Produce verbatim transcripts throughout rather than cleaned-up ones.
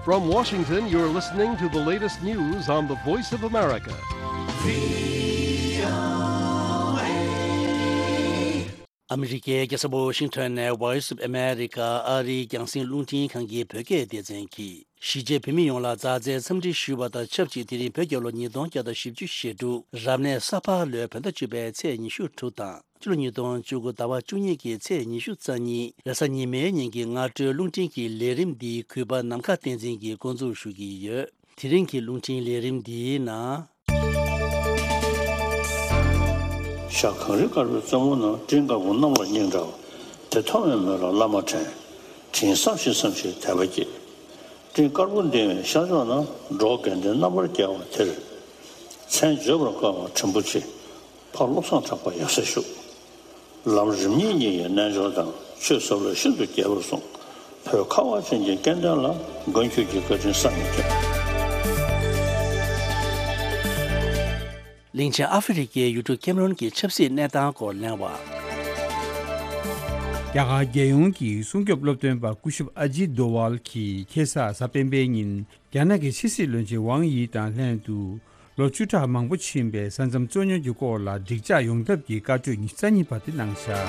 From Washington, you're listening to the latest news on the Voice of America. ཨ་མི་རི་ཀའི་རྒྱལ་ས་ཝོ་ཤིང་ཊོན་ནས་Voice of America ཨ་རིའི་རྒྱང་སྲིང་རླུང་འཕྲིན་ཁང་གི་བོད་སྐད་སྡེ་ཚན་གྱིས། གཞིས་བྱེས་བོད་མི་ཡོངས་ལ་མཛའ་བརྩེའི་འཚམས་འདྲི་ཞུ་བ་དང་ཆབས་ཅིག་དེ་རིང་བོད་རྒྱལ་ལོ་ཉིས་སྟོང་བརྒྱ་དང་བཞི་བཅུ་ཞེ་དྲུག་རབ་གནས་ས་ཕག་ལོའི་བོད་ཟླ་བཅུ་པའི་ཚེས་ཉི་ཤུ་དྲུག་དང་། ཕྱི་ལོ་ཉིས་སྟོང་བཅུ་དགུ་ཟླ་བ་བཅུ་གཉིས་ཀྱི་ཚེས་ཉི་ཤུ་རྩ་གཉིས་རེས་གཟའ་ཉི་མའི་ཉིན་གྱི་སྔ་དྲོའི་རླུང་འཕྲིན་གྱི་ལས་རིམ་འདི་གུས་པ་ནམ་མཁའ་བསྟན་འཛིན་གྱིས་འགོ་འཛུགས་ཞུ་གི་ཡོད། དེ་རིང་གི་རླུང་འཕྲིན་ལས་རིམ་འདིའི་ནང་། ཤར་གངས་རི་དཀར་པོའི་རྩེ་མོ་ན། སྤྲིན་དཀར་པོ་གནམ་ལ་སྙིང་འདྲ་བ། དེ་མཐོང་བའི་མོད་ལ་བླ་མ་དྲན། དྲིན་བསམ་ཞིང་བསམ་ཞིང་དད་པ་སྐྱེས། སྤྲིན་དཀར་པོ་ལྡིང་བའི་ཤར་ཕྱོགས་ན། འབྲོག་དགེ་ལྡན་རྣམ་པར་རྒྱལ་བ་དེར། མཚན་བརྗོད་པར་དཀའ་བ་བྲིན་པོ་ཆེ། ཕ་བློ་བཟང་གྲགས་པ་ཡབ་སྲས་བཞུགས། ལམ་རིམ་གཉིས་གཉིས་ཀྱི་རྣལ་འབྱོར་དང་། ཆོས་ཟབ་ལ་ཤིན་ཏུ་རྒྱས་པར་གསུངས། བོད་ཁ་བ་ཅན་གྱི་སྐལ་ལྡན་ལ། མགོན་ཁྱོད་ཀྱི་བཀའ་དྲིན་བསམ་མི་ཁྱབ། གླིང་ཆེན་ཨ་ཧྥེ་རི་ཁའི་ཡུལ་གྲུ་ཀེམ་རོན་གྱི་ཆབ་སྲིད་གནས་སྟངས་སྐོར་གླེང་བ། རྒྱ་གར་རྒྱལ་ཡོངས་ཀྱི་སྲུང་སྐྱོབ་སློབ་སྟོན་པ་སྐུ་ཞབས་ཨ་ཇིད་དོ་ཝལ་གྱིས་ཁ་སང་གཟའ་སྤེན་པའི་ཉིན། རྒྱ་ནག་གི་ཕྱི་སྲིད་བློན་ཆེན་ཝང་ཡི་དང་ལྷན་དུ། ལོ་བཅུ་ཕྲག་མང་པོ་ཕྱིན་པའི་ས་མཚམས་རྩོད་རྙོག་གི་སྐོར་ལ་འགྲིག་འཇགས་ཡོང་ཐབས་ཀྱི་བཀའ་གྲོས་ཉི་ཤུ་རྩ་གཉིས་པ་དེ་གནང་བཞག་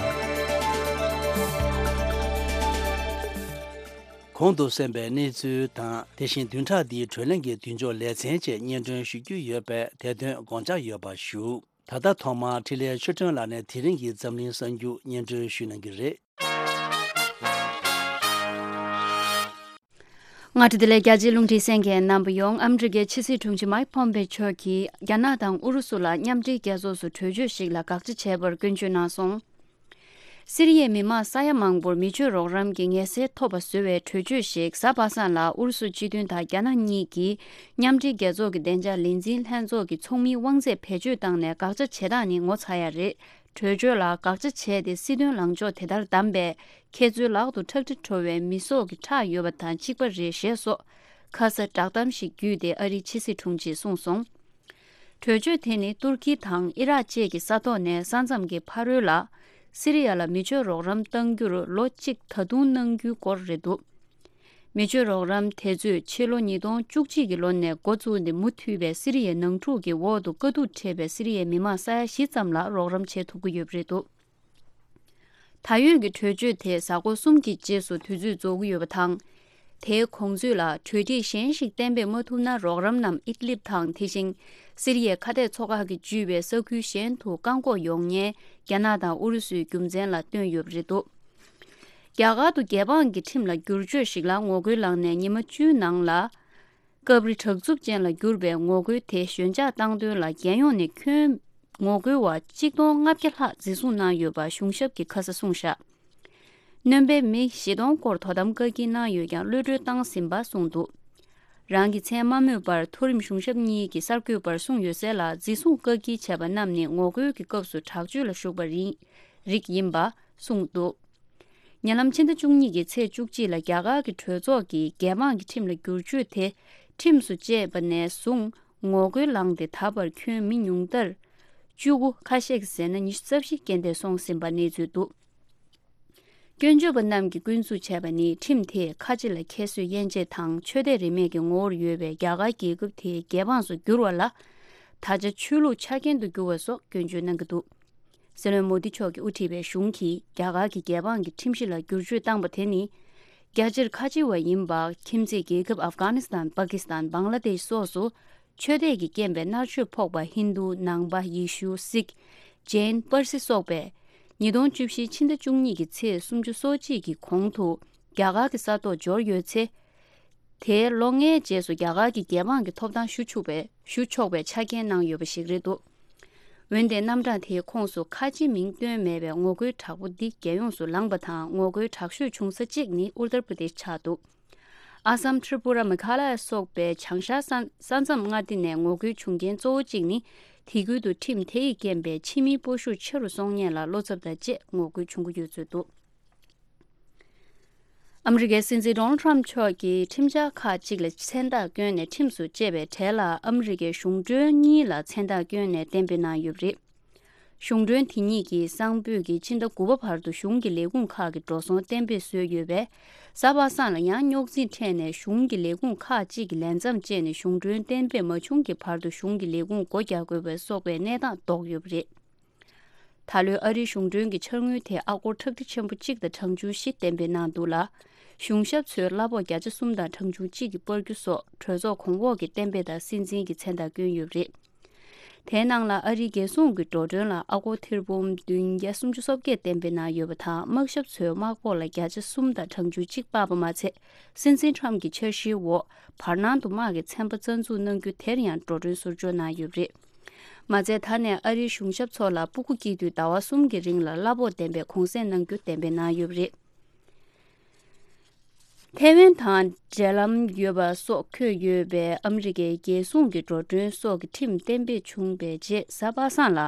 གོང་དུ་གསན་པའི་གནས་ཚུལ་དང་། དེ་བཞིན་བདུན་ཕྲག་འདིའི་བགྲོ་གླེང་གི་མདུན་ལྕོག་ལེ་ཚན་བཅས་སྙན་སྒྲོན་ཞུ་རྒྱུ་ཡོད་པས། དེ་དོན་དགོངས་འཇགས་ཡོད་པ་ཞུ། ད་ལྟ་ཐོག་མར་འཕྲིན་ལས་ཆོས་སྒྲོན་ལགས་ནས་དེ་རིང་གི་འཛམ་གླིང་གསར་འགྱུར་སྙན་སྒྲོན་ཞུ་གནང་གི་རེད། སྔ་དྲོ་བདེ་ལེགས། རྒྱ་ཆེའི་རླུང་འཕྲིན་གསན་མཁན་རྣམ་པ་ཡོངས། ཨ་མི་རི་ཀའི་ཕྱི་སྲིད་དྲུང་ཆེ་མའིག་ཕོམ་པེ་མཆོག་གིས་རྒྱ་ནག་དང་ཨུ་རུ་སུ་ལ་མཉམ་འབྲེལ་རྒྱལ་ཚོགས་སུ་གྲོས་ཆོད་ཞིག་ལ་དགག་བྱ་བྱས་པར་སྐྱོན་བརྗོད་གནང་སོང་། སི་རི་ཡའི་མི་མང་ས་ཡ་མང་པོར་མི་ཆོས་རོགས་རམ་གྱི་ངལ་སེལ་ཐོབ་པ་བཟོ་བའི་གྲོས་ཆོད་ཞིག་གཟའ་པ་སངས་ལ་ཨུ་རུ་སུ་སྤྱི་མཐུན་དང་རྒྱ་ནག་གཉིས་ཀྱིས་མཉམ་འབྲེལ་རྒྱལ་ཚོགས་ཀྱི་བདེ་འཇགས་ལས་འཛིན་ལྷན་ཚོགས་ཀྱི་ཚོགས་མིའི་དབང་ཚད་བེད་སྤྱོད་བཏང་ནས་དགག་བྱ་བྱེད་སྟངས་ནི་ངོ་ཚ་ཡ་རེད། གྲོས་ཆོད་ལ་དགག་བྱ་བྱས་ཏེ་སྲིད་དོན་ལངས་ཕྱོགས་དེ་ལྟར་བདམས་པས། ཁྱེད་ཚོའི་ལག་ཏུ་ཁྲག་དྲི་བྲོ་བའི་མི་སྲོག་གི་ཁྲག་ཡོད་པ་དང་གཅིག་པ་རེད་ཞེས་སོགས་ཁ་ས་བསྒྲགས་གཏམ་ཞིག་བརྒྱུད་དེ་ཨ་རིའི་ཕྱི་སྲིད་དྲུང་ཆེས་གསུངས་སོང་། གྲོས་ཆོད་དེ་ནི་ཏུར་ཀི་དང་ཨི་རག་བཅས་ཀྱི་ས་ཐོག་ནས་ས་མཚམས་ཀྱི་ཕ་རོལ་ལ་སི་རི་ཡ་ལ་མི་ཆོས་རོགས་རམ་གཏང་རྒྱུར་ལོ་གཅིག་ད་དུང་གནང་རྒྱུའི་སྐོར་རེད་འདུག་མི་ཆོས་རོགས་རམ་དེ་ཚོས་ཕྱི་ལོ་ཉིས་སྟོང་བཅུ་གཅིག་གི་ལོ་ནས་འགོ་བཙུགས་ནས་མུ་མཐུད་པའི་སི་རི་ཡའི་ནང་འཁྲུག་གི་འོག་ཏུ་དཀའ་སྡུག་འཕྲད་པའི་སི་རི་ཡའི་མི་མང་ས་ཡ་བཞི་ཙམ་ལ་རོགས་རམ་བྱེད་ཐུབ་ཀྱི་ཡོད་པ་རེད་འདུག་ད་ཡོད་ཀྱི་གྲོས་ཆོད་དེ་གཟའ་འཁོར་གསུམ་གྱི་རྗེས་སུ་དུས་ཚོད་རྫོགས་ཀྱི་ཡོད་པ་དང་། དེའི་གོང་ཚོད་ལ་གྲོས་འགྲིག་གཞན་ཞིག་གཏན་འབེབས་མ་ཐུབ་ན་རོགས་རམ་རྣམས་ཨིད་ལིབ་དང་དེ་བཞིན་སི་རི་ཡའི་ཁ་གཏད་མཚོ་ཁག་གིས་བརྒྱུད་པའི་ས་ཁུལ་གཞན་དུ་བཀག་འགོག་ཡོང་ཉེན་རྒྱ་ནག་དང་ཨུ་རུ་སུའི་རྒྱུ་མཚན་ལ་བཏོན་ཡོད་པ་རེད་འདུག་རྒྱ་གར་དུ་རྒྱལ་འབངས་ཀྱི་ཁྲིམས་ལ་བསྒྱུར་བཅོས་ཤིག་ལ་ངོ་རྒོལ་ལངས་ནས་ཉི་མ་བཅུའི་ནང་ལ། སྐབས་རེ་དྲག་རྩུབ་ཅན་ལ་གྱུར་པའི་ངོ་རྒོལ་དེ་ཞོད་འཇགས་བཏང་དོན་ལ་རྒྱལ་ཡོངས་ནས་ཁྱོན་ངོ་རྒོལ་བ་གཅིག་སྟོང་ལྔ་བརྒྱ་ལྷག་འཛིན་བཟུང་གནང་ཡོད་པ་གཞུང་ཞབས་ཀྱིས་ཁ་ས་གསུངས་བཞག་སྣོན་པའི་མི་བཞི་སྟོང་སྐོར་དོ་དམ་བཀག་སྐྱིལ་གནང་ཡོད་ཀྱང་གློད་གྲོལ་བཏང་ཟིན་པ་གསུངས་འདུག་རང་གི་མཚན་མ་སྨོས་པར་མཐོ་རིམ་གཞུང་ཞབས་གཉིས་ཀྱི་གསར་འགོད་པར་གསུངས་ཡོད་གསལ་ལ། འཛིན་བཟུང་བཀག་སྐྱིལ་བྱས་པ་རྣམས་ནི་ངོ་རྒོལ་གྱི་སྐབས་སུ་དྲག་སྤྱོད་ལ་ཞུགས་པ་རིགས་ཡིན་པ་གསུངས་འདུག་ཉེ་ལམ་ཕྱི་ཟླ་བཅུ་གཉིས་ཀྱི་ཚེས་བཅུ་གཅིག་ལ་རྒྱ་གར་གྱི་གྲོས་ཚོགས་ཀྱིས་རྒྱལ་འབངས་ཀྱི་ཁྲིམས་ལ་བསྒྱུར་བཅོས་དེ་ཁྲིམས་སུ་བཅད་པ་ནས་བཟུང་ངོ་རྒོལ་ལངས་ཏེ་ད་བར་ཁྱོན་མི་ཉུང་མཐར་བཅུ་དགུ། ཁ་ཤས་ཀྱིས་ཟེར་ན་ཉི་ཤུ་རྩ་བཞི་རྐྱེན་འདས་སོང་ཟིན་པ་གནས་ཚུལ་འདུག་སྐྱོན་བརྗོད་པ་རྣམས་ཀྱིས་སྐུལ་འཛུགས་བྱས་པ་ནི་ཁྲིམས་དེས་ཁ་ཆེ་ལ་ཁྱད་གསོད་དབྱེ་འབྱེད་དང་ཆོས་དད་རིས་མེད་ཀྱི་ངོ་བོར་ཡོད་པའི་རྒྱ་གར་རྒྱལ་ཁབ་དེའི་རྒྱལ་འབངས་སུ་བསྒྱུར་བ་ལ་ད་ཆ་ཆོས་ལུགས་ཆ་རྐྱེན་དུ་གྱུར་བ་སོགས་སྐྱོན་བརྗོད་གནང་གི་འདུག་སྲིད་བློན་མོ་དི་མཆོག་གིས་དབུ་ཁྲིད་པའི་གཞུང་གིས་རྒྱ་གར་གྱི་རྒྱལ་འབངས་ཀྱི་ཁྲིམས་གཞི་ལ་བསྒྱུར་བཅོས་བཏང་པ་དེ་ནི། རྒྱ་ཆེར་ཁ་ཆེ་བ་ཡིན་པ་ཁྱིམ་མཚེས་རྒྱལ་ཁབ་ཨབ་གྷ་ནི་སི་ཐན། པ་ཀི་སི་ཐན། བང་ལ་དེཤ་སོགས་སུ་ཆོས་དད་ཀྱི་རྐྱེན་པས་མནར་གཅོད་ཕོག་པ་ཧིན་རྡུ། ནང་པ། ཡེ་ཤུ། སིག་ཇེན། པར་སི་སོགས་པས། ཉིས་སྟོང་བཅུ་བཞི་ཕྱི་ཟླ་བཅུ་གཉིས་ཀྱི་ཚེས་སུམ་ཅུ་སོ་གཅིག་གི་གོང་དུ་རྒྱ་གར་གྱི་ས་ཐོག་འབྱོར་ཡོད་ཚེ། དེའི་ལོ་ལྔའི་རྗེས་སུ་རྒྱ་གར་གྱི་རྒྱལ་འབངས་ཀྱི་ཐོབ་ཐང་ཞུ་ཆོག་པའི་ཞུ་ཆོག་པའི་ཆ་རྐྱེན་གནང་ཡོད་པ་ཞིག་རེད་འདུག་འོན་ཏེ་རྣམ་གྲངས་དེའི་ཁོངས་སུ་ཁ་ཆེ་མིང་བཏོན་མེད་པའི་ངོ་རྒོལ་དྲག་པོ་འདི་རྒྱལ་ཡོངས་སུ་ལངས་པ་དང་ངོ་རྒོལ་དྲག་ཤོས་བྱུང་ས་གཅིག་ནི་ཨུ་ཏར་པྲ་དེཤ་ཆགས་འདུག་ཨ་སམ། ཏྲི་པུ་ར། མེ་གྷ་ལ་ཡ་སོགས་པའི་བྱང་ཤར་ས་ས་མཚམས་མངའ་སྡེ་ནས་ངོ་རྒོལ་བྱུང་རྐྱེན་གཙོ་བོ་གཅིག་ནི་དེ་ཁུལ་དུ་ཁྲིམས་དེ་ཡི་རྐྱེན་པས་ཕྱི་མིའི་སྤོ་ཤུགས་ཆེ་རུ་སོང་ཉེན་ལ་བློ་འཚབ་དང་བཅས་ངོ་རྒོལ་བྱུང་གི་ཡོད་ཚུལ་འདུག་ཨ་མི་རི་ཀའི་སྲིད་འཛིན་ཌོ་ནལ་ཌི་ཊརམ་མཆོག་གིས་ཁྲིམས་འཆར་ཁག་ཅིག་ལ་མཚན་རྟགས་བསྐྱོན་ནས་ཁྲིམས་སུ་བཅད་པའི་གྲས་ལ་ཨ་མི་རི་ཀའི་གཞུང་གྲོན་གཉིས་ལ་མཚན་རྟགས་བསྐྱོན་ནས་གཏན་འབེབས་གནང་ཡོད་པ་རེད། གཞུང་གྲོན་དེ་ཉིད་ཀྱིས་སང་ཕོད་ཀྱི་ཕྱི་ཟླ་དགུ་པ་བར་དུ་གཞུང་གི་ལས་ཁུངས་ཁག་གི་འགྲོ་སོང་གཏན་འབེབས་བཟོས་ཡོད་པས། གཟའ་པ་སངས་ལ་ཡང་རྙོག་འཛིང་འཕྲད་ནས་གཞུང་གི་ལས་ཁུངས་ཁག་ཅིག་གིས་ལས་མཚམས་བཅད་ནས་གཞུང་གྲོན་གཏན་འབེབས་མ་བྱུང་གི་བར་དུ་གཞུང་གི་ལས་ཁུངས་སྒོ་རྒྱག་དགོས་པ་སོགས་པའི་གནས་སྟངས་བཟློག་ཡོད་པ་རེད། ད་ལོའི་ཨ་རིའི་གཞུང་གྲོན་གྱི་འཆར་དངུལ་དེ་ཨ་སྒོར་ཁྲག་ཁྲིག་ཆེན་པོ་གཅིག་དང་གྲངས་ཆུང་བཞི་གཏན་འབེབས་གནང་འདུག་ལ། གཞུང་ཞབས་ཚོས་གླ་ཕོགས་བརྒྱ་ཆ་གསུམ་དང་གྲངས་ཆུང་གཅིག་གི་སྤར་རྒྱུ་སོགས་གྲོས་ཚོགས་གོང་འོག་གི་གཏན་འབེབས་དང་སྲིད་འཛིན་གྱི་མཚན་རྟགས་བསྐྱོན་ཡོད་པ་རེད། དེའི་ནང་ལ་ཨ་རིའི་རྒྱལ་སྲུང་གི་འགྲོ་གྲོན་ལ་ཨ་སྒོར་ཐེར་འབུམ་བདུན་བརྒྱ་སུམ་ཅུ་སོ་བརྒྱད་གཏན་འབེབས་གནང་ཡོད་པ་དང་། དམག་ཞབས་ཚོས་དམག་ཕོགས་ལ་བརྒྱ་ཆ་གསུམ་དང་གྲངས་ཆུང་གཅིག་སྤར་བ་མ་ཚད། སྲིད་འཛིན་ཁྲམ་གྱི་འཆར་གཞིའི་འོག་བར་སྣང་དུ་དམག་གི་ཚན་པ་རྩ་འཛུགས་གནང་རྒྱུ་དེར་ཡང་འགྲོ་གྲོན་ཟུར་འཇོག་གནང་ཡོད་པ་རེད། མ་ཚད་ད་ནས་ཨ་རིའི་གཞུང་ཞབས་ཚོ་ལ་སྤུ་གུ་སྐྱེས་དུས་ཟླ་བ་གསུམ་གྱི་རིང་ལ་གླ་ཕོགས་ལྡན་པའི་གུང་སེང་གནང་རྒྱུ་གཏན་འབེབས་གནང་ཡོད་པ་རེད། ཐའེ་ཝན་དང་འབྲེལ་ལམ་ཡོད་པ་སོགས་འཁོད་ཡོད་པའི་ཨ་མི་རི་ཀའི་རྒྱལ་སྲུང་གི་འགྲོ་གྲོན་སོགས་ཀྱི་ཁྲིམས་གཏན་འབེབས་བྱུང་བའི་རྗེས། གཟའ་པ་སངས་ལ་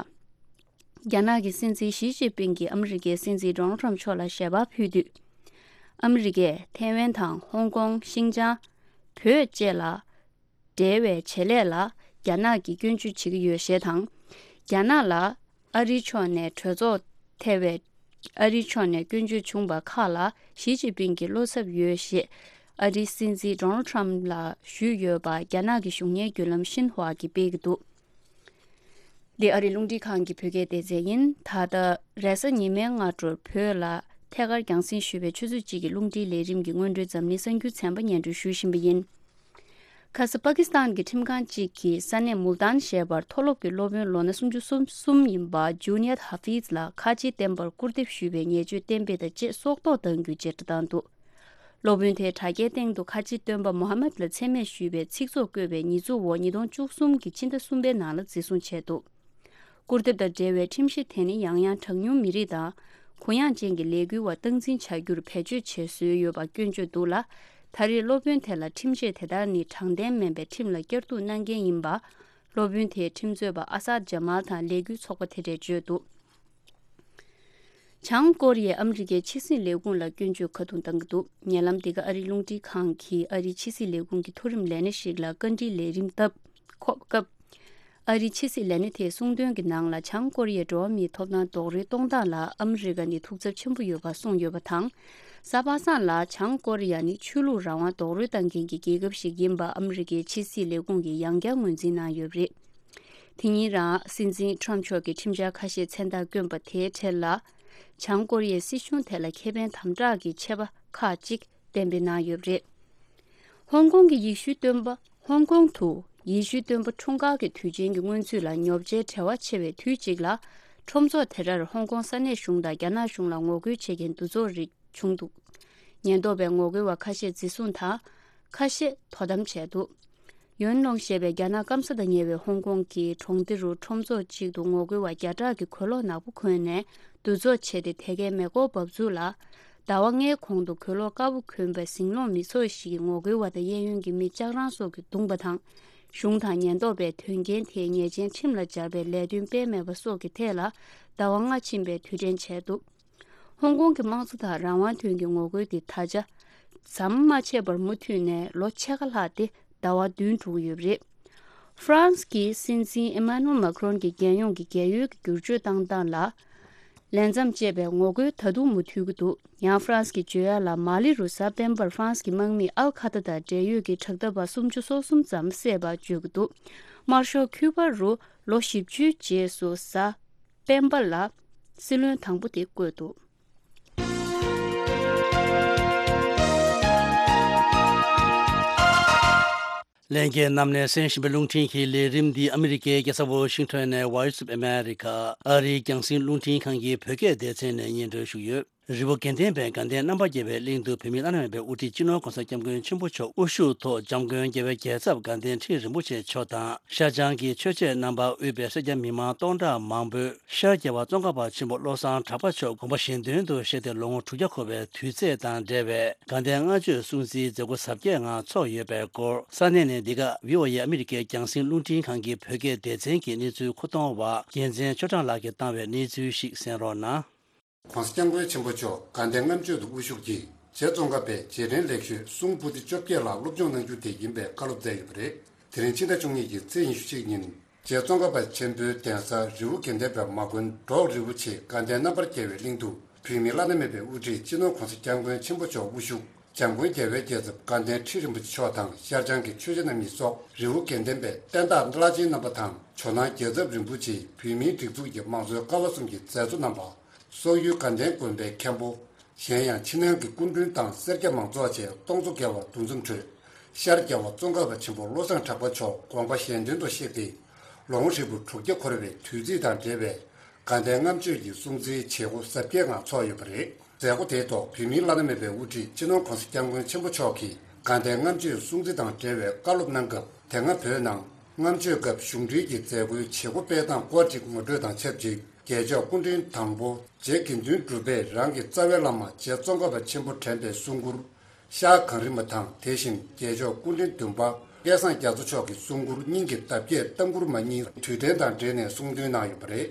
རྒྱ་ནག་གི་སྲིད་འཛིན་ཞི་ཅིན་ཕིང་གིས་ཨ་མི་རི་ཀའི་སྲིད་འཛིན་ཌོ་ནལ་ཁྲམ་མཆོག་ལ་ཞལ་པར་ཕུལ་དུས། ཨ་མི་རི་ཀས་ཐའེ་ཝན་དང་ཧོང་ཀོང་། ཤིན་ཅང་། བོད་བཅས་ལ་འབྲེལ་བའི་བྱེད་ལས་ལ་རྒྱ་ནག་གིས་སྐྱོན་བརྗོད་བྱེད་ཀྱི་ཡོད་ཞེས་དང་། རྒྱ་ནག་ལ་ཨ་རིའི་ཕྱོགས་ནས་གྲོས་ཚོགས་ཐེ་བའི། ཨ་རིའི་ཕྱོགས་ནས་སྐྱོན་བརྗོད་བྱུང་བ་ཁག་ལ་ཞི་ཅིན་ཕིང་གིས་བློ་འཚབ་ཡོད་ཞེས་ཨ་རིའི་སྲིད་འཛིན་ཌོ་ནལ་ཁྲམ་ལ་ཞུས་ཡོད་པ་རྒྱ་ནག་གི་གཞུང་གཉེར་བརྒྱུད་ལམ་ཤིན་ཧྭ་གིས་སྤེལ་གྱི་འདུག་འདི་ཨ་རིའི་རླུང་འཕྲིན་ཁང་གི་བོད་སྐད་སྡེ་ཚན་ཡིན། ད་ལྟ་རེས་གཟའ་ཉི་མའི་སྔ་དྲོར་བོད་ལ་ཐད་ཀར་རྒྱང་སྲིང་ཞུས་པའི་ཆུ་ཚོད་གཅིག་གི་རླུང་འཕྲིན་ལས་རིམ་གྱི་སྔོན་འགྲོའི་འཛམ་གླིང་གསར་འགྱུར་ཚན་པ་སྙན་སྒྲོན་ཞུ་བཞིན་པ་ཡིན། ཁ་ས་པ་ཀི་སི་ཐན་གྱི་ཁྲིམས་ཁང་གཅིག་གིས་ས་གནས་མུལ་ཏཱན་ཞེས་པར་མཐོ་སློབ་ཀྱི་སློབ་དཔོན་ལོ་ན་སུམ་ཅུ་སོ་གསུམ་ཡིན་པ་ཇུ་ནི་ཡད་ཧ་ཧྥིཛ་ལ་ཁ་ཆེའི་བསྟན་པར་སྐུར་འདེབས་ཞུས་པའི་ཉེས་སྤྱོད་གཏན་འབེབས་དང་བཅས་སྲོག་ཐོག་བཏང་རྒྱུའི་བཅད་ཁྲ་བཏང་འདུག་སློབ་དཔོན་དེས་དྲ་རྒྱའི་སྟེང་དུ་ཁ་ཆེའི་སྟོན་པ་མུ་ཧམ་མད་ལ་མཚན་སྨད་ཞུས་པའི་ཚིག་ཚོགས་བཀོད་པའི་ཉེས་འཛུགས་འོག་ཉིས་སྟོང་བཅུ་གསུམ་གྱི་ཕྱི་ཟླ་གསུམ་པའི་ནང་ལ་འཛིན་བཟུང་བྱས་འདུག་སྐུར་འདེབས་དང་འབྲེལ་བའི་ཁྲིམས་གཞི་དེ་ནི་ཡང་ཡང་གྲངས་ཉུང་མི་རིགས་དང་གུ་ཡངས་ཅན་གྱི་ལས་འགུལ་བ་སྟངས་འཛིན་བྱ་རྒྱུར་བེད་སྤྱོད་བྱས་བཟོས་ཡོད་པ་སྐྱོན་བརྗོད་འདུག་ལ། ད་རེས་སློབ་དཔོན་དེ་ལ་ཁྲིམས་ཆད་དེ་ལྟར་ནི་དྲང་བདེན་མིན་པའི་ཁྲིམས་ལ་བསྐྱར་གཏུག་གནང་མཁན་ཡིན་པ། སློབ་དཔོན་དེའི་ཁྲིམས་རྩོད་པ་ཨ་སཱད་ཇ་མཱལ་དང་ལས་འགུལ་ཚོགས་པ་དེ་འདྲས་བརྗོད་འདུག་བྱང་ཀོ་རི་ཡས་ཨ་མི་རི་ཀའི་ཕྱི་སྲིད་ལས་ཁུངས་ལ་སྐྱོན་བརྗོད་ཁ་རྡུང་བཏང་གི་འདུག་ཉེ་ལམ་འདི་ག་ཨ་རིའི་རླུང་འཕྲིན་ཁང་གིས་ཨ་རིའི་ཕྱི་སྲིད་ལས་ཁུངས་ཀྱི་མཐོ་རིམ་ལས་སྣེ་ཞིག་ལ་བཀའ་འདྲིའི་ལས་རིམ་བཏབ་ཁོ་སྐབས། ཨ་རིའི་ཕྱི་སྲིད་ལས་སྣེ་དེས་གསུངས་དོན་གྱི་ནང་ལ། བྱང་ཀོ་རི་ཡའི་འགྲོ་བ་མིའི་ཐོབ་ཐང་རྡོག་རོལ་གཏོང་སྟངས་ལ་ཨ་མི་རི་ཀ་ནི་ཐུགས་འཚབ་ཆེན་པོ་ཡོད་པ་གསུངས་ཡོད་པ་དང་། གཟའ་པ་སངས་ལ་བྱང་ཀོ་རི་ཡ་ནི་ཆོས་ལུགས་རང་དབང་རྡོག་རོལ་གཏོང་མཁན་གྱི་རྒྱལ་ཁབ་ཞིག་ཡིན་པ་ཨ་མི་རི་ཀའི་ཕྱི་སྲིད་ལས་ཁུངས་ཀྱིས་ཡང་བསྐྱར་ངོས་འཛིན་གནང་ཡོད་པ་རེད། དེ་ཉིན་རང་སྲིད་འཛིན་ཁྲམ་མཆོག་གིས་ཁྲིམས་འཆར་ཁ་ཤས་མཚན་རྟགས་བསྐྱོན་པ་དེའི་གྲས་ལ། བྱང་ཀོ་རི་ཡའི་སྲིད་གཞུང་དེ་ལ་ཁེ་ཕན་དམ་དྲག་གི་ཆད་པ་ཁག་ཅིག་གཏན་འབེབས་གནང་ཡོད་པ་རེད། ཧོང་ཀོང་གི་ཡེ་ཤུའི་སྟོན་པ། ཧོང་ཀོང་དུ་ཡེ་ཤུའི་སྟོན་པ་འཁྲུངས་སྐར་གྱི་དུས་ཆེན་གྱི་སྔོན་ཚུད་ལ་ཉོ་ཆའི་བྲེལ་བ་ཆེ་བའི་དུས་གཅིག་ལ། ཁྲོམ་ཚོགས་དེ་འདྲར་ཧོང་ཀོང་ས་གནས་གཞུང་དང་རྒྱ་ནག་གཞུང་ལ་ངོ་རྒོལ་བྱེད་མཁན་འདུ་ཚོགས་རིགས་བྱུང་འདུག་ཉེན་རྟོག་པས་ངོ་རྒོལ་བ་ཁ་ཤས་འཛིན་བཟུང་དང་། ཁ་ཤས་དོ་དམ་བྱས་འདུག་ཡོན་ལོང་ཞེས་པའི་རྒྱ་ནག་སྐམ་ས་དང་ཉེ་བའི་ཧོང་ཀོང་གི་གྲོང་སྡེ་རུ་ཁྲོམ་ཚོགས་གཅིག་ཏུ་ངོ་རྒོལ་བ་བརྒྱ་ཕྲག་གིས་གོས་ལོག་ནག་པོ་གོན་ནས་འདུ་ཚོགས་བྱས་ཏེ། དེ་གའི་མེ་འཁོར་འབབ་ཚུགས་ལ། ཟླ་བ་ལྔའི་གོང་དུ་གོས་ལོག་དཀར་པོ་གོན་པའི་ཟིང་སློང་མི་ཚོགས་ཤིག་གིས་ངོ་རྒོལ་བ་དང་གཡས་གཡོན་གྱི་མི་ལྕགས་རང་སོགས་ཀྱིས་བརྡུངས་པ་དང་། གཞུང་དང་ཉེན་རྟོག་པས་དོན་རྐྱེན་དེའི་ཉེས་ཅན་ཁྲིམས་ལ་སྦྱར་བའི་ལས་དོན་སྤེལ་མེད་པ་སོགས་ཀྱི་ཐད་ལ་ཟླ་བ་ལྔ་ཕྱིན་པའི་དུས་དྲན་བྱས་འདུག་ཧོང་ཀོང་གི་དམངས་གཙོ་དང་རང་དབང་དོན་གྱི་ངོ་རྒོལ་དེ་ད་ཆ་ཟམ་མ་ཆད་པར་མུ་མཐུད་ནས་ལོ་ཕྱེད་ཀ་ལྷག་སྟེ་ཟླ་བ་བདུན་འགྲོ་གི་ཡོད་པ་རེད། ཧྥ་རན་སི་གི་སྲིད་འཛིན་ཨེ་མ་ནུ་ཨེལ་མཱ་ཁི་རོན་གྱི་རྒྱལ་ཡོངས་ཀྱི་རྒྱལ་ཡོལ་གྱི་བསྒྱུར་བཅོས་བཏང་སྟངས་ལ་ལས་མཚམས་བཅད་པའི་ངོ་རྒོལ་ད་དུང་མུ་མཐུད་ཀྱི་འདུག་ཡང་ཧྥ་རན་སི་གི་བརྗོད་ཡག་ལ་མ་ལི་རུ་གཟའ་སྤེན་པར་ཧྥ་རན་སི་གི་དམག་མིས་ཨལ་ཁ་ཐ་དང་འབྲེལ་ཡོད་ཀྱི་དྲག་འཐབ་པ་སུམ་ཅུ་སོ་གསུམ་ཙམ་བསད་པ་བརྗོད་ཀྱི་འདུག་དམར་ཤོག་ཁྱུ་པ་རུ་ལོ་བཞི་བཅུའི་རྗེས་སུ་གཟའ་སྤེན་པ་ལ་སྲིད་བློན་དང་པོ་དེ་བསྐོས་འདུག་ལྷན་རྒྱས་རྣམས་ནས་གསན་བཞིན་པའི་རླུང་འཕྲིན་གྱི་ལས་རིམ་འདི་ཨ་མི་རི་ཀའི་རྒྱལ་ས་ཝོ་ཤིང་ཊོན་ནས་Voice of America ཨ་རིའི་རྒྱང་སྲིང་རླུང་འཕྲིན་ཁང་གི་བོད་སྐད་སྡེ་ཚན་ནས་སྙན་སྒྲོན་ཞུས་ཡོད། རི་བོ་དགེ་ལྡན་པའི་དགའ་ལྡན་རྣམ་པར་རྒྱལ་བའི་གླིང་དུ་བོད་མིའི་བླ་ན་མེད་པའི་དབུ་ཁྲིད་སྤྱི་ནོར་༸གོང་ས་༸སྐྱབས་མགོན་ཆེན་པོ་མཆོག་དབུ་བཞུགས་ཐོག་འཇམ་མགོན་རྒྱལ་བའི་རྒྱལ་ཚབ་དགའ་ལྡན་ཁྲི་རིན་པོ་ཆེ་མཆོག་དང་། ཤར་བྱང་གི་ཆོས་བྱེད་རྣམ་པ་དབུས་པའི་སེར་སྐྱ་མི་མང་སྟོང་ཕྲག་མང་པོས་ཤར་རྒྱལ་བ་ཙོང་ཁ་པ་ཆེན་པོ་བློ་བཟང་གྲགས་པ་མཆོག་དགོངས་པ་གཞན་དོན་དུ་གཤེགས་ཏེ་ལོ་ངོ་དྲུག་བརྒྱ་འཁོར་བའི་དུས་ཚེས་དང་འབྲེལ་བའི་དགའ་ལྡན་བསྔགས་བརྗོད་སྲུང་བརྩིའི་མཛད་སྒོ་གཟབ་རྒྱས་ངང་ཚོགས་ཡོད་པའི་སྐོར། ས་གནས་ནས་འདི་ག་བྷི་ཨོ་ཨེ་ཨ་མི་རི་ཀའི་རྒྱང་སྲིང་རླུང་འཕྲིན་ཁང་གི་བོད་སྐད་སྡེ་ཚན་གྱི་གནས་ཚུལ་མཁོ་གཏོང་བ་རྒྱལ་མཚན་ཆོས་གྲགས་ལགས་ཀྱིས་བཏང་བའི་གནས་ཚུལ་ཞིག་གསན་རོགས་གནང་། ༸གོང་ས་༸སྐྱབས་མགོན་ཆེན་པོ་མཆོག་དགའ་ལྡན་ལྔ་མཆོད་དུ་དབུ་བཞུགས་ཀྱིས། རྗེ་ཙོང་ཁ་པའི་རྗེས་དྲན་ལེགས་ཤོས་གསུང་པོ་ཏི་བཅོ་བརྒྱད་ལ་སློབ་སྦྱོང་གནང་རྒྱུ་དེ་ཡིན་པའི་བཀའ་སློབ་སྩལ་ཡོད་པ་རེད། དེ་རིང་ཕྱི་ཟླ་བཅུ་གཉིས་ཀྱི་ཚེས་ཉི་ཤུ་གཅིག་ཉིན། རྗེ་ཙོང་ཁ་པ་ཆེན་པོའི་གདན་ས་རི་བོ་དགེ་ལྡན་པའི་མ་དགོན་འབྲོག་རི་བོ་ཆེའི་དགའ་ལྡན་རྣམ་པར་རྒྱལ་བའི་གླིང་དུ། བོད་མིའི་བླ་ན་མེད་པའི་དབུ་ཁྲིད་སྤྱི་ནོར་༸གོང་ས་༸སྐྱབས་མགོན་ཆེན་པོ་མཆོག་དབུ་བཞུགས་འཇམ་མགོན་རྒྱལ་བའི་རྒྱལ་ཚབ་དགའ་ལྡན་ཁྲི་རིན་པོ་ཆེ་མཆོག་དང་ཤར་བྱང་གི་ཆོས་རྗེ་རྣམ་གཉིས་སོགས་རི་བོ་དགེ་ལྡན་པའི་བསྟན་བདག་བླ་ཆེན་རྣམ་པ་དང་ཇོ་ནང་རྒྱལ་ཚབ་རིན་པོ་ཆེའི་བོད་མིའི་སྒྲིག་འཛུགས་ཀྱི་མང་གཙོའི་ཀ་བ་གསུམ་གྱི་མཛད་གཙོ་རྣམ་པ། སོག་ཡུལ་དགའ་ལྡན་དགོན་པའི་མཁན་པོ། གཞན་ཡང་ཕྱི་ནང་གི་སྐུ་མགྲོན་དང་སེར་སྐྱ་མང་ཚོགས་བཅས་སྟོང་ཚོ་བརྒལ་བ་འདུ་འཛོམས་ཁྲོད། ཤར་རྒྱལ་བ་ཙོང་ཁ་པ་ཆེན་པོ་བློ་བཟང་གྲགས་པ་མཆོག་དགོངས་པ་གཞན་དོན་དུ་གཤེགས་ཏེ། ལོ་ངོ་ཧྲིལ་པོ་དྲུག་བརྒྱ་འཁོར་བའི་དུས་ཚིགས་དང་འབྲེལ་བའི་དགའ་ལྡན་ལྔ་མཆོད་ཀྱི་སྲུང་བརྩིའི་བྱེད་སྒོ་གཟབ་རྒྱས་ངང་ཚོགས་ཡོད་པ་རེད། མཛད་སྒོ་དེའི་ཐོག་བོད་མིའི་བླ་ན་མེད་པའི་དབུ་ཁྲིད་སྤྱི་ནོར་༸གོང་ས་༸སྐྱབས་མགོན་ཆེན་པོ་མཆོག་གིས་དགའ་ལྡན་ལྔ་མཆོད་སྲུང་བརྩི་དང་འབྲེལ་བའི་བཀའ་སློབ་གནང་སྐབས། དེ་སྔ་བོད་ནང་ལྔ་མཆོད་སྐབས་གཞུང་འབྲེལ་གྱི་མཛད་སྒོའི་བྱེད་སྒོ་སྤེལ་སྟངས་སྐོར་གྱི་ངོ་སྤྲོད་དང་ཆབས་ཅིག་རྒྱལ་མཆོག་སྐུ་ཕྲེང་དང་པོ་རྗེ་དགེ་འདུན་གྲུབ་པས་རང་གི་རྩ་བའི་བླ་མ་རྗེ་ཙོང་ཁ་པ་ཆེན་པོ་དྲན་པའི་གསུང་མགུར་ཤར་གངས་རི་མ་དང་། དེ་བཞིན་རྒྱལ་མཆོག་སྐུ་ཕྲེང་བདུན་པ་སྐལ་བཟང་རྒྱ་མཚོ་མཆོག་གི་གསུང་མགུར་སྙིང་གི་འདབ་བརྒྱད་ལྟ་མགུར་མ་གཉིས་དུས་དྲན་དང་འབྲེལ་ནས་གསུང་འདོན་གནང་ཡོད་པ་རེད།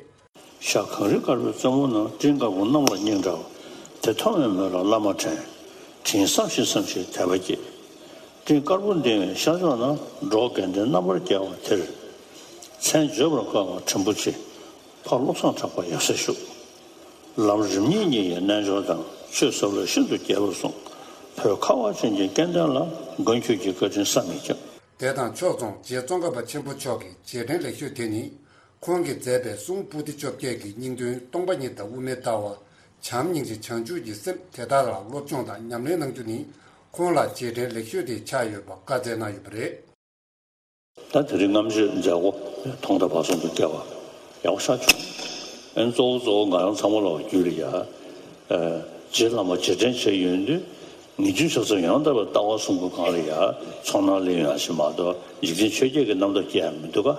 ཤར་གངས་རི་དཀར་པོའི་རྩེ་མོ་ན། སྤྲིན་དཀར་པོ་གནམ་ལ་སྙིང་འདྲ་བ། དེ་མཐོང་བའི་མོད་ལ་བླ་མ་དྲན། དྲིན་བསམ་ཞིང་བསམ་ཞིང་དད་པ་སྐྱེས། སྤྲིན་དཀར་པོ་ལྡིང་བའི་ཤར་ཕྱོགས་ན། འབྲོག་དགེ་ལྡན་རྣམ་པར་རྒྱལ་བ་དེར། མཚན་བརྗོད་པར་དཀའ་བ་དྲིན་པོ་ཆེ། ཕ་བློ་བཟང་གྲགས་པ་ཡབ་སྲས་བཞུགས། ལམ་རིམ་གཉིས་བརྙེས་ཡི་རྣལ་འབྱོར་དང་། ཆོས་ཟབ་ལ་ཤིན་ཏུ་རྒྱས་པར་གསུངས། བོད་ཁ་བ་ཅན་གྱི་སྐལ་ལྡན་ལ། མགོན་ཁྱོད་ཀྱི་བཀའ་དྲིན་བསམ་མི་ཁྱབ། དེ་དང་ཕྱོགས་མཚུངས་རྗེ་ཙོང་ཁ་པ་ཆེན་པོ་མཆོག་གི་རྗེས་དྲན་ལེགས་ཤོས་དེ་ནི། ཁོང་གིས་མཛད་པའི་གསུང་པོ་ཏི་བཅོ་བརྒྱད་ཀྱི་སྙིང་དོན་སྟོང་པ་ཉིད་དང་དབུ་མའི་ལྟ་བ། བྱམས་སྙིང་རྗེ་བྱང་ཆུབ་ཀྱི་སེམས་དེ་དག་ལ་སློབ་སྦྱོང་དང་ཉམས་ལེན་གནང་རྒྱུ་ནི། ཁོང་ལ་རྗེས་དྲན་ལེགས་ཤོས་དེ་ཆགས་ཡོད་པ་བཀའ་སྩལ་གནང་ཡོད་པ་རེད། ད་དེ་རིང་ལྔ་མཆོད་མཛད་སྒོ་ཐོག་མཐའ་བར་གསུམ་དུ་བསྐྱལ་བ་ཡག་པོ་ཤར་བྱུང་། ཨན་གཙོ་བོ་གཙོ་བོ་ང་རང་ཚང་མ་ལ་རྒྱུས་ལ་ཡ། རྗེ་བླ་མ་རྗེས་དྲན་བྱས་ཡོང་དུས། ངེས་འབྱུང་ཕྱག་འཚལ་ཡང་དག་པའི་ལྟ་བ་གསུང་གི་སྒང་ལ་ཡ། ཚོགས་ནང་ལེན་ཡོང་ཞིག་མ་གཏོགས་འཇིག་རྟེན་ཆོས་བརྒྱད་ཀྱི་རྣམ་ཐར་སྐྱེལ་ཡ་མི་འདུག་ག་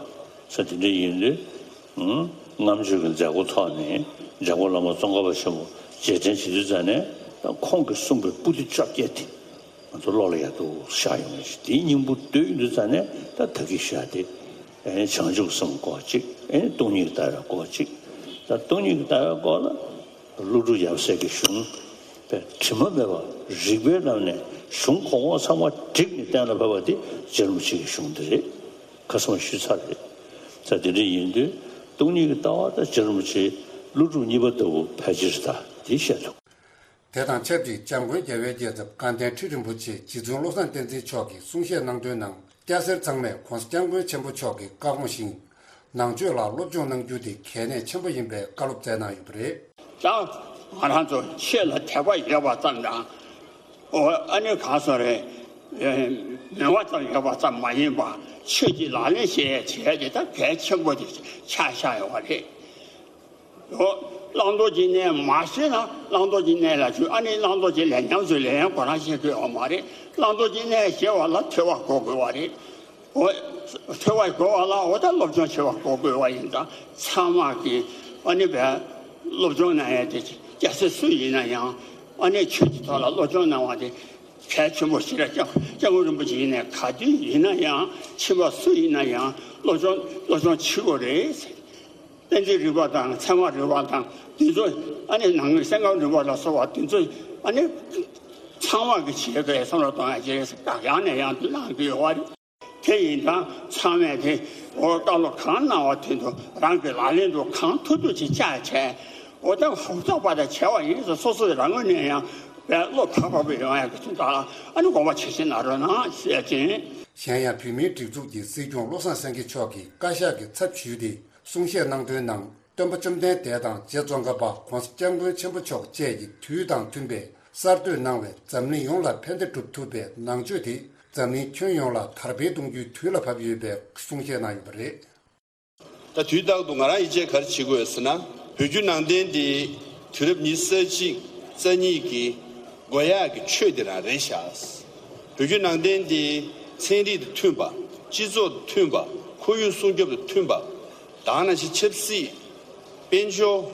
ས་དེ་འདྲ་ཡིན་དུས། ལྔ་མཆོད་ཀྱི་མཛད་སྒོ་ཐོག་ནས་འཇམ་མགོན་བླ་མ་ཙོང་ཁ་པ་ཆེན་པོ་རྗེས་དྲན་བྱེད་དུས་ཙང་ནས། ད་ཁོང་གིས་གསུངས་པའི་པོ་ཏི་བཅོ་བརྒྱད་དེ་ང་ཚོ་བློ་ལ་ཡག་ཏུ་ཤར་ཡོང་བ་ཞིག་དེའི་སྙིང་པོ་བསྡུས་ཡོང་དུས་ཙང་ནས། ད་ད་གིན་བཤད་དེ། ཨེ་བྱང་ཆུབ་སེམས་སྐོར་གཅིག་ཨེ་སྟོང་ཉིད་ལྟ་བའི་སྐོར་གཅིག་ད་སྟོང་ཉིད་ལྟ་བའི་སྐོར་ལ། ཀླུ་སྒྲུབ་ཡབ་སྲས་ཀྱི་གཞུང་། དཔེ་དྲི་མ་མེད་པ་རིགས་པའི་ལམ་ནས་གཞུང་གོང་འོག་ཚང་མ་བསྒྲིགས་ནས་གཏན་ལ་ཕབ་པ་དེ་རྗེ་རིན་པོ་ཆེ་གི་གཞུང་དེ་རེད། ཁ་སང་ཞུས་ཚར་རེད། ས་དེ་འདྲ་ཡིན་དུས་སྟོང་ཉིད་ཀྱི་ལྟ་བ་དང་རྗེ་རིན་པོ་ཆེའི་ཀླུ་སྒྲུབ་གཉིས་པ་ལྟ་བུ་ཕལ་ཆེར་ད་དེ་བཤད་ཐུབ། དེ་དང་ཆབས་ཅིག་འཇམ་མགོན་རྒྱལ་བའི་རྒྱལ་ཚབ་དགའ་ལྡན་ཁྲི་རིན་པོ་ཆེ་རྗེ་བཙུན་བློ་བཟང་བསྟན་འཛིན་མཆོག་གིས་གསུང་བཤད་གནང་དོན་ནང་། སྐྱ་སེར་ཚང་མས་༸གོང་ས་༸སྐྱབས་མགོན་ཆེན་པོ་མཆོག་གི་བཀའ་དགོངས་བཞིན། ནང་ཆོས་ལ་སློབ་སྦྱོང་གནང་རྒྱུ་དེ་གལ་གནད་ཆེན་པོ་ཡིན་པའི་བཀའ་སློབ་སྩལ་གནང་ཡོད་པ་རེད། ད་ང་རང་ཚོ་ཆོས་ལ་དད་པ་ཡོད་པ་ཙམ་དང་། ཨོ་ཨ་ནི་གང་སོང་རེད། མོས་པ་ཙམ་ཡོད་པ་ཙམ་མ་ཡིན་པ། ཆོས་ཀྱི་ལག་ལེན་བྱེད་ཡས་བྱེད་ཡས་དེ་ད་གལ་ཆེན་པོ་དེ་ཆགས་བཞག་ཡོད་པ་རེད། ཨོ་བླང་དོར་གྱི་གནས་མ་ཤེས་ན་བླང་དོར་གྱི་གནས་ལ་ཞུགས། ཨ་ནི་བླང་དོར་གྱི་ལས་ཉམས་སུ་ལེན་ཡས་ཁོ་རང་ཤེས་དགོས་ཡོད་མ་རེད། བླང་དོར་གྱི་གནས་ཤེས་པ་ལ་ཐོས་པ་དགོས་དགོས་པ་རེད། འོ། ཐོས་པ་དགོས་པ་ལ་འོ་ད་སློབ་སྦྱོང་བྱེད་པ་དགོས་དགོས་པ་ཡིན་ཙང་། ཚང་མ་གིས་ཨ་ནི་བས་སློབ་སྦྱོང་གནང་ཡས་དེ་སྐྱ་སེར་སུ་ཡིན་ན་ཡང་། ཨ་ནི་ཆོས་ཀྱི་ཐོག་ལ་སློབ་སྦྱོང་གནང་བ་དེ་གལ་ཆེན་པོ་ཞིག་རེད། སྐྱབས་སྐྱབས་མགོན་རིན་པོ་ཆེ་ཡིན་ནའི་ག་དུས་ཡིན་ན་ཡང་། ཕྱི་པ་སུ་ཡིན་ན་ཡང་སློབ་སྦྱོང་སློབ་སྦྱོང་བྱེད་དགོས་རེད། བསྟན་འཛིན་རིག་པ་དང་ཚད་མ་རིག་པ་དང་དེ་ཚོ། ཨ་ནི་ནང་གི་སེམས་ཁམས་རིག་པ་ལ་སོགས་པ་དེ་ཚོ། ཨ་ནི་ཚང་མ་གིས་བྱེད་དགོས་བསམ་བློ་གཏོང་ཡ་ཅིག་རེད་ཟེར་བཀའ་ཡང་ནས་ཡང་དུ་གནང་གི་ཡོད་པ་རེད། དེ་ཡིན་ཙང་ཚང་མས་དེ་འོ་བཀའ་སློབ་གང་གནང་བ་དེ་ཚོ་རང་གི་ལག་ལེན་དུ་གང་ཐུབ་ཐུབ་ཅིག་བཅའ་བྱས། འོ་ད་ཧུར་ཐག་པ་དང་བྱས་པ་ཡིན་ཙང་སོ་སོའི་རང་ངོས་ནས་ཡང་བས་བློ་བབ་བབ་ཡོང་ཡག་གི་དོན་དག་ལ་ཨ་ནི་དགོངས་པ་ཇི་བཞིན་གནང་རོགས་གནང་ཞུ་ཡ་ཅིག་ཡིན། གཞན་ཡང་བོད་མིའི་སྒྲིག་འཛུགས་ཀྱི་སྲིད་སྐྱོང་བློ་བཟང་སེང་གེ་མཆོག་གིས་བཀའ་ཤག་གི་ཚབ་ཞུས་ཏེ་གསུང་བཤད་གནང་དོན་ནང་། སྟོན་པ་བཅོམ་ལྡན་འདས་དང་རྗེ་ཙོང་ཁ་པ་༸གོང་ས་༸སྐྱབས་མགོན་ཆེན་པོ་མཆོག་བཅས་ཀྱིས་དུས་དང་མཐུན་པའི་གསར་གཏོད་གནང་བའི་འཛམ་གླིང་ཡོངས་ལ་ཕན་བདེ་སྒྲུབ་ཐུབ་པའི་ནང་ཆོས་དེ་འཛམ་གླིང་ཁྱོན་ཡོངས་ལ་དར་སྤེལ་གཏོང་རྒྱུའི་དུས་ལ་བབ་ཡོད་པའི་གསུང་བཤད་གནང་ཡོད་པ་རེད། ད་དུས་རྟག་ཏུ་ང་རང་ཡིད་ཆེས་ག་རེ་བྱེད་དགོས་ཟེར་ན། བོད་བརྒྱུད་ནང་བསྟན་འདི་དུས་རབས་ཉི་ཤུ་རྩ་གཅིག་རྩ་གཉིས་ཀྱི་དགོས་ཡག་གི་ཆོས་འདི་རང་རེད་ཤག་བོད་བརྒྱུད་ནང་བསྟན་འདི་ཚན་རིག་དང་མཐུན་པ། སྤྱི་ཚོགས་དང་མཐུན་པ། ཁོར་ཡུག་སྲུང་སྐྱོབ་དང་མཐུན་པ། དེ་ནང་བཞིན་ཆབ་སྲིད། དཔལ་འབྱོར།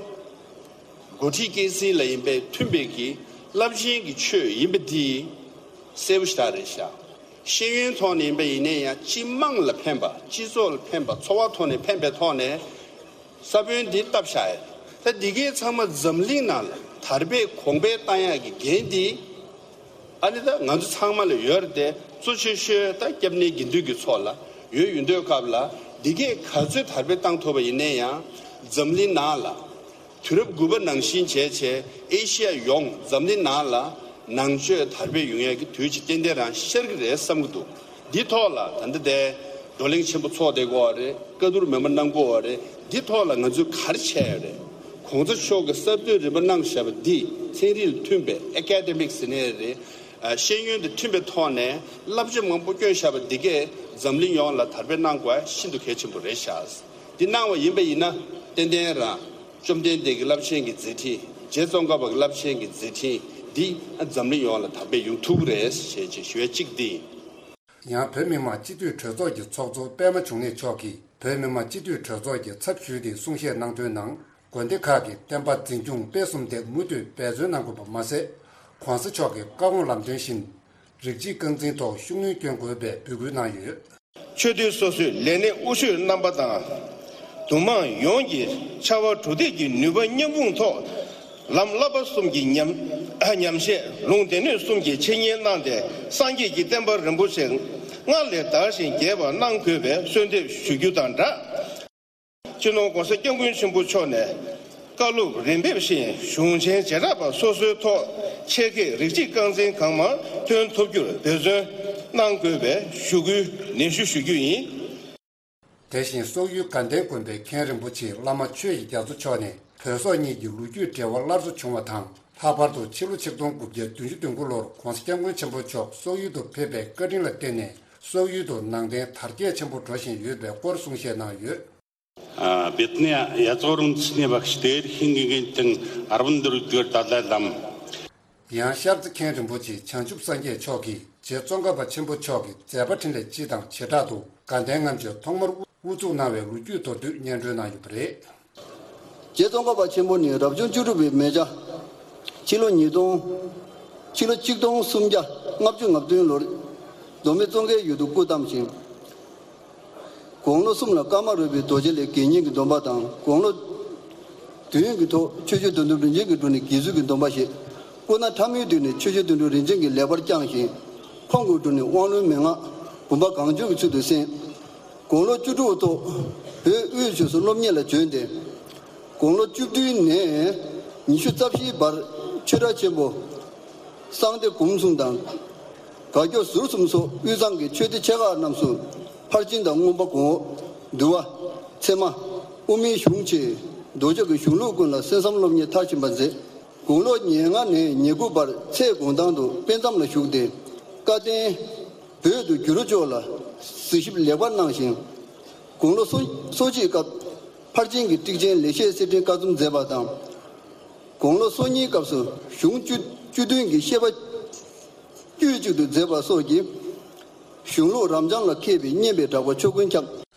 འགོ་ཁྲིད་སྐྱེད་སྲིང་ལ་ཡིན་པའི་མཐུན་པའི་གི་རླབས་ཆེན་གྱི་ཆོས་ཡིན་པ་འདི་གསལ་པོ་ཞེ་དྲག་རེད་ཤག་ཤེས་ཡོན་ཐོག་ནས་ཡིན་པ་ཡིན་ནའི་ཡང་སྤྱི་དམངས་ལ་ཕན་པ། སྤྱི་ཚོགས་ལ་ཕན་པ། འཚོ་བ་ཐོག་ནས་ཕན་པའི་ཐོག་ནས་ས་བོན་འདི་བཏབ་བཞག་ཡོད། ད་འདི་གའི་ཚང་མ་འཛམ་གླིང་ནང་ལ་དར་སྤེལ་གོང་འཕེལ་བཏང་ཡག་གི་འགན་འདི། ཨ་ནི་ད་ང་ཚོ་ཚང་མ་ལ་ཡོད་རེད་དེ། གཙོ་ཆེ་ཤོས་ད་སྐྱབས་གནས་དགེ་འདུན་གྱི་ཚོགས་ལ་ཡོད། ཡོད་དུས་སྐབས་ལ་ འདི་གས་ག་ཚོད་དར་སྤེལ་བཏང་ཐུབ་པ་ཡིན་ན་ཡང་། འཛམ་གླིང་ནང་ལ་དུས་རབས་དགུ་པ་ནང་བཞིན་བྱས་བྱས་ཨེ་ཤི་ཡ་ཡོངས་འཛམ་གླིང་ནང་ལ་ནང་ཆོས་དར་སྤེལ་ཡོང་ཡས་ཀྱི་དུས་ཅིག་ཏན་ཏན་རང་ཤར་གྱི་རེད་བསམ་གྱི་འདུག་འདི་ཐོག་ལ་ད་ལྟ་དེ་བགྲོ་གླེང་ཆེན་པོ་ཚོགས་བསྡད་དགོས་པ་རེད། བཀའ་བསྡུར་མི་མང་གནང་དགོས་པ་རེད། འདི་ཐོག་ལ་ང་ཚོས་ག་རེ་བྱས་ཡོད་རེད། གོང་ས་མཆོག་གིས་གསར་གཏོད་རིམ་པ་གནང་བཞག་པ་འདི་ཚན་རིག་ལ་མཐུན་པའི་ཨེ་ཀ་ཌེ་མིག་ཟེར་ནའི་རེད། ཨ། ཤེས་ཡོན་དང་མཐུན་པའི་ཐོག་ནས་བསླབ་བྱ་མང་པོ་བསྐྱོན་བཞག་པ་འདི་གས་འཛམ་གླིང་ཡོངས་ལ་དར་སྤེལ་གནང་དགོས་པ་ཤིན་ཏུ་གལ་ཆེན་པོ་རེད་ཤག་འདི་གནང་བ་ཡིན་པ་ཡིན་ན་ཏན་ཏན་རང་བཅོམ་ལྡན་འདས་ཀྱི་རླབས་ཆེན་གྱི་མཛད་འཕྲིན། རྗེ་ཙོང་ཁ་པ་གི་རླབས་ཆེན་གྱི་མཛད་འཕྲིན་འདི་འཛམ་གླིང་ཡོངས་ལ་དར་སྤེལ་ཡོང་ཐུབ་ཀྱི་རེད་ཞེས་ཞུ་ཡ་གཅིག་འདི་ཡིན། ཡང་བོད་མི་མང་སྤྱི་འཐུས་གྲོས་ཚོགས་ཀྱི་ཚོགས་གཙོ་པད་མ་འབྱུང་གནས་མཆོག་གིས་བོད་མི་མང་སྤྱི་འཐུས་གྲོས་ཚོགས་ཀྱི་ཚབ་ཞུས་ཏེ་གསུང་བཤད་གནང་དོན་ནང་། དགོན་སྡེ་ཁག་གི་བསྟན་པ་འཛིན་སྐྱོང་སྤེལ་གསུམ་དེ་མུ་མཐུད་འབད་བརྩོན་གནང་དགོས་པ་མ་ཟད། གོང་ས་མཆོག་གི་བཀའ་དགོངས་ལམ་སྟོན་བཞིན། རིགས་གཅིག་རྐང་འཛིན་ཐོག་ཤུགས་སྣོན་སྐྱོན་དགོས་པའི་འབོད་སྐུལ་གནང་ཡོད། ཆོས་སྡེ་སོ་སོའི་ལས་སྣེ་དབུ་ཤོས་རྣམ་པ་དང་། འདུ་མང་ཡོངས་ཀྱིས་ཕྱར་བ་གྲུ་འདེགས་ཀྱི་ནུས་པ་མཉམ་སྤུངས་ཐོག་ལམ་བསླབ་པ་གསུམ་གྱི་ཉམས་ཉམས་བཞེས། ལུང་སྡེ་སྣོད་གསུམ་གྱི་འཆད་ཉན་གནང་སྟེ། སངས་རྒྱས་ཀྱི་བསྟན་པ་རིན་པོ་ཆེ་སྔར་ལས་དར་ཞིང་རྒྱས་པ་གནང་དགོས་པའི་གསོལ་འདེབས་ཞུ་རྒྱུ་དང་སྦྲགས། སྤྱི་ནོར་༸གོང་ས་༸སྐྱབས་མགོན་ཆེན་པོ་མཆོག་ནས་བཀའ་སློབ་རིམ་འབེབས་བཞིན་གཞུང་ཆེན་བྱེ་བྲག་པ་སོ་སོའི་ཐོག་ཆེད་མཁས་རིགས་གཅིག་རྐང་འཛིན་གང་མང་ཐོན་ཐུབ་རྒྱུར་འབད་བརྩོན་གནང་དགོས་པའི་ཞུ་སྐུལ་ནན་ཞུ་ཞུ་རྒྱུ་ཡིན། དེ་བཞིན་སོག་ཡུལ་དགའ་ལྡན་དགོན་པའི་མཁན་རིན་པོ་ཆེ་བླ་མ་ཆོས་ཀྱི་རྒྱ་མཚོ་མཆོག་ནས་བོད་སོག་གཉིས་ཀྱི་ལོ་རྒྱུས་འབྲེལ་བ་སླར་གསོ་བྱུང་བ་དང་། ལྷག་པར་དུ་ཕྱི་ལོ་ཆིག་སྟོང་དགུ་བརྒྱ་བདུན་ཅུ་དོན་དགུ་ལོར་༸གོང་ས་༸སྐྱབས་མགོན་ཆེན་པོ་མཆོག་སོག་ཡུལ་དུ་ཕེབས་པའི་བཀའ་དྲིན་ལ་བརྟེན་ནས་སོག་ཡུལ་དུ་ནང་བསྟན་དར་རྒྱས་ཆེན་པོ་འགྲོ་བཞིན་ཡོད་པའི་སྐོར་གསུང་བཤད་གནང་ཡོད། ཨ། བེད་ནེ་ཡ་ཙོ་རུང་ཚི་ནེ་བག་ཤི་དེར་ཧིང་གི་གན་ཏང་ཨར་བན་དུར་དུར་ཏཱ་ལའི་ལམ། ཡང་ཤར་རྩེ་མཁན་རིན་པོ་ཆེ་བྱང་ཆུབ་སངས་རྒྱས་མཆོག་གིས་རྗེ་ཙོང་ཁ་པ་ཆེན་པོ་མཆོག་གི་མཛད་པ་འཕྲིན་ལས་སྤྱི་དང་བྱེ་བྲག་ཏུ་དགའ་ལྡན་ལྔ་མཆོད་ཐོག་མར་དབུ་བཙུགས་གནང་བའི་ལོ་རྒྱུས་མདོར་བསྡུས་སྙན་སྒྲོན་གནང་ཡོད་པ་རེད། རྗེ་ཙོང་ཁ་པ་ཆེན་པོ་ནི་རབ་བྱུང་བཅུ་དྲུག་པའི་མེ་བྱ། ཕྱི་ལོ་ཉིས་སྟོང་། ཕྱི་ལོ་ཆིག་སྟོང་སུམ་བརྒྱ་ལྔ་བཅུ་ང་བདུན་ལོར་མདོ་སྨད་ཙོང་ཁའི་ཡུལ་དུ་སྐུ་བལྟམས་ཤིང་། དགུང་ལོ་གསུམ་ལ་ཀརྨ་རོལ་པའི་རྡོ་རྗེ་ལས་དགེ་བསྙེན་གྱི་སྡོམ་པ་དང་། དགུང་ལོ་བདུན་གྱི་ཐོག་ཆོས་རྗེ་བདུད་འདུལ་རིན་ཆེན་གྱི་དྲུང་ནས་དགེ་ཚུལ་གྱི་སྡོམ་པ་བཞེས། སྐུ་ན་ཕྲ་མོའི་དུས་ནས་ཆོས་རྗེ་བདུད་འདུལ་རིན་ཆེན་གྱིས་ལེགས་པར་བསྐྱངས་ཤིང་། ཁོང་གི་དྲུང་ནས་དབང་ལུང་མན་ངག་བུམ་པ་གང་བྱོའི་ཚུལ་དུ་གསན། དགུང་ལོ་བཅུ་དྲུག་ཐོག་བོད་དབུས་ཆོས་སུ་སློབ་གཉེར་ལ་བྱོན་ཏེ། དགུང་ལོ་བཅུ་བདུན་ནས་ཉི་ཤུ་རྩ་བཞིའི་བར་ཆོས་གྲྭ་ཆེན་པོ་གསང་བདེ་སྒོམ་གསུམ་དང་། དགའ་སྐྱོ་ཟུར་གསུམ་སོགས་དབུས་གཙང་གི་ཆོས་སྡེ་ཆེ་ཁག་རྣམས་སུ་ཕར་ཕྱིན་དང་མངོན་པ་གོང་འོག་འདུལ་བ། ཚད་མ། དབུ་མའི་གཞུང་བཅས་མདོ་ཕྱོགས་ཀྱི་གཞུང་ལུགས་ཀུན་ལ་གསན་བསམ་སློབ་གཉེར་མཐར་ཕྱིན་པ་མཛད། དགུང་ལོ་ཉེར་ལྔ་ནས་ཉེར་དགུ་བར་ཚེ་དགོངས་ཐང་དུ་དཔེ་མཚམས་ལ་བཞུགས་ཏེ། བཀའ་བསྟན་བོད་དུ་བསྒྱུར་ཕྱོགས་ལ་གཟིགས་ཞིབ་ལེགས་པར་གནང་ཞིང་། དགུང་ལོ་སོ་སོ་གཅིག་སྐབས་ཕར་ཕྱིན་གྱི་ཊིཀ་ཆེན་ལེགས་བཤད་གསེར་ཕྲེང་བཀའ་ཚོམས་མཛད་པ་དང་། དགུང་ལོ་སོ་གཉིས་སྐབས་སུ་གཞུང་བཅུ་བཅུ་བདུན་གྱི་བཤད་པ་དཀྱུས་གཅིག་ཏུ་མཛད་པ་སོགས་ཀྱིས་གཞུང་ལུགས་རབ་འབྱམས་ལ་མཁས་པའི་སྙན་པའི་གྲགས་པ་ཕྱོགས་ཀུན་ཁྱབ།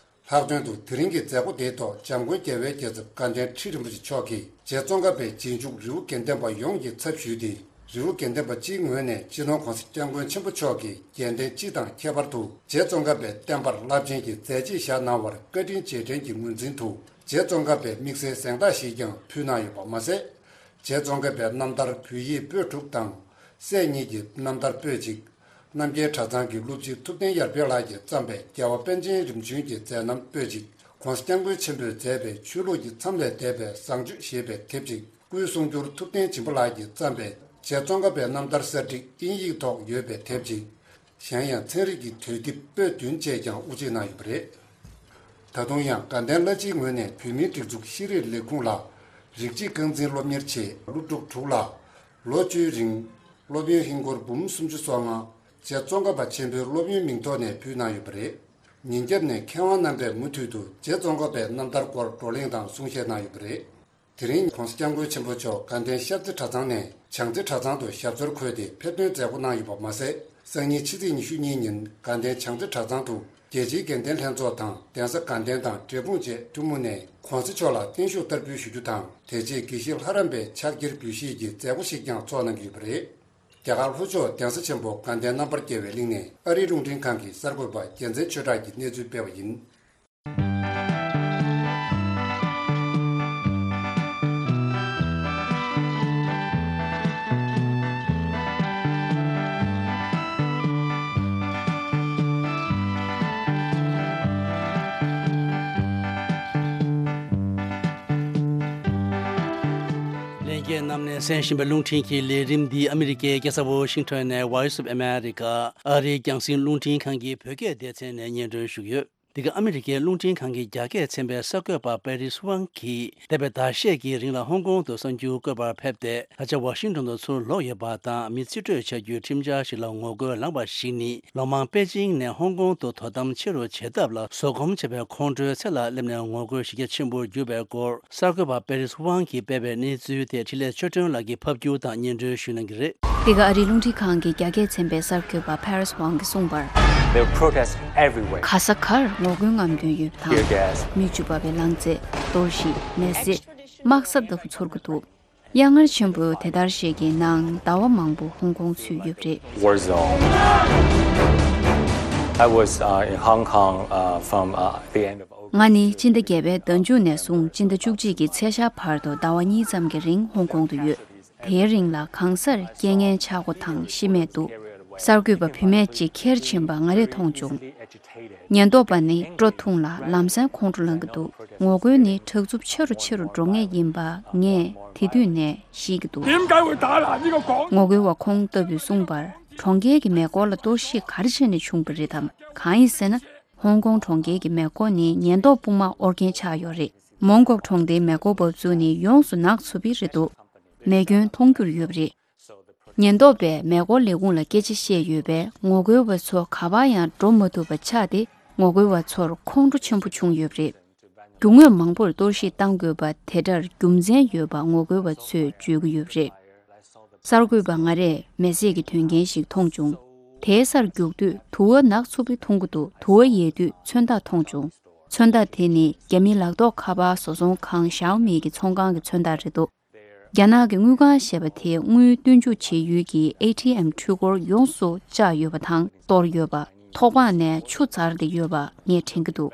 ལྷག་དོན་དུ་དེ་རིང་གི་མཛད་སྒོ་དེའི་ཐོག་འཇམ་མགོན་རྒྱལ་བའི་རྒྱལ་ཚབ་དགའ་ལྡན་ཁྲི་རིན་པོ་ཆེ་མཆོག་གིས་རྗེ་ཙོང་ཁ་པའི་རྗེས་འཇུག་རི་བོ་དགེ་ལྡན་པ་ཡོངས་ཀྱི་ཚབ་ཞུས་ཏེ། རི་བོ་དགེ་ལྡན་པ་སྤྱིའི་ངོས་ནས་སྤྱི་ནོར་༸གོང་ས་༸སྐྱབས་མགོན་ཆེན་པོ་མཆོག་གི་རྒྱལ་བསྟན་སྤྱི་དང་ཁྱད་པར་དུ་རྗེ་ཙོང་ཁ་པའི་བསྟན་པར་རླབས་ཆེན་གྱི་མཛད་རྗེས་བཞག་གནང་བར་བཀའ་དྲིན་རྗེས་དྲན་གྱི་ངོས་འཛིན་དུ་རྗེ་ཙོང་ཁ་པའི་དམིགས་བསལ་གཟེངས་རྟགས་ཤིག་ཀྱང་ཕུལ་གནང་ཡོད་པ་མ་ཟད། རྗེ་ཙོང་ཁ་པའི་རྣམ་ཐར་བོད་ཡིག་པོད་དྲུག་དང་། སྲས་གཉིས་ཀྱི་རྣམ་ཐར་པོད་གཅིག་རྣམ་རྒྱལ་གྲྭ་ཚང་གི་སློབ་སྤྱི་ཐུབ་བསྟན་ཡར་འཕེལ་ལགས་ཀྱིས་བརྩམས་པའི་རྒྱལ་བ་པཎ་ཆེན་རིམ་བྱོན་གྱི་མཛད་རྣམ་པོད་གཅིག ༸གོང་ས་༸སྐྱབས་མགོན་ཆེན་པོས་མཛད་པའི་ཆོས་ལུགས་ཀྱི་མཚམས་ལས་འདས་པའི་བཟང་སྤྱོད་ཞེས་པའི་དེབ་ཅིག་སྐུའི་གསུང་སྒྱུར་ཐུབ་བསྟན་སྦྱིན་པ་ལགས་ཀྱིས་བརྩམས་པའི་རྗེ་ཙོང་ཁ་པའི་རྣམ་ཐར་གསར་བསྒྲིགས་དབྱིན་ཡིག་ཐོག་ཡོད་པའི་དེབ་ཅིག་གཞན་ཡང་ཚན་རིག་གི་དུས་དེབ་པོད་བདུན་བཅས་ཀྱང་དབུ་འབྱེད་གནང་ཡོད་པ་རེད། ད་དུང་ཡང་དགའ་ལྡན་བླ་སྤྱིའི་ངོས་ནས་བོད་མིའི་སྒྲིག་འཛུགས་ཤེས་རིག་ལས་ཁུངས་ལ་རིགས་གཅིག་རྐང་འཛིན་སློབ་གཉེར་ཆེད་སློབ་ཕྲུག་དྲུག་ལ་ལོ་བཅུའི་རིང་སློབ་ཡོན་ཧིན་སྒོར་འབུམ་སུམ་ཅུ་སོ་ལྔ་རྗེ་ཙོང་ཁ་པ་ཆེན་པོའི་སློབ་ཡོན་མིང་ཐོག་ནས་ཕུལ་གནང་ཡོད་པ་རེད། ཉིན་རྒྱབ་ནས་མཁས་དབང་རྣམ་པས་མུ་མཐུད་དུ་རྗེ་ཙོང་ཁ་པའི་རྣམ་ཐར་སྐོར་བགྲོ་གླེང་དང་གསུང་བཤད་གནང་ཡོད་པ་རེད། དེ་རིང་༸གོང་ས་༸སྐྱབས་མགོན་ཆེན་པོ་མཆོག་དགའ་ལྡན་ཤར་རྩེ་གྲྭ་ཚང་ནས་བྱང་རྩེ་གྲྭ་ཚང་དུ་ཞབས་སོར་འཁོད་དེ་ཕེབས་ཐོན་མཛད་སྒོ་གནང་ཡོད་པ་མ་ཟད། སང་ཉིན་ཕྱི་ཚེས་ཉི་ཤུ་གཉིས་ཉིན་དགའ་ལྡན་བྱང་རྩེ་གྲྭ་ཚང་དུ་རྒྱལ་སྤྱིའི་དགེ་ལྡན་ལྷན་ཚོགས་དང་གདན་ས་དགའ་ལྡན་དང་འབྲས་སྤུངས་བཅས་ཐུན་མོང་ནས་༸གོང་ས་མཆོག་ལ་བརྟན་བཞུགས་བསྟར་འབུལ་ཞུ་རྒྱུ་དང་། དེ་རྗེས་དགེ་བཤེས་ལྷ་རམས་པའི་ཕྱག་འཁྱེར་འབུལ་བཞེས་ཀྱི་མཛད་སྒོ་ཞིག་ཀྱང་ཚོགས་གནང་གི་ཡོད་པ་རེད། རྒྱ་གར་ལྷོ་ཕྱོགས་གདན་ས་ཆེན་པོ་དགའ་ལྡན་རྣམ་པར་རྒྱལ་བའི་གླིང་ནས་ཨ་རིའི་རླུང་འཕྲིན་ཁང་གི་གསར་འགོད་པ་རྒྱལ་མཚན་ཆོས་གྲགས་ཀྱིས་གནས་ཚུལ་སྤེལ་བ་ཡིན། རྒྱལ་རྣམས་ནས་གསན་བཞིན་པའི་རླུང་འཕྲིན་གྱི་ལས་རིམ་འདི་ཨ་མི་རི་ཀའི་རྒྱལ་ས་ཝོ་ཤིང་ཊོན་ནས་Voice of America ཨ་རིའི་རྒྱང་སྲིང་རླུང་འཕྲིན་ཁང་གི་བོད་སྐད་སྡེ་ཚན་ནས་སྙན་སྒྲོན་ཞུས་ཡོད། འདི་ག་ཨ་མི་རི་ཀའི་རླུང་འཕྲིན་ཁང་གི་རྒྱ་སྐད་ཚན་པའི་གསར་འགོད་པ་པེ་རིས་ཝང་གིས་འདས་པའི་ཟླ་ཤས་ཀྱི་རིང་ལ་ཧོང་ཀོང་དུ་གསར་འགྱུར་བཀོད་པར་ཕེབས་ཏེ། ད་ཆ་ཝ་ཤིང་ཊོན་དུ་ཚུར་ལོག་ཡོད་པ་དང་། མི་རྩིས་སྤྲོད་བྱ་རྒྱུའི་ཁྲིམས་འཆར་ཞིག་ལ་ངོ་རྒོལ་ལངས་པ་ཞིག་ནི། ལོ་མང་པེ་ཅིང་ནས་ཧོང་ཀོང་དུ་དོ་དམ་ཆེ་རུ་བྱེད་ཐབས་ལ་བཟོད་སྒོམ་བྱེད་པའི་ཁོང་ཁྲོའི་ཚད་ལ་སླེབས་ནས་ངོ་རྒོལ་གཞི་རྒྱ་ཆེན་པོར་གྱུར་པའི་སྐོར། གསར་འགོད་པ་པེ་རིས་ཝང་གིས་སྤེལ་བའི་གནས་ཚུལ་དེ་འཕྲིན་ལས་ཆོས་སྒྲོན་ལགས་ཀྱིས་ཕབ་སྒྱུར་དང་སྙན་སྒྲོན་ཞུ་གནང་གི་རེད། འདི་ག་ཨ་རིའི་རླུང་འཕྲིན་ཁང་གི་རྒྱ་སྐད་ཚན་པའི་གསར་འགོད་པ་པེ་རིས་ཝང་གིས་གསུངས་པར། There were protests everywhere. ག་ས་གར་ངོ་རྒོལ་རྔམ་སྟོན་ཡོད་པ་དང་། Tear gas. མིག་ཆུ་འབབ་པའི་རླངས་རྫས། གཏོར་བཤིག་མེ་བསྲེགས། དམག་ས་ལྟ་བུ་ཚོར་གྱི་འདུག་གཡག་ངར་ཆེན་པོའི་དེ་ལྟར་ཞིག་གི་ནང་ཟླ་བ་མང་པོ་ཧོང་ཀོང་ཚུད་ཡོད་པ་རེད། War zone. I was uh, in Hong Kong uh, from uh, the end of August. ང་ནི་སྤྱི་ཟླ་བརྒྱད་པའི་ཟླ་མཇུག་ནས་བཟུང་སྤྱི་ཟླ་བཅུ་གཅིག་གི་ཚེས་ཤར་བར་དུ་ཟླ་བ་གཉིས་ཙམ་གྱི་རིང་ཧོང་ཀོང་དུ་ཡོད། དེའི་རིང་ལ་གང་སར་རྐྱེན་ངན་ཆག་སྒོ་དང་ཤི་རྨས་འདུག་གསར་འགོད་པ་བུད་མེད་ཅིག་ཁྱེར་ཕྱིན་པ་ང་རས་མཐོང་བྱུང་། ཉེན་རྟོག་པ་ནི་སྤྲོ་ཐུང་ལ་ལམ་སེང་ཁོང་ཁྲོ་ལངས་ཀྱི་འདུག་ངོ་རྒོལ་ནི་དྲག་རྩུབ་ཆེ་རུ་ཆེ་རུ་འགྲོ་ངེས་ཡིན་པ་ངས་དེ་དུས་ནས་ཤེས་ཀྱི་འདུག་ངོ་རྒོལ་བ་ཁོང་ལྟ་བུས་གསུངས་པར། གྲོང་ཁྱེར་གྱི་མེ་འཁོར་ལ་གཏོར་བཤིག་ག་རེ་བྱས་ནས་བྱུང་བ་རེད་དམ། གང་ཡིན་ཟེར་ན། ཧོང་ཀོང་གྲོང་ཁྱེར་གྱི་མེ་འཁོར་ནི་ཉེན་རྟོག་དཔུང་དམག་དབོར་མཁན་ཆགས་ཡོད་རེད། མོང་གོག་གྲོང་སྡེའི་མེ་འཁོར་འབབ་ཚུགས་ནི་ཡོངས་སུ་ནག་ཚུབ་པ་རེད་འདུག་མེ་སྐྱོན་མཐོང་རྒྱུར་ཡོད་པ་རེད། ཉེན་རྟོག་པས་མེ་འཁོར་ལས་ཁུངས་ལ་སྐད་ཆ་བཤད་ཡོད་པས། ངོ་རྒོལ་བ་ཚོ་ག་པར་ཡང་འགྲོ་མ་ཐུབ་པ་ཆགས་ཏེ། ངོ་རྒོལ་བ་ཚོར་ཁོང་ཁྲོ་ཆེན་པོ་བྱུང་ཡོད་པ་རེད། རྒྱུ་དངོས་མང་པོར་གཏོར་བཤིག་བཏང་དགོས་པ་དེ་འདྲར་རྒྱུ་མཚན་ཡོད་པ་ངོ་རྒོལ་བ་ཚོས་བརྗོད་ཀྱི་ཡོད་པ་རེད། གསར་འགོད་པ་ང་རས་མེ་བསྲེགས་ཀྱི་དོན་རྐྱེན་ཞིག་མཐོང་བྱུང་། དེའི་སར་རྒྱུག་དུས་དུ་བ་ནག་ཚུབ་པ་མཐོང་གི་འདུག་དུ་བ་ཡལ་དུས་མཚོན་རྟགས་མཐོང་བྱུང་། མཚོན་རྟགས་དེ་ནི་རྒྱ་མིའི་ལག་ཐོགས་ཁ་པར་བཟོ་ཚོང་ཁང་ཞའོ་མི་གི་ཚོང་ཁང་གི་མཚོན་རྟགས་རེད་འདུག་རྒྱ་ནག་གི་དངུལ་ཁང་ཞེས་པ་དེས་དངུལ་སྟོན་འཇུག་བྱེད་ཡུལ་གྱི་ཨེ་ཊི་ཨེམ་འཕྲུལ་འཁོར་ཡོངས་སུ་བཅག་ཡོད་པ་དང་གཏོར་ཡོད་པ། ཐོག་པང་ནས་ཆུ་འཛར་བསྡད་ཡོད་པ་ངས་དྲན་གྱི་འདུག་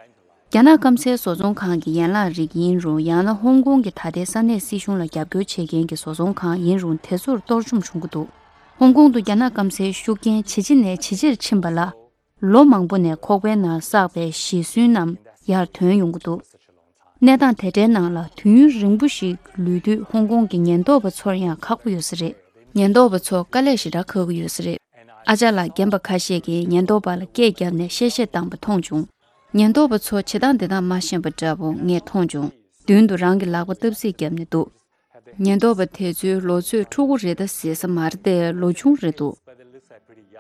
རྒྱ་ནག་སྐམ་སའི་བཟོ་ཚོང་ཁང་གི་ཡན་ལག་རིགས་ཡིན་རུང་། ཡང་ན་ཧོང་ཀོང་གི་ད་ལྟའི་ས་གནས་སྲིད་གཞུང་ལ་རྒྱབ་སྐྱོར་བྱེད་མཁན་གྱི་བཟོ་ཚོང་ཁང་ཡིན་རུང་། དེ་ཚོར་གཏོར་བཅོམ་བྱུང་གི་འདུག་ཧོང་ཀོང་དུ་རྒྱ་ནག་སྐམ་སའི་ཤུགས་རྐྱེན་ཇེ་ཆེ་ནས་ཇེ་ཆེར་ཕྱིན་པ་ལ། ལོ་མང་པོ་ནས་ཁོག་པའི་ནང་བསགས་པའི་ཞེད་སེམས་རྣམས་ཡར་ཐོན་ཡོང་གི་འདུག་གནས་སྟངས་དེ་འདྲའི་ནང་ལ་དུས་ཡུན་རིང་པོ་ཞིག་ལུས་དུས། ཧོང་ཀོང་གི་ཉེན་རྟོག་པ་ཚོར་ཡང་ཁག་པོ་ཡོད་ས་རེད། ཉེན་རྟོག་པ་ཚོ་དཀའ་ལས་ཞེ་དྲག་ཁག་གི་ཡོད་ས་རེད། ཨ་ཅག་ལགས་རྒན་པ་ཁ་ཤས་ཀྱིས་ཉེན་རྟོག་པ་ལ་སྐད་བརྒྱབ་ནས་གཤེ་གཤེ་བཏང་བ་མཐོང་བྱུང་། ཉེན་རྟོག་པ་ཚོ་བྱེད་སྟངས་འདི་དག་མ་ཤེས་པ་འདྲ་པོ་ངས་མཐོང་བྱུང་། མདུན་དུ་རང་གི་ལག་པ་སྟབས་གཟིགས་བརྒྱབ་ནས་འདུག་ཉེན་རྟོག་པ་དེ་ཚོའི་ལོ་ཚོད་ཕྲུ་གུ་རེད་ད་ཟེར་ས་མ་རེད་དེ། ལོ་ཆུང་རེད་འདུག་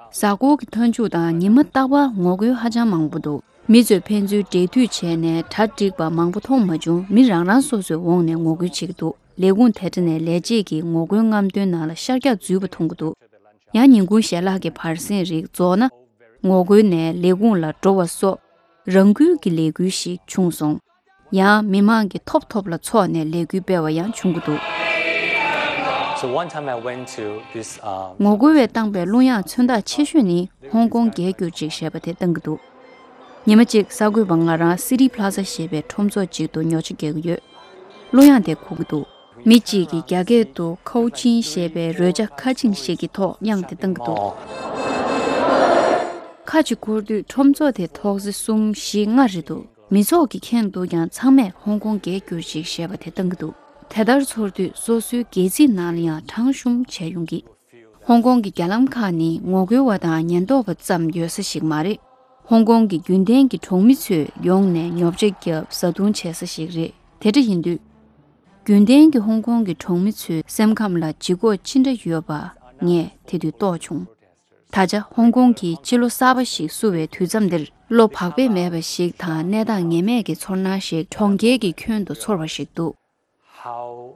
གཟའ་འཁོར་གྱི་མཐའ་མཇུག་དང་ཉི་མ་རྟག་པར་ངོ་རྒོལ་ཧ་ཅང་མང་པོ་འདུག་མི་ཚོས་ཕན་ཚུན་འབྲེལ་མཐུད་བྱས་ནས་གྲ་སྒྲིག་པ་མང་པོ་མཐོང་མ་བྱུང་། མི་རང་རང་སོ་སོའི་འོག་ནས་ངོ་རྒོལ་བྱེད་ཀྱི་འདུག་ལས་ཁུངས་དེ་འདྲ་ནས་ལས་བྱེད་ཀྱིས་ངོ་རྒོལ་རྔམ་སྟོན་ནང་ལ་ཤར་རྒྱག་འཛུལ་བ་མཐོང་གི་འདུག་ཡང་ཉིན་གུང་ཞལ་ལག་གི་བར་གསེང་རིགས་རྫོགས་ན། ངོ་རྒོལ་ནས་ལས་ཁུངས་ལ་འགྲོ་བ་སོགས་རང་འགུལ་གྱི་ལས་འགུལ་ཞིག་བྱུང་སོང་། ཡང་མི་མང་གིས་ཐོབ་ཐོབ་ལ་འཚོགས་ནས་ལས་འགུལ་སྤེལ་བ་ཡང་བྱུང་གི་འདུག So one time I went to this um, ངོ་རྒོལ་བས་བཏང་པའི་གླུ་དབྱངས་མཚོན་རྟགས་ཆེ་ཤོས་ནི་ཧོང་ཀོང་རྒྱལ་གྱུར་ཅིག་ཞེས་པ་དེ་བཏང་གི་འདུག་ཉི་མ་གཅིག་གསར་འགོད་པ་ང་རང་སི་ཊི་པ་ལ་ཛ་ཞེས་པའི་ཁྲོམ་ཚོགས་ཅིག་ཏུ་ཉོ་ཆ་རྒྱག་གི་ཡོད། གླུ་དབྱངས་དེ་གོ་གི་འདུག་མི་གཅིག་གིས་རྒྱ་སྐད་དུ་ཁའུ་ཆིན་ཞེས་པའི་རོལ་ཆ་ཁ་ཆིང་ཞིག་གི་ཐོག་དབྱངས་དེ་བཏང་གི་འདུག་ཁ་ཅིག་འཁོར་དུས་ཁྲོམ་ཚོགས་དེ་ཐོག་བརྩེགས་གསུམ་བཞི་ལྔ་རེད་འདུག་མི་ཚོགས་ཀྱིས་མཁྱེན་འདུག་ཀྱང་ཚང་མས་ཧོང་ཀོང་རྒྱལ་གྱུར་ཅིག་ཞེས་པ་དེ་བཏང་གི་འདུག་དེ་ལྟར་ཚོར་དུས་སོ་སོའི་སྒལ་ཚིགས་ནང་ལ་ཡང་གྲང་ཤུམ་བྱས་ཡོང་གི། ཧོང་ཀོང་གི་རྒྱ་ལམ་ཁག་ནི་ངོ་རྒོལ་བ་དང་ཉེན་རྟོག་པ་ཙམ་ཡོད་ས་ཞིག་མ་རེད། ཧོང་ཀོང་གི་རྒྱུན་ལྡན་གྱི་གྲོང་མི་ཚོས་ཡོང་ནས་ཉོ་ཆ་བརྒྱབ་བཟའ་བཏུང་བྱེད་ས་ཞིག་རེད། དེ་འདྲ་ཡིན་དུས། རྒྱུན་ལྡན་གྱི་ཧོང་ཀོང་གི་གྲོང་མི་ཚོའི་སེམས་ཁམས་ལ་ལྗིད་ཁོག་ཅི་འདྲ་ཡོད་པ་ངས་དེ་དུས་རྟོགས་བྱུང་། ད་ཆ་ཧོང་ཀོང་གིས་ཕྱི་ལོ་གསར་པ་ཞིག་བསུ་བའི་དུས་མཚམས་འདིར། བློ་བག་ཕེབས་མེད་པ་ཞིག་དང་གནས་སྟངས་ངེས་མེད་ཀྱི་ཚོར་སྣང་ཞིག་གྲོང་ཁྱེར་གྱི་ཁྱོན་དུ་ཚོར་བ་ཞིག་འདུག How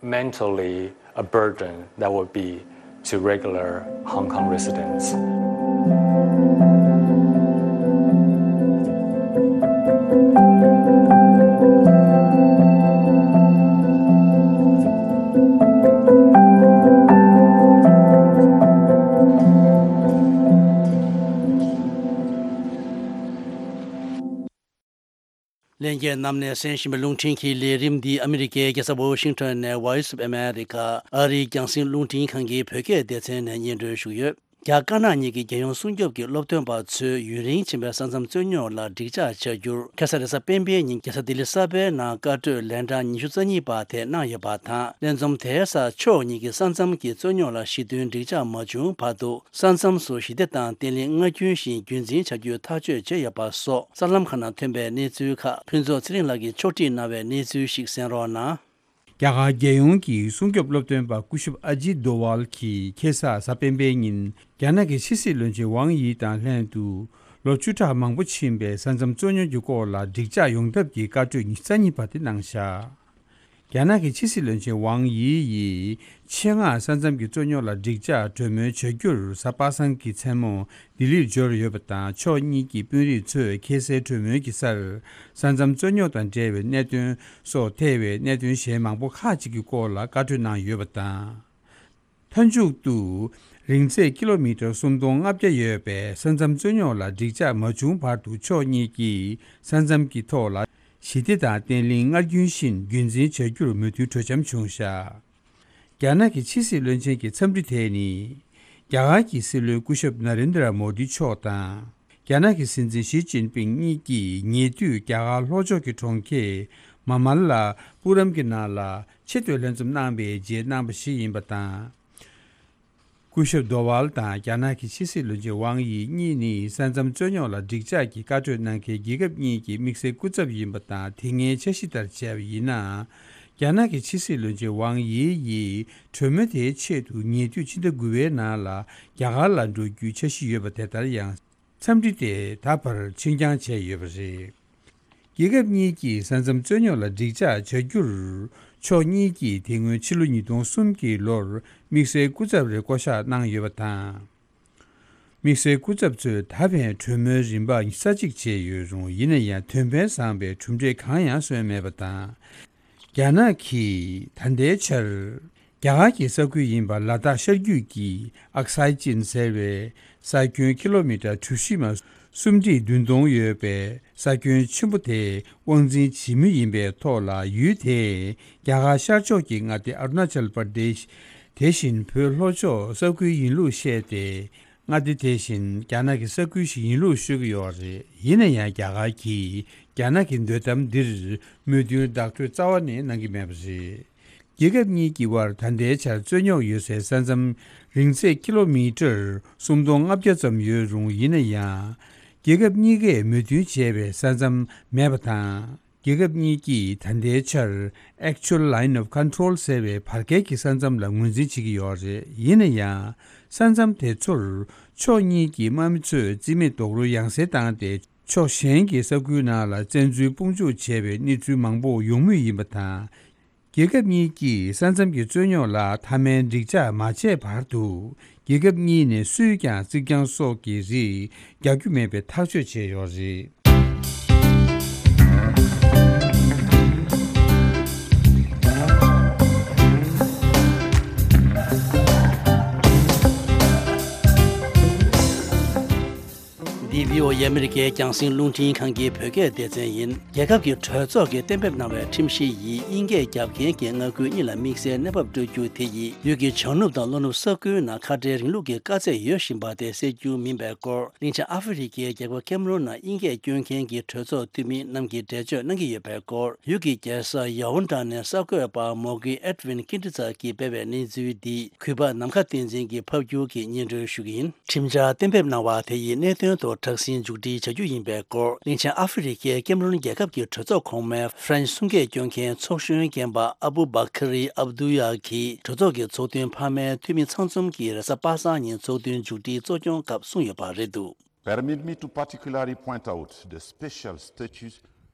mentally a burden that would be to regular Hong Kong residents. ལྷན་རྒྱས་རྣམས་ནས་གསན་བཞིན་པའི་རླུང་འཕྲིན་གྱི་ལས་རིམ་འདི་ཨ་མི་རི་ཀའི་རྒྱལ་ས་ཝོ་ཤིང་ཊོན་ནས་Voice of America ཨ་རིའི་རྒྱང་སྲིང་རླུང་འཕྲིན་ཁང་གི་བོད་སྐད་སྡེ་ཚན་ནས་སྙན་སྒྲོན་ཞུས་ཡོད། རྒྱ་དཀར་ནག་གཉིས་ཀྱི་རྒྱལ་ཡོངས་སྲུང་སྐྱོབ་ཀྱི་སློབ་སྟོན་པ་ཚོས་ཡུན་རིང་ཕྱིན་པའི་ས་མཚམས་རྩོད་རྙོག་ལ་འགྲིག་འཇགས་བྱ་རྒྱུར། ཁ་སང་རེས་གཟའ་སྤེན་པའི་ཉིན་རྒྱལ་ས་ལྡི་ལི་གསར་པའི་ནང་བཀའ་གྲོས་ལན་གྲངས་ཉི་ཤུ་རྩ་གཉིས་པ་དེ་གནང་ཡོད་པ་དང་། ལས་འཛོམས་དེའི་སར་ཕྱོགས་གཉིས་ཀྱི་ས་མཚམས་ཀྱི་རྩོད་རྙོག་ལ་ཞི་མཐུན་འགྲིག་འཇགས་མ་བྱུང་བར་དུ། ས་མཚམས་སུ་ཞི་བདེ་དང་བརྟན་ལྷིང་སྔར་རྒྱུན་བཞིན་རྒྱུན་འཛིན་བྱ་རྒྱུའི་ཐག་གཅོད་བྱས་ཡོད་པ་སོགས་གསར་ལམ་ཁག་ནང་ཐོན་པའི་གནས་ཚུལ་ཁག་ཕུན་ཚོགས་ཚེ་རིང་ལགས་ཀྱིས་ཕྱོགས་སྒྲིག་གནང་བའི་གནས་ཚུལ་ཞིག་གསན་རོགས་གནང་། རྒྱ་གར་རྒྱལ་ཡོངས་ཀྱི་སྲུང་སྐྱོབ་སློབ་སྟོན་པ་སྐུ་ཞབས་ཨ་ཇིད་དོ་ཝལ་གྱིས་ཁ་སང་གཟའ་སྤེན་པའི་ཉིན་རྒྱ་ནག་གི་ཕྱི་སྲིད་བློན་ཆེན་ཝང་ཡི་དང་ལྷན་དུ། ལོ་བཅུ་ཕྲག་མང་པོ་ཕྱིན་པའི་ས་མཚམས་རྩོད་རྙོག་གི་སྐོར་ལ་འགྲིག་འཇགས་ཡོང་ཐབས་ཀྱི་བཀའ་གྲོས་ཉི་ཤུ་རྩ་གཉིས་པ་དེ་གནང་བཞག་རྒྱ་ནག་གི་ཕྱི་སྲིད་བློན་ཆེན་ཝང་ཡི་ཡིས་ཆེད་མངགས་ས་མཚམས་ཀྱི་རྩོད་རྙོག་ལ་འགྲིག་འཇགས་གྲོས་མོལ་བྱ་རྒྱུར་གཟའ་པ་སངས་ཀྱི་མཚན་མོ་ལྡི་ལིར་འབྱོར་ཡོད་པ་དང་། ཕྱོགས་གཉིས་ཀྱི་དཔོན་རིགས་ཚོས་ཁ་སང་གྲོས་མོལ་གྱི་སར། ས་མཚམས་རྩོད་རྙོག་དང་འབྲེལ་བའི་གནད་དོན་སོགས་ཐེ་བའི་གནད་དོན་གཞན་མང་པོ་ཁག་ཅིག་གི་སྐོར་ལ་བཀའ་གྲོས་གནང་ཡོད་པ་དང་། མཐའ་མཇུག་ཏུ། རིང་ཚད་ཀི་ལོ་མི་ཊར་སུམ་སྟོང་ལྔ་བརྒྱ་ཡོད་པའི་ས་མཚམས་རྩོད་རྙོག་ལ་འགྲིག་འཇགས་མ་བྱུང་བར་དུ་ཕྱོགས་གཉིས་ཀྱིས་ས་མཚམས་ཀྱི་ཐོག་ལ་ཞི་བདེ་དང་བརྟན་ལྷིང་སྔར་རྒྱུན་བཞིན་རྒྱུན་འཛིན་བྱ་རྒྱུར་མོས་མཐུན་གྲོས་འཆམ་བྱུང་བཞག་རྒྱ་ནག་གི་ཕྱི་སྲིད་བློན་ཆེན་གྱི་འཚམས་འདྲི་དེ་ནི། རྒྱ་གར་གྱི་སྲིད་བློན་སྐུ་ཞབས་ན་རེན་དྲ་མོ་དི་མཆོག་དང་། རྒྱ་ནག་གི་སྲིད་འཛིན་ཞི་ཅིན་ཕིང་གཉིས་ཀྱིས་ཉེ་དུས་རྒྱ་གར་ལྷོ་ཕྱོགས་ཀྱི་གྲོང་ཁྱེར་མ་མ་ལ་པུ་རམ་གྱི་ནང་ལ་ཆེད་དུ་ལྷན་འཛོམས་གནང་བའི་རྗེས་གནང་བ་ཞིག་ཡིན་པ་དང་། སྐུ་ཞབས་དོ་ཝལ་དང་རྒྱ་ནག་གི་ཕྱི་སྲིད་བློན་ཆེན་ཝང་ཡི་གཉིས་ནི་ས་མཚམས་རྩོད་རྙོག་ལ་འགྲིག་འཇགས་ཀྱི་བཀའ་གྲོས་གནང་མཁན་རྒྱལ་ཁབ་གཉིས་ཀྱི་དམིགས་བསལ་སྐུ་ཚབ་ཡིན་པ་དང་། དེ་སྔའི་འཆར་གཞི་ལྟར་བྱས་པ་ཡིན་ན། རྒྱ་ནག་གི་ཕྱི་སྲིད་བློན་ཆེན་ཝང་ཡི་ཡིས་གྲོས་མོལ་དེའི་ཆེད་དུ་ཉེ་དུས་ཕྱི་ཟླ་དགུ་པའི་ནང་ལ་རྒྱ་གར་ལ་འགྲོ་རྒྱུའི་འཆར་གཞི་ཡོད་པ་དེ་ལྟར་ཡང་། འཚམས་འདྲི་དེ་ད་བར་ཕྱིར་འགྱངས་བྱས་ཡོད་པ་རེད། རྒྱལ་ཁབ་གཉིས་ཀྱིས་ས་མཚམས་རྩོད་རྙོག་ལ་འགྲིག་འཇགས་བྱ་རྒྱུར། ཕྱོགས་གཉིས་ཀྱིས་དེ་སྔོན་ཕྱི་ལོ་ཉིས་སྟོང་གསུམ་གྱི་ལོར་དམིགས་བསལ་སྐུ་ཚབ་རེ་བསྐོ་གཞག་གནང་ཡོད་པ་དང་། དམིགས་བསལ་སྐུ་ཚབ་ཚོས་ད་ཕན་གྲོས་མོལ་རིམ་པ་ས་གཅིག་བྱས་ཡོད་རུང་། ཡིན་ན་ཡང་དོན་ཕན་བཟང་པའི་གྲུབ་འབྲས་གང་ཡང་སོན་མེད་པ་དང་། རྒྱ་ནག་གིས་ད་ལྟའི་ཆར། རྒྱ་གར་གྱི་ས་ཁུལ་ཡིན་པ་ལ་དྭགས་ཤར་རྒྱུད་ཀྱི་ཨག་སའི་ཅིན་ཟེར་བའི་ས་ཁྱོན་ཀི་ལོ་མི་ཊར་གྲུ་བཞི་མ་སུམ་ཁྲི་བདུན་སྟོང་ཡོད་པའི་ས་ཁྱོན་ཆེན་པོ་དེ་དབང་འཛིན་བྱེད་མུས་ཡིན་པའི་ཐོག་ལ། ཡུལ་དེས་རྒྱ་གར་ཤར་ཕྱོགས་ཀྱི་མངའ་སྡེ་ཨ་རུ་ན་ཅལ་པར་དེཤ། དེ་བཞིན་བོད་ལྷོ་ཕྱོགས་ས་ཁུལ་ཡིན་ལུགས་བཤད་དེ། མངའ་སྡེ་དེ་བཞིན་རྒྱ་ནག་གི་ས་ཁུལ་ཞིག་ཡིན་ལུགས་ཤོད་ཀྱི་ཡོད་རེད། ཡིན་ན་ཡང་རྒྱ་གར་གྱིས་རྒྱ་ནག་གི་འདོད་གཏམ་འདིར་མོས་མཐུན་བདག་སྤྲོད་རྩ་བ་ནས་གནང་གི་མེད་པ་རེད། རྒྱལ་ཁབ་གཉིས་ཀྱི་དབར་ད་ལྟའི་ཆར་རྩོད་རྙོག་ཡོད་སའི་ས་མཚམས་རིང་ཚད་ཀི་ལོ་མི་ཊར་སུམ་སྟོང་ལྔ་བརྒྱ་ཙམ་ཡོད་རུང་། ཡིན་ན་ཡང་། རྒྱལ་ཁབ་གཉིས་ཀས་མོས་མཐུན་བྱས་པའི་ས་མཚམས་མེད་པ་དང་། རྒྱལ་ཁབ་གཉིས་ཀྱིས་ད་ལྟའི་ཆར་Actual Line of Control ཟེར་བའི་བར་བརྒལ་གྱི་ས་མཚམས་ལ་ངོས་འཛིན་བྱེད་ཀྱི་ཡོད་རེད། ཡིན་ན་ཡང་། ས་མཚམས་དེ་ཚོར་ཕྱོགས་གཉིས་ཀྱི་དམག་མི་ཚོས་རྩིས་མེད་རྡོག་རོལ་ཡང་སེ་བཏང་སྟེ། ཕྱོགས་གཞན་གྱི་ས་ཁུལ་ནང་ལ་བཙན་འཛུལ་དཔུང་འཇུག་བྱས་པའི་གནས་ཚུལ་མང་པོ་ཡོང་མུས་ཡིན་པ་དང་། རྒྱལ་ཁབ་གཉིས་ཀྱིས་ས་མཚམས་ཀྱི་རྩོད་རྙོག་ལ་མཐའ་མའི་འགྲིག་འཇགས་མ་བྱས་བར་དུ། རྒྱལ་ཁབ་གཉིས་ནས་སུས་ཀྱང་རྩིག་གྱང་སོགས་ཀྱི་རིགས་རྒྱག་རྒྱུ་མེད་པའི་ཐག་གཅོད་བྱས་ཡོད་རེད། འདི་བྷི་ཨོ་ཨེ་ཨ་མི་རི་ཀའི་རྒྱང་སྲིང་རླུང་འཕྲིན་ཁང་གི་བོད་སྐད་སྡེ་ཚན་ཡིན། རྒྱལ་ཁབ་ཀྱི་གྲོས་ཚོགས་ཀྱིས་གཏན་འབེབས་གནང་བའི་ཁྲིམས་གཞི་ཡིས་དབྱིན་སྐད་རྒྱབ་མཁན་གྱི་མངའ་ཁུལ་གཉིས་ལ་དམིགས་བསལ་གནས་བབ་སྤྲོད་རྒྱུ་དེ་ཡིས་ཡུལ་གྱི་བྱང་ནུབ་དང་ལྷོ་ནུབ་ས་ཁུལ་ནང་ཁ་བྲལ་རིང་ལུགས་ཀྱི་དཀའ་ཚེགས་ཡོད་བཞིན་པ་དེ་སེལ་རྒྱུ་མིན་པའི་སྐོར། གླིང་ཆེན་ཨ་ཧྥེ་རི་ཁའི་རྒྱལ་ཁབ་ཀེམ་རོན་ནང་དབྱིན་སྐད་སྐྱོན་མཁན་གྱི་གྲོས་ཚོགས་འཐུས་མི་རྣམས་ཀྱིས་འགྲེལ་བརྗོད་གནང་གི་ཡོད་པའི་སྐོར། ཡུལ་གྱི་རྒྱལ་ས་ཡ་ཝུན་ཏྲ་ནས་གསར་འགོད་པ་མོ་གི་ཨེད་ཝིན་ཀིན་ཏི་ཙ་གིས་སྤེལ་བའི་གནས་ཚུལ་འདི་གུས་པ་ནམ་མཁའ་བསྟན་འཛིན་གྱིས་ཕབ་སྒྱུར་གྱིས་སྙན་སྒྲོན་ཞུ་གི་ཡིན། ཁྲིམས་འཆར་གཏན་འབེབས་གནང་བ་དེ་ཡིས་གནད་དོན་ཐོག་དྲག་ཟིང་མཇུག་སྒྲིལ་བྱ་རྒྱུ་ཡིན་པའི་སྐོར། གླིང་ཆེན་ཨ་ཧྥེ་རི་ཁའི་ཀེམ་རོན་རྒྱལ་ཁབ་ཀྱི་གྲོས་ཚོགས་གོང་མའི་ཧྥ་རན་སི་གསུང་སྐད་སྐྱོན་མཁན་ཚོགས་གཞོན་རྒན་པ་ཨ་བུ་བྷ་ཁ་རི་ཨབ་དུ་ཡ་གིས་གྲོས་ཚོགས་ཀྱི་ཚོགས་ཐུན་འཕར་མའི་འཐུས་མི་ཚང་འཛོམས་ཀྱིས་རེས་གཟའ་པ་སངས་ཉིན་ཚོགས་ཐུན་མཇུག་སྒྲིལ་གཙོ་སྐྱོང་སྐབས་གསུངས་ཡོད་པ་རེད་འདུག། Permit me to particularly point out the special status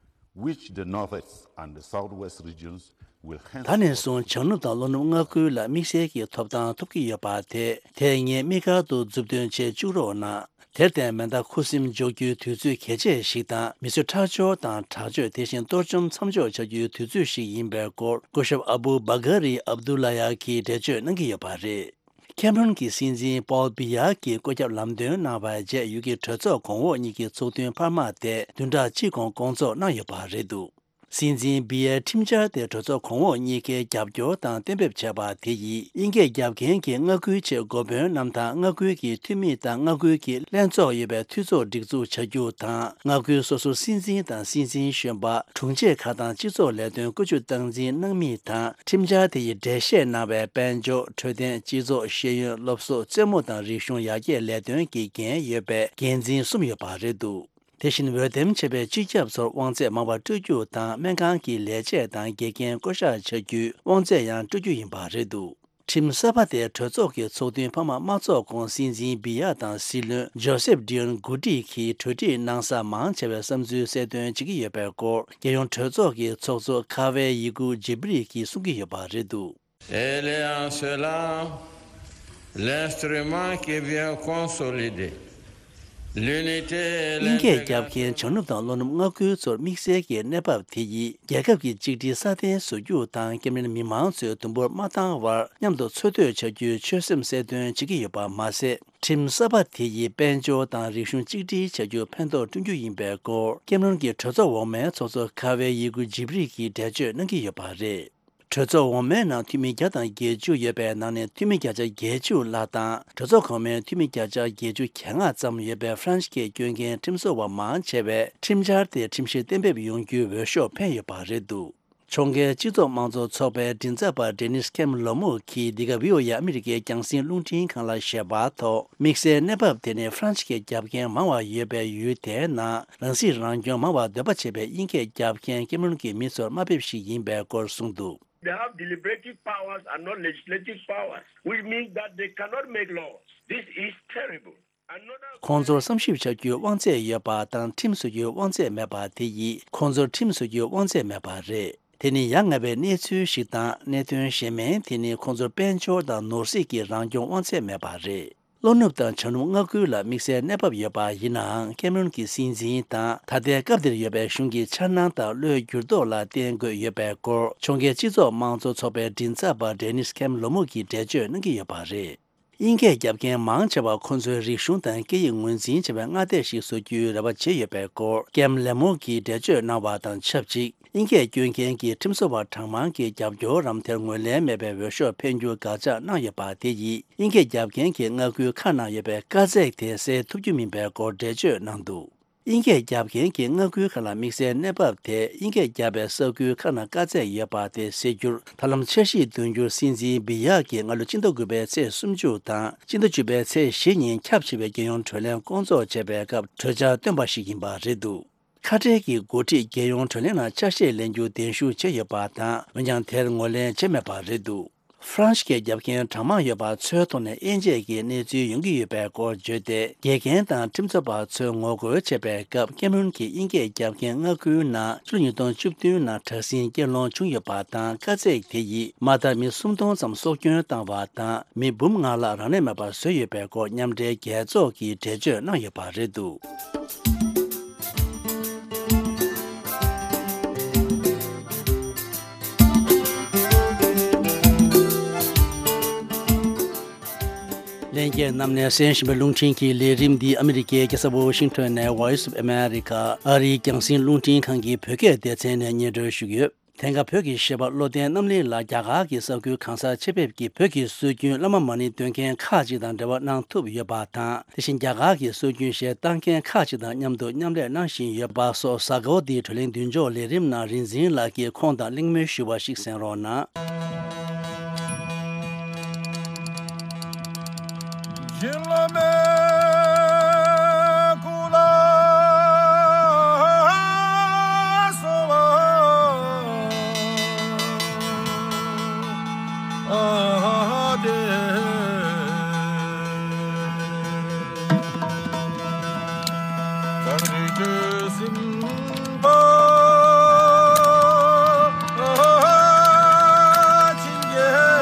which the Northwest and the Southwest regions will ད་ནས་བཟུང་བྱང་ནུབ་དང་ལྷོ་ནུབ་མངའ་ཁུལ་ལ་དམིགས་བསལ་གྱི་ཐོབ་ཐང་ཐོབ་ཀྱི་ཡོད་པ་དེ། དེ་ངས་དམིགས་བཀར་དུ་མཛུབ་སྟོན་བྱེད་བཅུག་རོགས་གནང་། དེར་བརྟེན་མེ་མདའ་ཁུ་སིམ་འཇོག་རྒྱུའི་དུས་ཚོད་གལ་ཆེ་ཞིག་དང་། མི་གསོད་ཁྲག་སྦྱོར་དང་དྲག་སྤྱོད། དེ་བཞིན་གཏོར་བཅོམ་མཚམས་འཇོག་བྱ་རྒྱུའི་དུས་ཚོད་ཞིག་ཡིན་པའི་སྐོར། སྐུ་ཞབས་ཨ་བུ་བྷ་གྷ་རི་ཨབ་དུ་ལ་ཡ་གིས་འགྲེལ་བརྗོད་གནང་གི་ཡོད་པ་རེད། ཁེམ་རོན་གྱི་སྲིད་འཛིན་པོལ་བི་ཡ་གིས་བཀོད་ཁྱབ་ལམ་སྟོན་གནང་བའི་རྗེས། ཡུལ་གྱི་གྲོས་ཚོགས་གོང་འོག་གཉིས་ཀྱི་ཚོགས་ཐུན་འཕར་མ་དེ་བདུན་ཕྲག་གཅིག་གོང་སྐོང་ཚོགས་གནང་ཡོད་པ་རེད་འདུག། སྲིད་འཛིན་བི་ཡའི་ཁྲིམས་འཆར་དེ་གྲོས་ཚོགས་གོང་འོག་གཉིས་ཀས་རྒྱབ་སྐྱོར་དང་གཏན་འབེབས་བྱས་པ་དེ་ཡིས་དབྱིན་སྐད་རྒྱབ་མཁན་གྱི་མངའ་ཁུལ་ཆེད་འགོ་དཔོན་རྣམས་དང་མངའ་ཁུལ་གྱི་འཐུས་མི་དང་མངའ་ཁུལ་གྱི་ལྷན་ཚོགས་ཡོད་པའི་འཐུས་ཚོགས་སྒྲིག་འཛུགས་བྱ་རྒྱུ་དང་། མངའ་ཁུལ་སོ་སོའི་སྲིད་འཛིན་དང་སྲིད་འཛིན་གཞོན་པ། དྲུང་ཆེ་ཁག་དང་སྤྱི་ཚོགས་ལས་དོན་བཀོལ་སྤྱོད་སྟངས་འཛིན་གནང་མིན་དང་། ཁྲིམས་འཆར་དེ་ཡི་འགྲེལ་བཤད་གནང་བའི་དཔལ་འབྱོར། འཕྲོད་བསྟེན། སྤྱི་ཚོགས། ཤེས་ཡོན། སློབ་གསོ། རྩེད་མོ་དང་རིག་གཞུང་ཡར་རྒྱས་ལས་དོན་གྱི་འགན་ཡོད་པའི་འགན་འཛིན་གསུམ་ཡོད་པ་རེད་འདུག་དེ་བཞིན་འོས་འདེམས་བྱས་པའི་སྤྱི་ཁྱབ་ཚོར་དབང་ཚད་མང་བ་སྤྲོད་རྒྱུ་དང་། སྨན་ཁང་གི་ལས་བྱེད་དང་དགེ་རྒན་བསྐོ་གཞག་བྱ་རྒྱུའི་དབང་ཚད་ཡང་སྤྲོད་རྒྱུ་ཡིན་པ་རེད་འདུག་ཁྲིམས་གསར་པ་དེ་གྲོས་ཚོགས་ཀྱི་ཚོགས་ཐུན་འཕར་མ་མ་ཚོགས་གོང་སྲིད་འཛིན་བི་ཡ་དང་སྲིད་བློན་ཇོ་སེབ་ཌི་ཡོན་གོ་ཏི་གིས་གྲོས་སྒྲིག་གནང་ས་མང་ཆེ་བའི་བསམ་ཚུལ་གསལ་སྟོན་བྱེད་ཀྱི་ཡོད་པའི་སྐོར། རྒྱལ་ཡོངས་གྲོས་ཚོགས་ཀྱི་ཚོགས་གཙོ་ཁ་ཝེ་ཡི་གུ་ཇི་བི་རི་གིས་གསུང་གི་ཡོད་པ་རེད་འདུག Et les en cela, l'instrument qui vient consolider l'unité et དབྱིན་སྐད་རྒྱབ་མཁན་བྱང་ནུབ་དང་ལྷོ་ནུབ་མངའ་ཁུལ་ཚོར་དམིགས་བསལ་གྱི་གནས་བབ་དེ་ཡིས་རྒྱལ་ཁབ་ཀྱི་གཅིག་སྒྲིལ་སྲ་བརྟན་བཟོ་རྒྱུ་དང་། ཀེམ་རན་མི་མང་ཚོས་དུམ་བུར་མ་བཏང་བར་མཉམ་དུ་འཚོ་སྡོད་བྱ་རྒྱུའི་ཆོད་སེམས་གསལ་སྟོན་བྱེད་ཀྱི་ཡོད་པ་མ་ཟད། ཁྲིམས་གསར་པ་དེ་ཡིས་དཔལ་འབྱོར་དང་རིག་གཞུང་གཅིག་སྒྲིལ་བྱ་རྒྱུར་ཕན་ཐོགས་བསྐྲུན་རྒྱུ་ཡིན་པའི་སྐོར། ཀེམ་རོན་གྱི་གྲོས་ཚོགས་འོག་མའི་ཚོགས་གཙོ་ཁ་ཝེ་ཡི་གུ་ཇི་བི་རི་གིས་འགྲེལ་བརྗོད་གནང་གི་ཡོད་པ་རེད། གྲོས་ཚོགས་འོག་མའི་ནང་འཐུས་མི་བརྒྱ་དང་བརྒྱད་ཅུ་ཡོད་པའི་ནང་ནས་འཐུས་མི་བརྒྱ་ཆ་བརྒྱད་ཅུ་ལྷག་དང་། གྲོས་ཚོགས་གོང་མའི་འཐུས་མི་བརྒྱ་ཆ་བརྒྱད་ཅུ་གྱ་ལྔ་ཙམ་ཡོད་པའི་ཧྥ་རན་སི་སྐད་སྐྱོན་མཁན་ཁྲིམས་བཟོ་བ་མང་ཆེ་བས་ཁྲིམས་འཆར་དེ་ཁྲིམས་གཞི་གཏན་འབེབས་ཡོང་རྒྱུའི་འོས་ཤོག་འཕེན་ཡོད་པ་རེད་འདུག་ཕྱོགས་འགལ་སྤྱི་ཚོགས་དམངས་གཙོ་ཚོགས་པའི་མགྲིན་ཚབ་པ་ཌེ་ནིས་ཁེམ་ལོ་མུག་གིས་འདི་ག་བྷི་ཨོ་ཨེ་ཨ་མི་རི་ཀའི་རྒྱང་སྲིང་རླུང་འཕྲིན་ཁང་ལ་བཤད་པར་ཐོག་དམིགས་བསལ་གནས་བབ་དེ་ནི་ཧྥ་རན་སི་སྐད་རྒྱབ་མཁན་མང་བ་ཡོད་པའི་ཡུལ་དེའི་ནང་རང་སྲིད་རང་སྐྱོང་མང་བར་འདོད་པ་བྱེད་པའི་དབྱིན་སྐད་རྒྱབ་མཁན་ཀེམ་རོན་གྱི་མི་ཚོར་དམའ་འབེབས་ཤིག་ཡིན་པའི་སྐོར་གསུངས་འདུག They have deliberative powers and not legislative powers, which means that they cannot make laws. This is terrible. Another ཁོང་ཚོར་བསམ་ཞིབ་བྱ་རྒྱུའི་དབང་ཚད་ཡོད་པ་དང་ཁྲིམས་བཟོ་རྒྱུའི་དབང་ཚད་མེད་པ་དེ་ཡིས་ཁོང་ཚོར་ཁྲིམས་བཟོ་རྒྱུའི་དབང་ཚད་མེད་པ་རེད། དེ་ནི་ཡ་ང་བའི་གནས་ཚུལ་ཞིག་དང་། གནད་དོན་གཞན་མིན་དེ་ནི་ཁོང་ཚོར་དཔལ་འབྱོར་དང་ནོར་སྲིད་ཀྱི་རང་སྐྱོང་དབང་ཚད་མེད་པ་རེད། ལྷོ་ནུབ་དང་བྱང་ནུབ་མངའ་ཁུལ་ལ་དམིགས་བསལ་གནས་བབ་ཡོད་པ་ཡིན་ནའང་། ཀེམ་རོན་གྱི་སྲིད་འཛིན་དང་ད་ལྟའི་སྐབས་འདིར་ཡོད་པའི་གཞུང་གི་འཆར་སྣང་དང་བློའི་འགྱུར་ལྡོག་ལ་བརྟེན་དགོས་ཡོད་པའི་སྐོར། ཕྱོགས་འགལ་སྤྱི་ཚོགས་དམངས་གཙོ་ཚོགས་པའི་མགྲིན་ཚབ་པ་ཌེ་ནིས་ཁེམ་ལོ་མུག་གིས་འགྲེལ་བརྗོད་གནང་གི་ཡོད་པ་རེད། དབྱིན་སྐད་རྒྱབ་མཁན་མང་ཆེ་བ་ཁོ་ཚོའི་རིག་གཞུང་དང་སྐད་ཡིག་ངོས་འཛིན་བྱེད་པའི་མངའ་སྡེ་ཞིག་བཟོ་རྒྱུའི་རེ་བ་བྱེད་ཡོད་པའི་སྐོར། ཀེམ་ལེ་མོ་གིས་འགྲེལ་བརྗོད་གནང་བ་དང་ཆབས་ཅིག་དབྱིན་སྐད་སྐྱོན་མཁན་གྱི་ཁྲིམས་བཟོ་བ་གྲངས་མང་གི་རྒྱབ་སྐྱོར་རམ་དེར་ངོས་ལེན་མེད་པའི་འོས་ཤོག་འཕེན་རྒྱུར་དགག་བྱ་གནང་ཡོད་པ་དེ་ཡིས་དབྱིན་སྐད་རྒྱབ་མཁན་གྱི་མངའ་ཁུལ་ཁག་ནང་ཡོད་པའི་དཀའ་ཚེགས་དེ་སེལ་ཐུབ་རྒྱུ་མིན་པའི་སྐོར་འགྲེལ་བརྗོད་གནང་འདུག་དབྱིན་སྐད་རྒྱབ་མཁན་གྱི་མངའ་ཁུལ་ཁག་ལ་དམིགས་བསལ་གནས་བབ་དེ་དབྱིན་སྐད་རྒྱབ་པའི་ས་ཁུལ་ཁག་ནང་དཀའ་ཚེགས་ཡོད་པ་དེ་སེལ་རྒྱུར་ཐབས་ལམ་འཆར་གཞི་འདོན་རྒྱུར་སྲིད་འཛིན་བི་ཡ་གིས་སྔ་ལོ་སྤྱི་ཟླ་དགུ་པའི་ཚེས་སུམ་ཅུ་དང་སྤྱི་ཟླ་བཅུ་པའི་ཚེས་བཞི་ཉིན་ཁྱབ་ཆེ་བའི་རྒྱལ་ཡོངས་གྲོས་གླེང་བསྐོང་ཚོགས་བྱས་པའི་སྐབས་གྲོས་འཆར་བཏོན་པ་ཞིག་ཡིན་པ་རེད་འདུག་ཁ་བྲལ་གྱི་འགོ་ཁྲིད་རྒྱལ་ཡོངས་གྲོས་གླེང་ནང་ཆ་ཤས་ལེན་རྒྱུ་གདན་ཞུ་བྱས་ཡོད་པ་དང་། འོན་ཀྱང་དེར་ངོས་ལེན་བྱས་མེད་པ་རེད་འདུག་ཧྥ་རན་སི་སྐད་རྒྱབ་མཁན་གྲངས་མང་ཡོད་པ་ཚོའི་ཐོག་ནས་དབྱེ་འབྱེད་ཀྱི་གནས་ཚུལ་ཡོང་གི་ཡོད་པའི་སྐོར་བརྗོད་དེ། དགེ་རྒན་དང་ཁྲིམས་རྩོད་པ་ཚོས་ངོ་རྒོལ་བྱས་པའི་སྐབས། ཀེམ་རོན་གྱིས་དབྱིན་སྐད་རྒྱབ་མཁན་མངའ་ཁུལ་ནང་ཕྱི་ལོ་ཉིས་སྟོང་བཅུ་བདུན་ནང་དྲག་ཟིང་སྐྱེལ་ལོང་བྱུང་ཡོད་པ་དང་། དཀའ་ཚེགས་དེ་ཡིས་མ་མཐའ་མི་སུམ་སྟོང་ཙམ་སྲོག་སྐྱོན་བཏང་བ་དང་། མི་འབུམ་ལྔ་ལྷག་རང་གནས་མེད་པར་བཟོས་ཡོད་པའི་སྐོར་མཉམ་འབྲེལ་རྒྱལ་ཚོགས་ཀྱིས་འགྲེལ་བརྗོད་གནང་ཡོད་པ་རེད་འདུག་ལྷན་རྒྱས་རྣམས་ནས་གསན་བཞིན་པའི་རླུང་འཕྲིན་གྱི་ལས་རིམ་འདི་ཨ་མི་རི་ཀའི་རྒྱལ་ས་ཝོ་ཤིང་ཊོན་ནས་Voice of America ཨ་རིའི་རྒྱང་སྲིང་རླུང་འཕྲིན་ཁང་གི་བོད་སྐད་སྡེ་ཚན་ནས་སྙན་སྒྲོན་ཞུ་གི་ཡོད། དེང་སྐབས་བོད་ཀྱི་གཞས་པ་བློ་ལྡན་རྣམ་གླིང་ལགས་རྒྱ་གར་གྱི་ས་ཁུལ་གང་སར་ཆེད་ཕེབས་ཀྱིས་བོད་ཀྱི་སྲོལ་རྒྱུན་བླ་མ་མ་ཎི་འདོན་མཁན་ཁག་ཅིག་དང་འབྲེལ་བ་གནང་ཐུབ་ཡོད་པ་དང་། དེ་བཞིན་རྒྱ་གར་གྱི་སྲོལ་རྒྱུན་གཞས་བཏང་མཁན་ཁག་ཅིག་དང་མཉམ་དུ་མཉམ་ལས་གནང་བཞིན་ཡོད་པ་སོགས་གཟའ་འཁོར་འདིའི་བགྲོ་གླེང་མདུན་ལྕོག་ལས་རིམ་ནང་རིག་འཛིན་ལགས་ཀྱིས་ཁོང་དང་གླེང་མོལ་ཞུས་པ་ཞིག་གསན་རོགས་གནང་།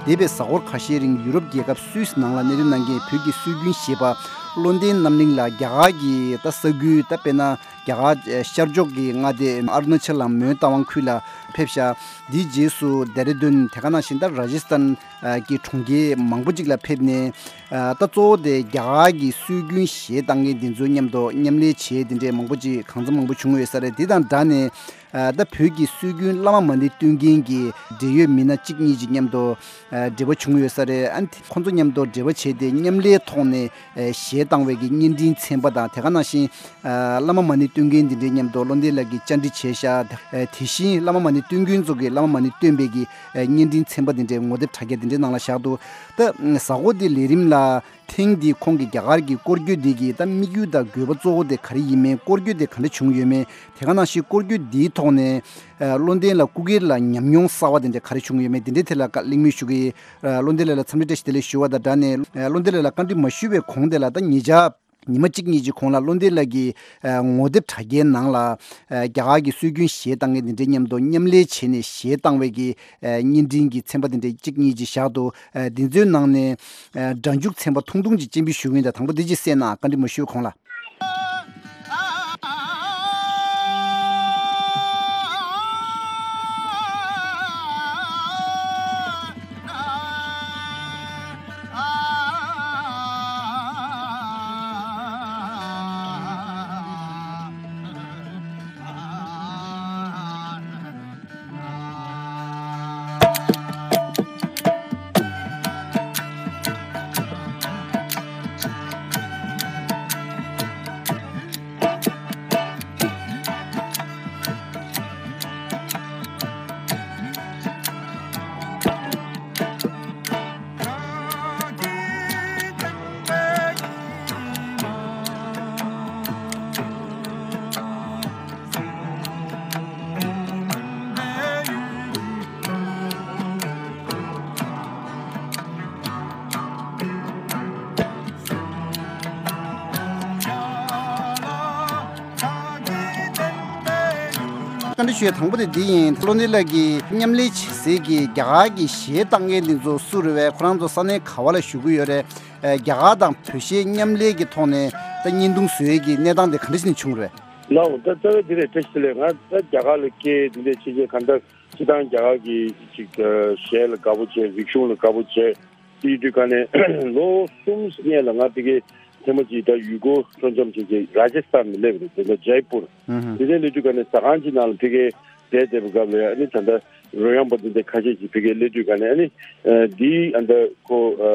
འདས་པའི་གཟའ་འཁོར་ཁ་ཤས་རིང་ཡུ་རོབ་རྒྱལ་ཁབ་སུད་སི་ནང་ལ་གནས་སྡོད་གནང་མཁན་བོད་ཀྱི་སྲོལ་རྒྱུན་གཞས་པ་བློ་ལྡན་རྣམ་གླིང་ལགས་རྒྱ་གར་གྱི་ད་ས་ཁུལ་ད་དཔེར་ན་ རྒྱ་གར་ཤར་ཕྱོགས་ཀྱི་མངའ་སྡེ་ཨ་རུ་ན་ཅལ་དང་མོན་རྟ་དབང་ཁུལ་ལ་ཕེབས་ཤག་དེའི་རྗེས་སུ་ལྡེ་ར་ལྡུན། དེ་ག་ནང་བཞིན་ད་ར་ཇི་སྟན་གྱི་གྲོང་ཁྱེར་མང་པོ་ཅིག་ལ་ཕེབས་ནས། ད་གཙོ་བོ་དེ་རྒྱ་གར་གྱི་སྲོལ་རྒྱུན་གཞས་བཏང་མཁན་དེ་ཚོའི་མཉམ་དུ་མཉམ་ལས་བྱས་དེ་འདྲས་མང་པོ་ཅིག་གང་འཚམ་མང་པོ་བྱུང་ཡོད་ས་རེད། དེ་དང་སྦྲགས་ནས། ད་བོད་ཀྱི་སྲོལ་རྒྱུན་བླ་མ་མ་ཎི་བཏོན་མཁན་གྱི་འབྲེལ་ཡོད་མི་སྣ་གཅིག་གཉིས་ཀྱི་མཉམ་དུ་འབྲེལ་བ་བྱུང་ཡོད་ས་རེད། ཨ་ནི་ཁོང་ཚོ་མཉམ་དུ་འབྲེལ་བ་བྱས་ཏེ་མཉམ་ལས་ཐོག་ནས་གཞས་བཏང་བའི་གི་བརྙན་འཕྲིན་ཚན་པ་དང་། དེ་ག་ནང་བཞིན་བླ་མ་མ་ཎི་བཏོན་མཁན་འདི་འདྲའི་མཉམ་དུ་བློ་ལྡན་ལགས་ཀྱིས་བཅར་འདྲི་བྱས་ཤག་དེ་བཞིན་བླ་མ་མ་ཎི་བཏོན་མཁན་ཚོ་གིས་བླ་མ་མ་ཎི་བཏོན་པའི་གི་བརྙན་འཕྲིན་ཚན་པ་འདི་འདྲའི་ངོ་དེབ་དྲ་རྒྱ་འདི་འདྲའི་ནང་ལ་བཞག་འདུག་ད་གཟའ་འཁོར་འདི་ལས་རིམ་ལ། ཐེངས་འདིའི་ཁོང་གི་རྒྱ་གར་གྱི་སྐོར་སྐྱོད་འདི་གི་ད་དམིགས་ཡུལ་དང་དགོས་པ་གཙོ་བོ་དེ་ག་རེ་ཡིན་མིན། སྐོར་སྐྱོད་དེ་ག་འདྲ་བྱུང་ཡོད་མེད། དེ་ག་ནང་བཞིན་སྐོར་སྐྱོད་འདིའི་ཐོག་ནས་ཨ་བློ་ལྡན་ལགས་སྐུ་སྒེར་ལ་ཉམས་མྱོང་གསར་བ་དེ་འདྲ་ག་རེ་བྱུང་ཡོད་མེད། དེ་འདྲའི་ཐད་ལ་བཀའ་གླེང་མོལ་ཞུ་གི་ཡིན། ཨ་བློ་ལྡན་ལགས་ལ་འཚམས་འདྲི་བཀྲ་ཤིས་བདེ་ལེགས་ཞུ་བ་དང་སྦྲགས་ནས། ཨ་བློ་ལྡན་ལགས་ལ་བཀའ་འདྲི་མ་ཞུས་པའི་གོང་དེ་ལ། ད་ཉེ་ཆར་ཉི་མ་གཅིག་གཉིས་ཀྱི་གོང་ལ་བློ་ལྡན་ལགས་ཀྱིས་ཨ་ངོ་དེབ་དྲ་རྒྱའི་ནང་ལ་ཨ་རྒྱ་གར་གྱི་སྲོལ་རྒྱུན་གཞས་བཏང་མཁན་དེ་འདྲའི་མཉམ་དུ་མཉམ་ལས་བྱས་ནས་གཞས་བཏང་བའི་གི་ཨ་བརྙན་འཕྲིན་གྱི་ཚན་པ་དེ་འདྲ་གཅིག་གཉིས་ཅིག་བཞག་འདུག་ཨ་འདི་ཚོའི་ནང་ནས་ཨ་སྒྲ་འཇུག་ཚན་པ་ཐུང་ཐུང་ཅིག་སྤྱན་འབུལ་ཞུ་གི་ཡིན། ད་དང་པོ་འདི་ཅིག་གསན་ན། བཀའ་འདྲི་མ་ཞུས་གོང་ལ། བཀའ་འདྲི་ཞུ་ཡ་དང་པོ་དེ་འདི་ཡིན། བློ་ལྡན་ལགས་ཀྱིས་མཉམ་ལས་བྱེད་སའི་གི་རྒྱ་གར་གྱི་གཞས་བཏང་མཁན་འདི་ཚོ་སུ་རེད་པས། ཁོ་རང་ཚོ་ས་གནས་ག་བ་ལ་བཞུགས་ཀྱི་ཡོད་རེད། ཨ་རྒྱ་གར་དང་བོད་གཞས་མཉམ་ལས་ཀྱི་ཐོག་ནས་ད་བརྙན་ཐུང་བཟོ་ཡས་ཀྱི་གནས་སྟངས་དེ་ག་འདྲ་ཞིག་ནས་བྱུང་རེད། ལགས་འོང་། ད་རྩ་བའི་འདི་རེད། བཀྲ་ཤིས་བདེ་ལེགས། ང་ད་རྒྱ་གར་ལ་སྐྱེས། འདི་འདྲས་བྱས་བྱས་གང་ལྟར་སྤྱིར་བཏང་རྒྱ་གར་གྱི་ཅིག་གཞས་ལ་དགའ་པོ་བྱས། རིག་གཞུང་ལ་དགའ་པོ་བྱས། དེ་ཡིན་དུས་ག་ནས་ལོ་གསུམ་སྔོན་ལ་ང་ཕ་གིར་ཐེངས་མ་གཅིག་ད་ཡུལ་སྐོར་སྤྲོ་འཆམ་བྱས་བྱས་ར་ཇ་སྟན་ནས་སླེབས་རེད། དེ་ནས་ཇའི་པུར། ཨུ་ཧུ། དེ་ནས་སླེབས་དུས་ག་ནས་ཟ་ཁང་ཅིག་ནང་ལ་ཕ་གིར་བསྡད་བསྡད་པའི་སྐབས་ལ་ཡ། ཨ་ནི་ད་ལྟ་རོལ་དབྱངས་པ་འདི་འདྲ་ཁ་ཤས་ཅིག་ཕ་གིར་སླེབས་དུས་ག་ནས། ཨ་ནི་ཨ་འདིའི་ཨ་ད་ཁོ་ཨ་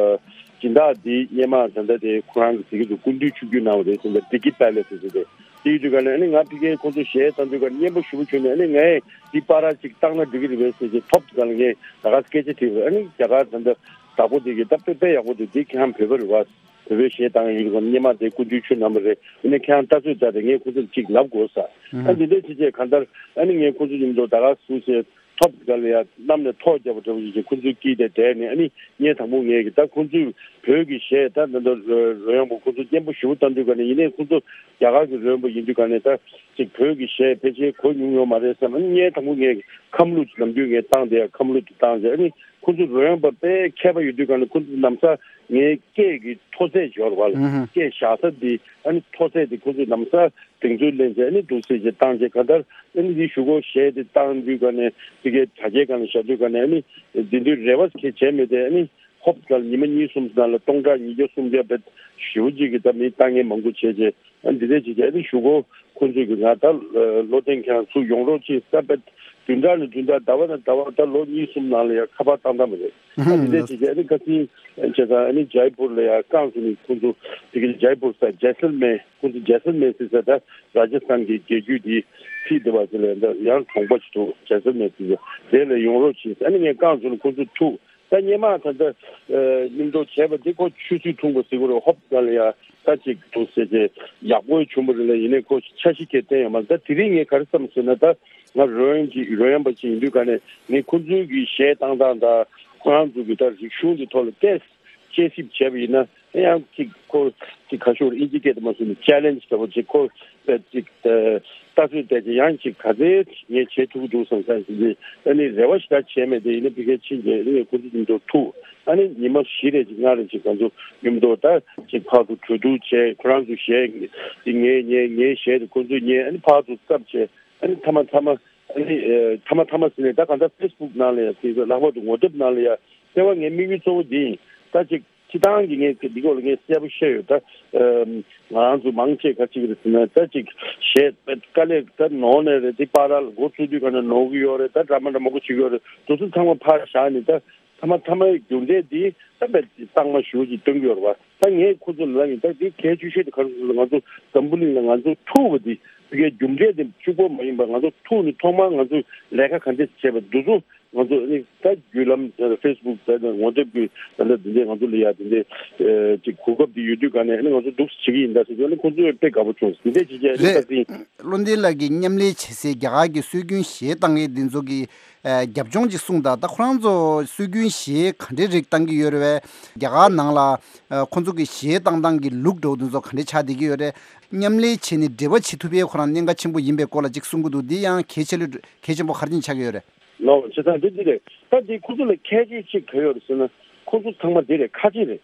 སྦྱིན་བདག་འདི་སྔོན་མ་ད་ལྟ་དེ་ཁོ་རང་གི་ཟེར་གྱི་འདུག་སྐུ་མདུན་ཆིབས་བསྒྱུར་གནང་བ་རེད་ཟེར། ད་ཌི་ཀི་པེ་ལེ་སི་ཟེར་ཏེ། དེ་ཡིན་དུས་ག་ནས་ཨ་ནི་ང་ཕ་གིར་ཁོང་ཚོ་གཞས་བཏང་དུས་ག་ནས་སྙན་པོ་ཞེ་པོ་བྱུང་ནས། ཨ་ནི་ངས་འདི་པར་ཅིག་བཏང་ན་འགྲིག་གི་རེད་པས་ཟེར་བྱས་ཐོབ་དུས་ག་ལ་ངས་ད་ག་སྐད་ཆ་དྲིས་པ་རེད། ཨ་ནི་རྒྱ་གར་ད་ལྟ་བདག་པོ་དེ་གིས་ད་དཔེ་དཔེ་ཡག་པོ་འདུག་འདི་ཁྱེད་རང་བོད་པ་རེད་པ། བོད་པའི་གཞས་བཏང་ཡོད་ཀྱི་སྙན་མ་དེ་སྐུ་མདུན་ཁྱོད་གནང་བ་རེད། ཨ་ནི་ཁྱེད་རང་ལྟ་ཚོད་བྱས་ཏེ་ངས་ཁོང་ཚོ་ལ་ཅིག་ལབ་དགོས་ས། ཨ་འདི་འདྲ་བྱས་བྱས་གང་ལྟར་ཨ་ནི་ངས་ཁོང་ཚོ་མཉམ་དུ་ད་ག་ཟེ་ཟེ་ཐོབ་ག་ལ་ཡ་གནམ་ནས་ཐོག་བརྒྱབ་པ་འདྲ་བོ་ཞིག་བྱས། ཁོང་ཚོའི་དཀྱིལ་དེ་བསྡད་ནས། ཨ་ནི་ངས་དང་པོ་ངས་ཀྱི་ད་ཁོང་ཚོས་བོད་ཀྱི་གཞས་ད་ད་ལྟ་རོལ་དབྱངས་པ་ཁོང་ཚོ་སྙན་པོ་ཞེ་པོ་བཏང་དུས་ག་ནས། ཡིན་ནའི་ཁོང་ཚོ་རྒྱ་གར་གྱི་རོལ་དབྱངས་པ་ཡིན་དུས་ག་ནས་ད་ཅིག་བོད་ཀྱི་གཞས་ཕལ་ཆེར་གོ་མྱོང་ཡོད་མ་རེད་བསམ། ཨ་ནི་ངས་དང་པོ་ངས་ཁམས་ལུགས་ནམ་རྒྱུན་ངས་བཏང་དེ་ཡ་ཁམས་ལུགས་དེ་བཏང་བྱས། ཨ་ནི་ཁོང་ཚོ་རོལ་དབྱངས་པ་དཔེ་མཁས་པ་ཡོད་དུས་ག་ནས་ཁོང་ཚོ་ལམ་སང་ངའི་སྐད་ཀྱི་མཐོ་ཚད་འབྱོར་བ་ལ། ཨུ་ཧུ། སྐད་བཞག་ས་དེ་ཨ་ནི་མཐོ་ཚད་དེ་ཁོང་ཚོས་ལམ་སང་གདེང་ཚོད་ལེན་བྱས། ཨ་ནི་འདུག་སེ་བྱས་བཏང་བྱས་གང་ལྟར་ཨ་ནི་དེ་གཞུག་གུ་གཞས་དེ་བཏང་དུས་ག་ནས་དེ་གའི་དྲ་རྒྱའི་སྒང་ལ་བཞག་དུས་ག་ནས། ཨ་ནི་དེ་དུས་རེ་བ་གང་ཡང་བྱས་མེད་དེ། ཨ་ནི་ཧོབ་ཙམ་ཉི་མ་གཉིས་གསུམ་ནང་ལ་སྟོང་ཕྲག་ཉིས་བརྒྱ་སུམ་བརྒྱ་བེད་ཞེ་པོ་ཅིག་གི་ད་མི་ལྟ་མཁན་མང་པོ་བྱས་བྱས། ཨ་ནི་འདི་འདྲ་བྱས་བྱས་ཨ་ནི་གཞུག་གུ་ཁོང་ཚོས་ཀྱི་ང་ད་བློ་བརྟན་ཁྱེད་རང་ཚུར་ཡོང་རོགས་བྱེད་ཟེར། བེད་བདུན་ཕྲག་ནས་བདུན་ཕྲག་ཟླ་བ་ནས་ཟླ་བ་ད་ལོ་གཉིས་གསུམ་ནང་ལ་ཡ་ཁ་པར་བཏང་བཏང་བ་རེད། ཨ་འདི་འདྲ་བྱས་བྱས་ཨ་ནི་ཁ་སང་བྱས་ཙང་ཨ་ནི་ཇའི་པུར་ལ་ཡ་བསྐྱངས་སོང་ནས། ཁོང་ཚོ་དེ་གའི་ཇའི་པུར་ཟེར་ཇེ་སལ་མེར། ཁོང་ཚོ་ཇེ་སལ་མེར་ཟེར་ས་ད་ར་ཇ་སྟན་གྱི་རྒྱལ་རྒྱུད་དེ་ཕི་དེ་བ་ཟེར་ལ་ཡ་ད་ཡང་གྲོང་པ་ཞིག་འདུག་ཇེ་སལ་མེར་ཟེར་ས་དེ་ལ་ཡོང་རོགས་བྱེད་ཟེར། ཨ་ནི་ངས་བསྐྱངས་སོང་ནས་ཁོང་ཚོ་ཐུག་ད་སྔོན་མ་ད་ལྟ་ཨ་མཉམ་དུ་བྱས་པ་དེ་ཁོ་ཆུ་ཚོད་ཐུང་པོ་ཟེར་དགོས་རེད། ཧོབ་ཙམ་ལ་ཡ་ད་ཅིག་འདུག་སེ་བྱས་ཡག་པོ་བྱུང་བ་རེད་ལ། ཡིན་ནའི་ཁོ་འཆར་གཞི་གང་ཡང་བཏིང་ཡོད་མ་རེད། ད་དེ་རིང་ངས་ག་རེ་བསམ་ཟེར་ན། ད་ང་རོལ་དབྱངས་ཅིག་རོལ་དབྱངས་པ་ཅིག་ཡིན་དུས་ག་ནས་ངས་ཁོང་ཚོའི་གི་གཞས་བཏང་སྟངས་དང་ཁོ་རང་ཚོ་གི་ད་རིག་གཞུང་གི་ཐོག་ལ་ཏོག་ཙམ་དཔྱད་ཞིབ་བྱས་པ་ཡིན་ན། ཡང་ཅིག་ཁོ་ཅིག་ག་ཤོར་ཨིན་ཇི་སྐད་དུ་མ་སོང་ནས་ཅེ་ལེན་ཇི་འདྲ་པོ་ཅིག་ཁོ་ཅིག་ལྟ་ཚུལ་བལྟས་ཅིག་ཡང་ཅིག་ག་ཚད་ངས་བྱེད་ཐུབ་ཀྱི་འདུག་བསམ་ས་ཞིག་ཨ་ནི་རེ་བ་ཞིག་ད་བྱས་མེད་དེ་ཡིན་ན་ཕ་གིར་ཕྱིན་རྗེས་ཨ་ནི་ཁོ་ཚོ་མཉམ་དུ་ཐུག་ཨ་ནི་ཉི་མ་བཞི་རེ་ཅིག་ལྔ་རེ་ཅིག་ང་ཚོ་མཉམ་དུ་ད་ཅིག་ཕར་ཚུར་གྲོས་བསྡུར་བྱས་ཁོ་རང་ཚོ་གཞས་ཅིག་ངས་ཉན་ངའི་གཞས་དེ་ཁོ་ཚོས་ཉན་ཨ་ནི་ཕར་ཚུར་བསླབ་བྱས་ཨ་ནི་མཐའ་མ་མཐའ་མ། ཨ་ནི་ཨེ་མཐའ་མ་མཐའ་མ་ཟེར་ནས་ད་གང་ལྟར་ཕེ་སི་བུག་ནང་ལ་ཡང་དེ་ཚོ་ལྷག་པར་དུ་ངོ་དེབ་ནང་ལ་ཡང་ལྟེ་བ་ངའི་དམིགས་ཡུལ་གཙོ་བོ་འདི་ཡིན། ད་ཅིག་སྤྱི་བཏང་གི་ངས་འདི་སྐོར་ལ་ངས་གསལ་པོ་བཤད་ཡོད། ད་ཨེམ་ང་རང་ཚོ་མང་ཆེ་ག་ཅིག་རེད་ཟེར་ན་ད་ཅིག་གཞས་དཀའ་ལས་ད་ནོར་ནས་རེད། དེ་པར་ལ་འགོ་བཙུགས་དུས་ག་ནས་ནོར་གི་ཡོད་རེད། ད་ཌ་ར་མ་འདྲ་མང་པོ་བྱེད་ཀྱི་ཡོད་རེད། དེ་ཚོ་ཚང་མ་ཕར་བཞག་ནས་ད། མཐའ་མ་མཐའ་མའི་རྒྱུ་འབྲས་འདི་ད་བས་གཙང་མ་ཞུ་ཅིག་སྟོན་གྱི་ཡོད་རེད་བ། ད་ངས་ཁོ་ཚོ་ལ་ཡིན་ད་འདི་གལ་ཆེ་ཤོས་དེ་ག་རེ་ཟེར་ན་ང་ཚོ་འཛམ་བུ་གླིང་ལ་ང་ཚོ་ཐུག་པ་འདི་དེ་གའི་རྒྱུ་འབྲས་དེ་གཅིག་པོ་མ་ཡིན་པ་ང་ཚོ་ཐུག་ནས་ཐོག་མར་ང་ཚོས་ལས་ཀ་ག་འདྲས་བྱས་པ་འདི་ཚོ་ང་ཚོ་ནི་ད་བརྒྱུད་ལམ་ཕེ་སི་བུག་ད་ངོ་དེབ་ཀྱི་ད་ལྟ་འདི་འདྲས་ང་ཚོ་ལ་ཡ་འདི་འདྲས་ཅིག་གོ་སྐབས་འདི་ཡོད་དུས་ག་ནས་ནི་ང་ཚོ་འདུག་སེ་བྱེད་ཀྱི་ཡིན་ད་ཟེར་དུས་ནི་ཁོ་ཚོས་དཔེ་དགའ་པོ་བྱུང་འདི་འདྲས་བྱེད་ཀྱི་ནི་ད་རེད། ཟིན། བློ་འདས་ལགས་ཀྱིས་མཉམ་ལས་བྱེད་སའི་རྒྱ་གར་གྱི་སྲོལ་རྒྱུན་གཞས་བཏང་མཁན་འདི་ཚོ་གི་ཨ་རྒྱབ་ལྗོངས་ཅིག་གསུངས་དང་། ད་ཁོ་རང་ཚོ་སྲོལ་རྒྱུན་གཞས་ག་འདྲའི་རིགས་བཏང་གི་ཡོད་རེད་བས། རྒྱ་གར་ནང་ལ་ཨ་ཁོ་ཚོ་གི་གཞས་བཏང་སྟངས་ཀྱི་ལུགས་འདྲ་བོ་འདི་ཚོ་ག་འདྲ་ཆགས་བསྡད་ཀྱི་ཡོད་རེད། མཉམ་ལས་བྱས་ནས་འབྲེལ་བ་བྱེད་ཐུབ་པའི་ཁོ་རང་གནད་འགག་ཆེན་པོ་ཡིན་པའི་སྐོར་ལ་ཅིག་གསུང་གི་འདུག་འདི་ཡང་གལ་ཆེ་ལོས་གལ་ཆེན་པོ་ག་རེ་ཆགས་ཀྱི་ཡོད་རེད། ལོ་བྱེད་སྟངས་འདི་འདི་རེད། ད་འདི་ཁོ་ཚོ་ལ་ཁྱད་ཆོས་གཅིག་ག་ཡོད་རེད་ཟེར་ན་ཁོ་ཚོ་ཚང་མ་འདི་རེད། ཁ་ཆེ་རེད།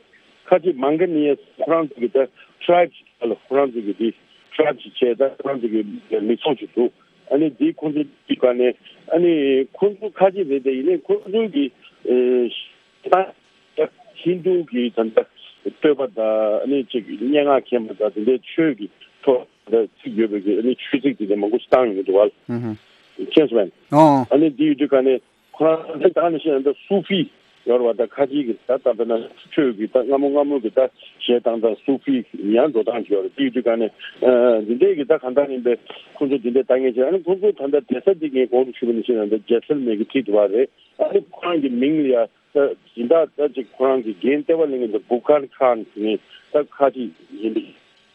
ཁ་ཆེ་མང་ག་ནི་ཡ་ཁོ་རང་ཚོ་གི་ད་ཊ་རའིབ་ཅིག་ལ་ཁོ་རང་ཚོ་གི་འདི་ཊ་རའིབ་ཅིག་བྱས་ད་ཁོ་རང་ཚོ་གི་མི་ཚོགས་ཅིག་འདུག་ཨ་ནི་འདི་ཁོ་ཚོ་གི་ག་ནས་ཨ་ནི་ཁོ་ཚོ་ཁ་ཆེ་རེད་དེ་ཡིན་ནའི་ཁོ་ཚོ་གི་ཨེ། ད་ཧིན་དུ་གི་ད་ལྟ་བསྟོད་པ་དང་ཨ་ནི་ཅིག་སྙན་ངག་མཁྱེན་པ་དང་དེ་འདྲའི་ཆོས་ཀྱི་ཐོག་ད་ཚིག་ཡོད་པའི་གི་ཨ་ནི་ཆོས་ཚིག་དེ་འདྲ་མང་པོ་ཞིག་བཏང་ཡོང་གི་འདུག་བ། ཨུ་ཧུ། མཁྱེན་སོང་ངས། ཨོ། ཨ་ནི་འདི་ཡོད་དུས་ག་ནས་ཁོ་རང་ད་ནི་ཤེས་ཡོན་ད་སུ་ཧྥི་ཡོད་རེད་བ། ད་ཁ་ཆེ་གི་ད་ད་ལྟ་ན་ཆོས་ཀྱི་ད་སྔ་མོ་སྔ་མོ་གི་ད་གཞས་བཏང་ད་སུ་ཧྥི་ཡང་འགྲོ་སྟངས་ཅིག་ཡོད་རེད། འདི་ཡོད་དུས་ག་ནས་ཨ་འདི་འདྲའི་གི་ད་གང་ལྟར་ཡིན་པའི་ཁོ་ཚོ་འདི་འདྲའི་ད་ངས་བྱས། ཨ་ནི་ཁོ་ཚོ་ད་ལྟ་བསྡད་ས་འདི་ངས་གོང་དུ་ཞུས་པ་ནང་བཞིན་ད་ལྟ་ཇེ་སལ་མེར་གི་འཁྲིས་དུ་བ་རེད། ཨ་ནི་ཁོ་རང་གི་མིང་ལ་ཡ་ད་སྦྱིན་བདག་ད་ཅིག་ཁོ་རང་གི་འགན་ལྟེ་བ་ལེན་མཁན་དེ་བུ་ཁར་ཁཱན་ཟེར་མཁན་ད་ཁ་ཅིག་ཡིན་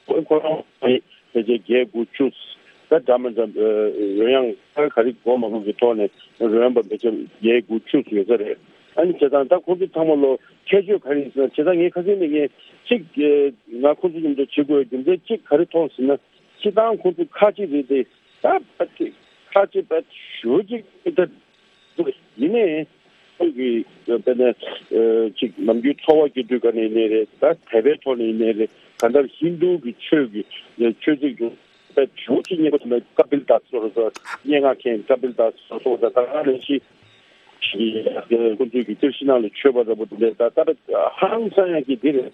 པས། ཁོ་རང་ཕལ་ཆེར་བརྒྱད་དགུ་བཅུ་ད་འདྲ་མི་འདྲ་རོལ་དབྱངས་ད་ག་རེ་གོ་མ་གོ་གི་ཐོག་ནས་རོལ་དབྱངས་པ་ཕལ་ཆེར་བརྒྱད་དགུ་བཅུ་ཡོད་ས་རེད། ཨ་ནི་བྱས་ཙང་ད་ཁོ་ཚོ་ཚང་མ་ལོ་ཁྱད་ཆོས་ག་རེ་ཡིན་ཟེར་ན་བྱས་ཙང་ངས་ཁ་སང་ནས་ངས་གཅིག་ང་ཁོ་ཚོ་མཉམ་དུ་བྱེད་དགོས་རྒྱུ་མཚན་གཅིག་ག་རེ་མཐོང་ཟེར་ན་སྤྱིར་བཏང་ཁོ་ཚོ་ཁ་ཅིག་རེད་དེ་ད་ཕལ་ཆེར་ཁ་ཅིག་ཕལ་ཆེར་ཞུ་ཅིག་ད། ཡིན་ནའི། ཁོང་གིས་དཔེར་ན་ཅིག་ནམ་རྒྱུན་འཚོ་བ་སྐྱེལ་དུས་ག་ནས་ཡིན་ནའི་རེད། ད་དད་པའི་ཐོག་ནས་ཡིན་ནའི་རེད། གང་ལྟར་ཧིན་དུ་གི་ཆོས་ཀྱི་ཆོས་ཚིག་ཏུ་དཔེ་ཞུ་ཅིག་རྙེད་པ་དེ་ན་ཀ་པིལ་དཱས་སོ་སོ་སྙན་ངག་མཁན་ཀ་པིལ་དཱས་སོ་སོ་ད་ད་ག་ནས་ཤི་ཁོང་ཚོའི་གི་ཏིར་ཤི་ནང་ལ་མཆོད་པ་འདྲ་པོ་དེ་འདྲས་ད་ད་ཧང་སང་ཡང་གི་འདི་རེད།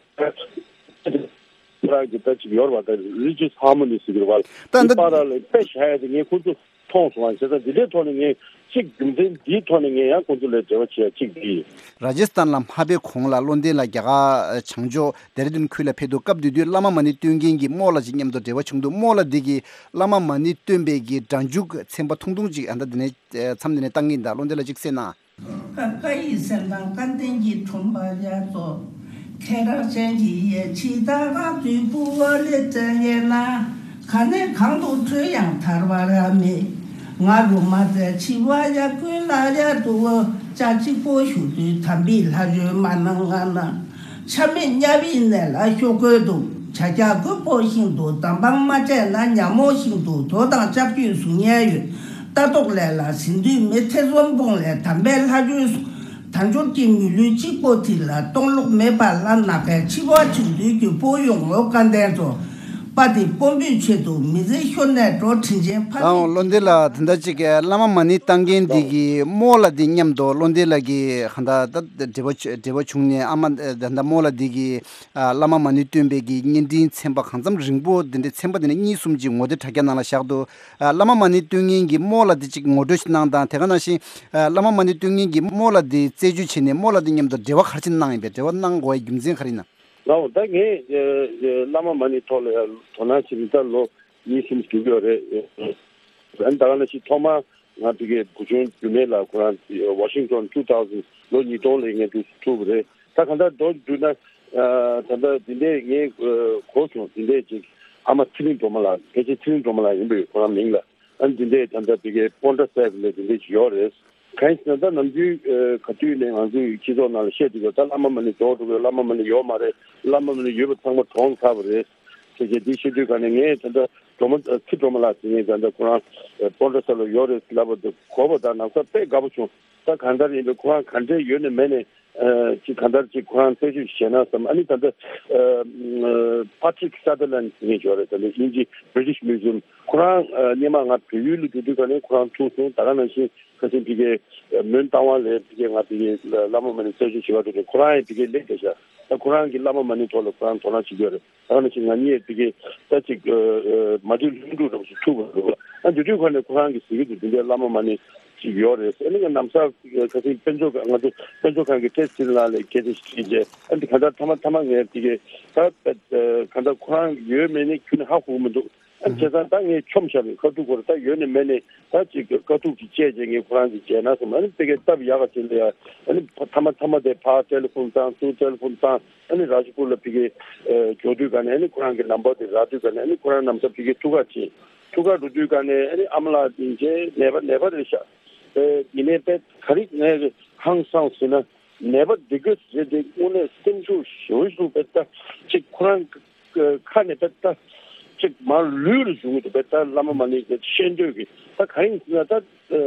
རང་གི་ད་ཅིག་ཡོད་རེད་བ། ད་རི་ཇི་ཡས་ཧར་མོ་ནི་ཟེར་གི་རེད་བ། ད་འདི་ད་པར་ལ་དཔེ་བཞག་ཡ་དེ་ངས་ཁོང་ཚོ་མཐོང་སོང་བ། བྱས་ཙང་འདི་འདྲའི་ཐོག་ནས་ངས་གཅིག་རྒྱུ་མཚན་འདིའི་ཐོག་ནས་ངས་ཡང་ཁོང་ཚོ་ལ་འབྲེལ་བ་བྱེད་ཡ་གཅིག་འདི་ཡིན། ར་ཇི་སི་ཐན་ལ་མ་ཕེབས་གོང་ལ་བློ་ལྡན་ལགས་རྒྱ་གར་བྱང་ཕྱོགས་ལྡེ་ར་ལྡུན་ཁུལ་ལ་ཕེབས་འདུག་སྐབས་དེ་དུས་བླ་མ་མ་ཎི་བསྟོད་མཁན་གྱི་རྨོ་ལགས་ཅིག་མཉམ་དུ་འབྲེལ་བ་བྱུང་འདུག་རྨོ་ལགས་འདི་གིས་བླ་མ་མ་ཎི་བསྟོད་པའི་གི་སྒྲ་འཇུག་ཚན་པ་ཐུང་ཐུང་ཅིག་ཨ་ད་འདི་ནས་མཚམས་འདི་ནས་བཏང་གི་ཡིན། ད་བློ་ལྡན་ལགས་ཅིག་གསན་ན། ཀ་ཀ་ཡི་སེམས་དང་ཀ་ལྡན་གྱི་ཁྲོམ་པ་རྒྱ་མཚོ། ཁྱེད་རང་ཅན་གྱི་ཡེ་ཕྱི་ད་ག་དུས་བུ་བ་ལེ་བཙན་ཡེ་ན། ག་ནས་གང་དུ་བྲོས་ཡང་ཐར་བ་ར་མེད། ང་རུ་མ་བཙལ་ཕྱི་བ་ཡ་ཀུན་ལ་ཡ་དུ་བོ་ཅག་གཅིག་པོ་བཞུགས་དུས་དམ་པའི་ལྷ་བཅོས་མ་གནང་ང་ན། ཆ་མེད་དམྱལ་བའི་གནས་ལ་ཤོར་དགོས་འདུག་བྱ་རྒྱག་རྒོད་པོ་ཤིན་ཏུ་དམ་སྤང་མ་བྱས་ན་ཉ་མོ་ཤིན་ཏུ་དོ་དང་ལྕགས་ཀྱུས་བཟུང་ཉན་ཡོད། ལྟ་རྟོག་ལས་ལ་ཟིན་དུས་མི་ཐེ་ཚོམ་སྤོང་ལས་དམ་པའི་ལྷ་ཆོས་སུ། དལ་འབྱོར་གྱི་མི་ལུས་གཅིག་པོ་དེ་ལ་གཏོང་ལོག་མེད་པ་ལ་ནག་པའི་འཆི་བ་བྱུང་དུས་ཀྱི་པོ་ཡོང་ངོ་བཀའ་གདན་ཚོ། པ་དེ་དཔོན་པོའི་ཆེད་དུ་མི་ཚེ་ཤོར་ནས་འགྲོ་དྲིན་ཆེན་ཕ། ཨང་བློ་འདི་ལ་དེ་འདྲ་ཅིག་བླ་མ་མ་ཎི་བཏང་མཁན་འདི་གི་རྨོ་ལགས་འདི་མཉམ་དུ་བློ་འདི་ལགས་ཀྱི་གང་ལྟར་ད་འབྲེལ་བ་འབྲེལ་བ་བྱུང་ནས་ཨ་མ་ད་ལྟ་རྨོ་ལགས་འདི་གི་བླ་མ་མ་ཎི་བསྟོད་པའི་གི་བརྙན་འཕྲིན་ཚན་པ་གང་འཚམ་རིང་པོ་འདི་འདྲའི་ཚན་པ་འདི་ནས་གཉིས་གསུམ་ཅིག་ངོ་དེབ་དྲ་རྒྱ་ནང་ལ་བཞག་འདུག་བླ་མ་མ་ཎི་བསྟོད་མཁན་གྱི་རྨོ་ལགས་འདི་ཅིག་ངོ་སྤྲོད་ཅིག་གནང་དང་། དེ་ག་ནང་བཞིན་བླ་མ་མ་ཎི་བསྟོད་མཁན་གྱི་རྨོ་ལགས་འདི་རྩད་གཅོད་བྱས་ནས་རྨོ་ལགས་འདི་མཉམ་དུ་འབྲེལ་བ་ག་རེ་བྱས་གནང་ཡིན་པས། འབྲེལ་བ་གནང་དགོས་པའི་རྒྱུ་མཚན་ག་རེ་ཡིན་ན། ལའོ་ད་ངས་བླ་མ་མ་ཎི་ཐོག་ལ་ཡང་དོ་སྣང་བྱེད་ནི་ད་ལོ་གཉིས་གསུམ་འགྲོ་གི་ཡོད་རེད། ཨ་ནི་ད་ག་ནང་བཞིན་ཐོག་མར་ང་ཕ་གིའི་བུ་ཆུང་རྒྱུད་སྨད་ལགས་ཁོ་རང་ཝ་ཤིང་ཊོན་ཊུ་ཐའུ་ཟེན་ལོ་ཉིས་སྟོང་ལ་ངས་འདུག་ཐུག་པ་རེད། ད་གང་ལྟར་མདོར་བསྡུས་ན་ད་ལྟ་འདི་འདྲས་ངས་གོ་བྱུང་། འདི་འདྲས་ཅིག་ཨ་མ་ཚེ་རིང་སྒྲོལ་མ་ལགས་ཕལ་ཆེར་ཚེ་རིང་སྒྲོལ་མ་ལགས་ཡིན་པས་ཁོ་རང་མིང་ལ། ཨ་ནི་འདི་འདྲས་ད་ལྟ་ཕ་གིའི་པོན་ཊ་སེབ་ལ་འདི་འདྲས་ཅིག་ཡོད་རེད། གང་ཡིན་ཟེར་ན་ད་ནམ་རྒྱུན་ཨ་ག་དུས་ནས་ང་ཚོའི་སྤྱི་ཚོགས་ནང་ལ་བཤད་དུས་ད་བླ་མ་མ་ཎི་རྫོགས་འགྲོ་གི་ཡོད། བླ་མ་མ་ཎི་ཡོད་མ་རེད། བླ་མ་མ་ཎི་ཡོད་པ་ཚང་མ་གྲོངས་ཚར་བ་རེད་ཟེར་གྱི་འདི་བཤད་དུས་ག་ནས་ངས་ད་ལྟ་སྒྲོལ་མ་ཚེ་སྒྲོལ་མ་ལགས་ཟེར་མཁན་ད་ལྟ་ཁོ་རང་ཨ་པོ་ཊ་ས་ལ་ཡོད་རེད་ལབ་པ་དེ་གོ་བ་ད་ནང་ས་དཔེ་དགའ་པོ་བྱུང་། ད་གང་ལྟར་ཡིན་པའི་ཁོ་རང་ག་འདྲས་ཡོད་ནས་མེད་ནས་ཨ་ཅིག་གང་ལྟར་ཅིག་ཁོ་རང་རྩད་གཅོད་བྱས་ན་བསམ། ཨ་ནི་ད་ལྟ་ཨ་ཨ་Patrick Sutherland ཟེར་མཁན་ཅིག་ཡོད་རེད། ད་ལྟ་དབྱིན་ཇི་British Museum། ཁོ་རང་ཨ་སྔོན་མ་ང་བལ་ཡུལ་ལ་འགྲོ་དུས་ག་ནས་ཁོ་རང་ཐུག་སོང་། ད་ག་ནང་བཞིན་ཁ་སང་ཕ་གིའི་མོན་རྟ་དབང་ལ་ཕ་གིའི་ང་ཕ་གིའི་བླ་མ་མ་ཎི་རྩད་གཅོད་བྱེད་པར་འགྲོ་དུས་ཁོ་རང་ཡང་ཕ་གིར་སླེབས་བསྡད་ཤག་ད་ཁོ་རང་གིས་བླ་མ་མ་ཎི་ཐོག་ལ་ཁོ་རང་དོ་སྣང་བྱེད་ཀྱི་ཡོད་རེད། ད་ག་ནང་བཞིན་ང་གཉིས་ཕ་གིའི་ད་ཅིག་ཨ་མ་བདེ་ལྷུན་གྲུབ་རབ་ཏུ་ཐུག་པ་རེད། ཨ་དེ་དུས་ག་ནས་ཁོ་རང་གིས་ཟེར་གྱི་འདུག་འདི་འདྲའི་བླ་མ་མ་ཎི་ཅིག་ཡོད་རེད། ཨ་ནི་ང་ནམ་སར་ཁ་སང་དཔེ་མཛོད་ཁང་ང་ཚོ་དཔེ་མཛོད་ཁང་གི་བཀྲས་ཚེ་རིང་ལགས་ལ་སྐད་ཆ་ཞིག་དྲིས་རྗེས་ཨ་འདི་ག་འདྲ་ཐ་མ་ཐ་མ་ངས་ཕ་གིའི་ད་ཨ་ག་འདྲ་ཁོ་རང་ཡོད་མེད་ནི་ཁྱོན་ནས་ཧ་གོ་གི་མི་འདུག་ཨ་བྱས་ཙང་ད་ངས་མཆོམས་བཞག་པའི་དཀའ་ཐུག་སྐོར་ད་ཡོད་ནས་མེད་ནས་ད་ཅིག་དཀའ་ཐུག་ཅིག་བཅད་རྗེས་ངས་ཁོ་རང་གི་མཇལ་ན་སོང་། ཨ་ནི་ཕ་གིའི་སྟབས་ཡག་ག་ཅིག་ལ་ཡ་ཨ་ནི་ཐ་མ་ཐ་མ་དེ་ཕར་ཊེ་ལི་ཕོན་བཏང་ཚུར་ཊེ་ལི་ཕོན་བཏང་། ཨ་ནི་རཱཇ་པུར་ལ་ཕ་གིའི་ཨ་འབྱོར་དུས་ག་ནས་ཨ་ནི་ཁོ་རང་གི་ནམ་བར་དེ་རག་དུས་ག་ནས་ཨ་ནི་ཁོ་རང་ནམ་སར་ཕ་གིའི་ཐུག་ག་ཕྱིན། ཐུག་ག་འགྲོ་དུས་ག་ནས་ཨ་ནི་ཨ་མ་ལགས་དེ་མཇལ་ནད་པ་ནད་པ་རེད་ཤག་ཨེ་ཡིན་ནའི་དཔེ་ག་རེ་ངས་ཧང་སངས་ཟེར་ན་ནད་པ་འདི་ག་རེད་དེ་དངོས་གནས་སེམས་ཤུགས་ཞེ་པོ་ཞིག་དཔེ་ལྟ་ཅིག་ཁོ་རང་ཁ་ནས་དཔེ་ལྟ་ཅིག་མར་ལུས་ལ་བྱུང་གི་འདུག་དཔེ་ལྟ་བླ་མ་མ་ཎི་གི་ཤེས་འདོད་ཀྱི་ད་ག་རེ་ཡིན་ཟེར་ན་ད་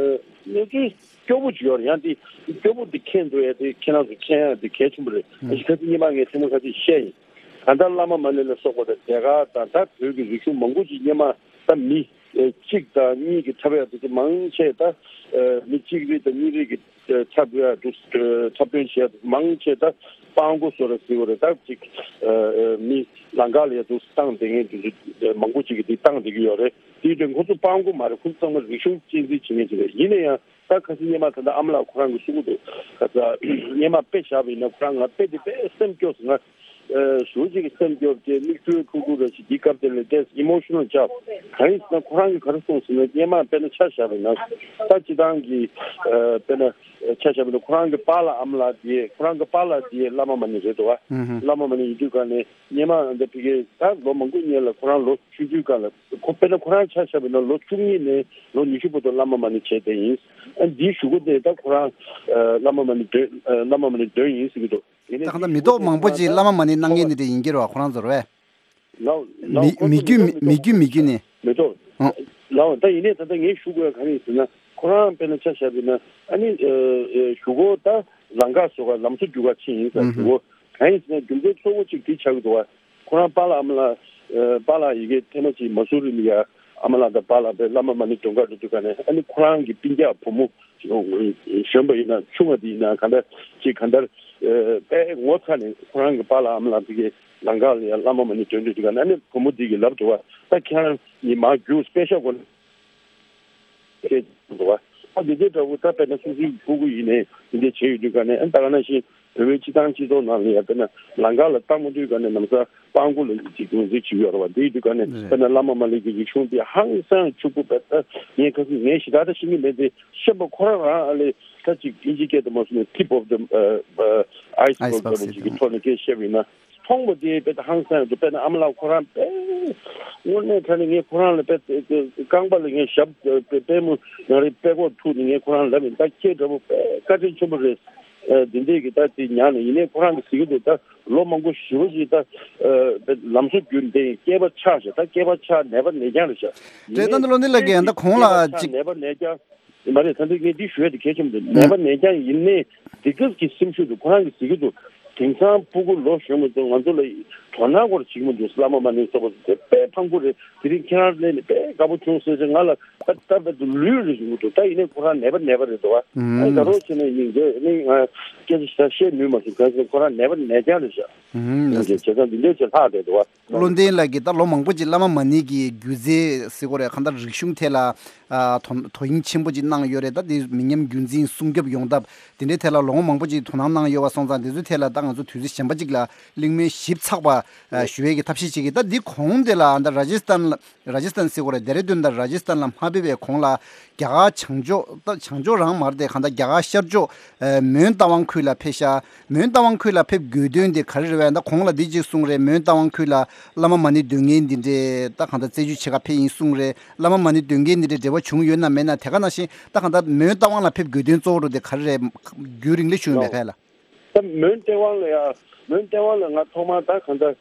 གནས་ཚུལ་སྐྱོ་པོ་ཅིག་ཡོད་རེད། ཡང་དེ་སྐྱོ་པོ་དེ་མཁྱེན་འགྲོ་ཡ་དེ་ཁྱེད་རང་ཚོ་མཁྱེན་ཡ་དེ་གལ་ཆེན་པོ་རེད། ཨ་ཞིག་ཁ་ཅིག་སྔོན་མ་ངས་ཐེངས་མ་ཁ་ཅིག་བཤད་ཡིན། ད་ལྟ་བླ་མ་མ་ཎི་ལ་སོགས་པ་དང་ཟློས་གར་དང་ད་བོད་ཀྱི་རིག་གཞུང་མང་པོ་ཅིག་སྔོན་མ་ད་མི་གཅིག་དང་གཉིས་ཀྱི་འཁྲབ་ཡ་དེ་ཚོ་མང་ཆེ་ད་མི་གཅིག་རེ་དང་གཉིས་རེ་གི་འཁྲབ་ཡ་འདུག་འཁྲབ་སྟོན་བྱེད་ཡ་མང་ཆེ་ད་སྤྲང་པོ་བཟོ་ར་ཟེར་བ་རེད། ད་ཅིག་མི་ལང་ཀ་ལ་ཡ་འདུག་བཏང་བསྡད་མཁན་དེ་ཚོ་མང་པོ་ཅིག་གིས་དེ་བཏང་བསྡད་ཀྱི་ཡོད་རེད། དེ་དུས་ཁོ་ཚོ་སྤྲང་པོ་མ་རེད། ཁོ་ཚོ་ཚང་མ་རིག་གཞུང་གཅེས་འཛིན་བྱེད་མཁན་ཅིག་རེད། ཡིན་ན་ཡང་ད་ཁ་སང་སྔོན་མ་ད་ལྟ་ཨ་མ་ལགས་ཁོ་རང་གིས་གསུང་གི་འདུག་ཁ་སང་སྔོན་མ་དཔེ་བཞག་པ་ཡིན་ན་ཁོ་རང་ང་དཔེ་དེ་དཔེ་སེམས་སྐྱོ་སོང་ང་། ཨ་ཞེ་པོ་ཅིག་གི་སེམས་སྐྱོ་བྱས་མིག་ཆུ་འཁོར་འཁོར་ར་ཞིག་འདི་སྐབས་དེ་ལ་དེ་emotional job། གང་ཡིན་ཟེར་ན་ཁོ་རང་གིས་ག་རེ་གསུངས་ཟེར་ན་སྔོན་མ་དཔེར་ན་ཆ་བཞག་པ་ཡིན་ན་ད་སྤྱི་བཏང་གི་ཨ་དཔེར་ན་ཆ་བཞག་པ་ཡིན་ན་ཁོ་རང་གི་པཱ་ལགས་ཨ་མ་ལགས་དེ་ཁོ་རང་གི་པཱ་ལགས་དེ་བླ་མ་མ་ཎི་རེད་འདུག་བ། ཨུ་ཧུ། བླ་མ་མ་ཎི་ཡིན་དུས་ག་ནས་སྔོན་མ་འདི་ཕ་གིའི་ད་ལོ་མང་པོའི་སྔོན་ལ་ཁོ་རང་ལོ་ཆུང་ཆུང་སྒང་ལ་ཁོ་དཔེར་ན་ཁོ་རང་ཆ་བཞག་པ་ཡིན་ན་ལོ་བཅུ་གཉིས་ནས་ལོ་ཉི་ཤུ་བར་དུ་བླ་མ་མ་ཎི་བྱས་བསྡད་ཡིན། ཨ་འདིའི་གཞུག་གུ་དེ་ད་ཁོ་རང་ཨ་བླ་མ་མ་ཎི་འདོན་ཨ་བླ་མ་མ་ཎི་འདོན་ཡིན་ཟེར་གྱི་འདུག་ཡིན་ནའི་ད་གང་ལྟར་མི་ཐོག་མང་པོ་ཅིག་བླ་མ་མ་ཎི་གནང་མཁན་འདི་འདྲ་ཡིན་གྱི་རེད་བ། ཁོ་རང་ཚོ་རེད་བས། ལའོ་ལའོ་མི་ཁོ་ཚོ་མི་མི་ཐོག་མི་མི་ཐོག་མི་ཐོག་མི་ཐོག་མི་རྒྱུད་མི་རྒྱུད་ནས། མི་ཐོག་ཨང་། ལའོ་ད་ཡིན་ནའི་ད་ལྟ་ངས་ཞུ་དགོས་ཡ་གང་ཡིན་ཟེར་ན་ཁོ་རང་དཔེར་ན་ཆ་བཞག་པ་ཡིན་ན་ཨ་ནི་ཨ་ཨ་གཞུག་གུ་ད་ལང་ཀ་བཟོ་ག་ལམ་བཟོ་རྒྱུག་ག་ཕྱིན་ཡིན་ཟེར། ཨུ་ཧུ། གཞུག་གུ་གང་ཡིན་ཟེར་ན་རྒྱུ་མཚན་གཙོ་བོ་གཅིག་དེ་ཆགས་ཀྱི་འདུག་བ། ཁོ་རང་པཱ་ལགས་ཨ་མ་ལགས་ཨ་པཱ་ལགས་ཡི་གེ་ཐེངས་མ་གཅིག་མ་སུ་རི་ལ་ཡ་ཨ་མ་ལགས་དང་པཱ་ལགས་དཔེ་བླ་མ་མ་ཎི་འདོན་ག་འགྲོ་དུས་ག་ནས་ཨ་ནི་ཁོ་རང་གི་སྤུན་ཀྱག་བུ་མོ་གཞོན་པ་ཡིན་ན་ཆུང་བ་དེ་ཡིན་ན་ག་འདྲ་ཅིག་ག་འདྲ་ཨ་དཔེ་ངོ་ཚ་ནས་ཁོ་རང་གི་པཱ་ལགས་ཨ་མ་ལགས་དེ་གའི་ལང་ཀ་ལ་ཡ་བླ་མ་མ་ཎི་འདོན་དུས་དུས་ག་ནས་ཨ་ནི་བུ་མོ་དེ་གིས་ལབ་འདུག་བ། ད་ཁྱེད་རང་གཉིས་མར་རྒྱུགས་པེ་ཤ་གོ་ནས། སྐད་འདུག་བ། ཨ་འདི་འདྲའི་འདྲ་བོ་ད་དཔེར་ན་སོ་སོའི་ཕྲུ་གུ་ཡིན་ནའི་འདི་འདྲ་བྱས་ཡོད་དུས་ག་ནས་ཨ་ད་ག་ནང་བཞིན་བོད་པའི་སྤྱི་བཏང་སྤྱི་ཚོགས་ནང་ལ་ཡང་དཔེར་ན་ལང་ཀ་ལ་བཏང་མ་དུས་ག་ནས་ནམ་ས་སྤྲང་པོ་ལ་ཅིག་ངོས་འཛིན་བྱེད་ཀྱི་ཡོད་རེད་བ། འདི་ཡིན་དུས་ག་ནས་རེད། དཔེར་ན་བླ་མ་མ་ལི་གི་རིག་གཞུང་འདི་ཧང་སང་ཕྱུག་པོ་བས་ད་ངས་ཁ་སང་ངས་ཞེ་དྲག་ད་ཤེས་ཀྱི་མེད་དེ་ཤེས་པ་ཁོ་རང་རང་ཨ་ལས་ད་ཅིག་ཨིན་ཇི་སྐད་དུ་མ་སོང་ནས་tip of the ཨ་ཨ་iceberg ལྟ་བུ་ཅིག་གི་ཐོག་ནས་སྐད་བཤད་པ་ཡིན་ན། མཐོང་བ་དེ་དཔེ་ད་ཧང་སང་དུ་དཔེར་ན་ཨ་མ་ལགས་ཁོ་རང་དཔེ་དངོས་གནས་དྲང་གནས་ངས་ཁོ་རང་ལ་དཔེ་རྐང་པ་ལ་ངས་ཞབས་དཔེ་པུས་མོ་ནང་རེ་དཔེ་ཁོག་ཐུག་ནས་ངས་ཁོ་རང་ལབ་ཡིན། ད་ཁྱེད་འདྲ་པོ་དཔེ་བཀའ་དྲིན་ཆེན་པོ་རེད། ཨ་འདི་འདྲས་ཀྱི་ད་དེ་ཉག་ནས་ཡིན་ནའི་ཁོ་རང་གི་ཟེར་གྱི་འདུག་ད་ལོ་མང་པོ་ཞེ་པོ་ཞིག་ད་ཨ་དཔེ་ལམ་བཟོ་བརྒྱུད་འདི་སྐྱེས་པ་ཆགས་ཤག་ད་སྐྱེས་པ་ཆགས་ནད་པ་ནད་རྐྱང་རེད་ཤག་ཡིན་རེད། ད་ནི་ལོ་འདི་ལ་གི་ད་ཁོང་ལ་ཅིག་ནད་པ་ནད་རྐྱང་། མ་རེད། ད་འདི་ངས་འདི་ཞུ་ཡ་དེ་གལ་ཆེན་པོ་འདུག་ནད་པ་ནད་རྐྱང་ཡིན་ནའི་འདི་སྐབས་ཀྱི་སེམས་ཤུགས་འདུག་ཁོ་རང་གིས་ཟེར་གྱི་འདུག་དེང་སང་ཕྲུ་གུ་ལོ་གཞོན་པ་ཚོ་ང་ཚོ་ལ་དོ་སྣང་སྐོར་བྱེད་ཀྱི་མི་འདུག་བླ་མ་མ་ཎི་སོགས་པ་ཚོ་དེ་དཔེ་ཕངས་པོ་རེད། དེ་རིང་ཁྱེད་རང་སླེབས་ནས་དཔེ་དགའ་པོ་བྱུང་ཟེར་ཟེར་ང་ལ་ད་ལྟ་བར་དུ་ལུས་རེ་བྱུང་གི་འདུག་ད་ཡིན་ནའི་ཁོ་རང་ནད་པ་ནད་པ་རེད་འདུག་བ། ཨ་ད་རོགས་བྱས་ནས་ཡིན་རྒྱུ་ནི་ང་སྐད་ཆ་ཞིག་ད་བཤད་ནུས་མ་སོང་། གང་ཟེར་ཁོ་རང་ནད་པ་ནད་རྐྱང་རེད་ཤག་ཨུམ། ཡིན་རྒྱུ་བྱས་ཙང་འདི་འདྲའི་ཆེད་ལྷག་བསྡད་འདུག་བ། བློ་ལྡན་ལགས་ཀྱིས་ད་ལོ་མང་པོ་ཅིག་བླ་མ་མ་ཎི་གི་སྒྱུ་རྩལ་ཟེར་དགོས་རེད། གང་ལྟར་རིག་གཞུང་ཐད་ལ་ཨ་དོ་དོ་དབྱིངས་ཆེན་པོ་ཅིག་གནང་ཡོད་རེད། ད་དེ་མི་ཉམས་རྒྱུན་འཛིན་སྲུང་སྐྱོབ་ཡོང་ཐབས་དེ་འདྲའི་ཐད་ལ་ལོ་ངོ་མང་པོ་ཅིག་དོ་སྣང་གནང་ཡོད་པ་སོང་ཙང་། དེ་ཚོའི་ཐད་ལ་ད་ང་ཚོ་དུས་ཚོད་གཞན་པ་ཅིག་ལ་གླེང་མོལ་ཞིབ་ཚགས་པ་ ཞུ་བའི་གི་ཐབས་ཤེས་བྱེད་ཀྱི། ད་འདི་གོང་དེ་ལ་ད་ར་ཇི་སྟན་ལ་ར་ཇི་སྟན་ཟེར་དགོས་རེད། ལྡེ་ར་ལྡུན་དང་ར་ཇི་སྟན་ལ་མ་ཕེབས་པའི་གོང་ལ་རྒྱ་གར་བྱང་ཕྱོགས། ད་བྱང་ཕྱོགས་རང་མ་རེད་དེ། གང་ལྟར་རྒྱ་གར་ཤར་ཕྱོགས་མོན་རྟ་དབང་ཁུལ་ལ་ཕེབས་ཤག་མོན་རྟ་དབང་ཁུལ་ལ་ཕེབས་དགོས་དོན་དེ་ག་རེ་རེད་བས། ད་གོང་ལ་འདི་གཅིག་གསུངས་རེད། མོན་རྟ་དབང་ཁུལ་ལ་བླ་མ་མ་ཎི་འདོན་མཁན་འདི་འདྲས་ད་གང་ལྟར་རྩད་གཅོད་བྱེད་ག་ཕེབས་ཡིན་གསུངས་རེད། བླ་མ་མ་ཎི་འདོན་མཁན་འདི་འདྲས་འབྲེལ་བ་བྱུང་ཡོད་ན་མེད་ན། དེ་ག་ནང་བཞིན་ད་གང་ལྟར་མོན་རྟ་དབང་ལ་ཕེབས་དགོས་དོན་གཙོ་བོ་རུ་དེ་ག་རེ་རེད། རྒྱུན་རིང་ལས་བྱུང་ཡོད་མེད་ཕེབས་ལ། ད་མོན་རྟ་དབང་ལ་ཡ། མོན་རྟ་དབང་ལ་ང་ཐོག་མར་ད་གང་ལྟར་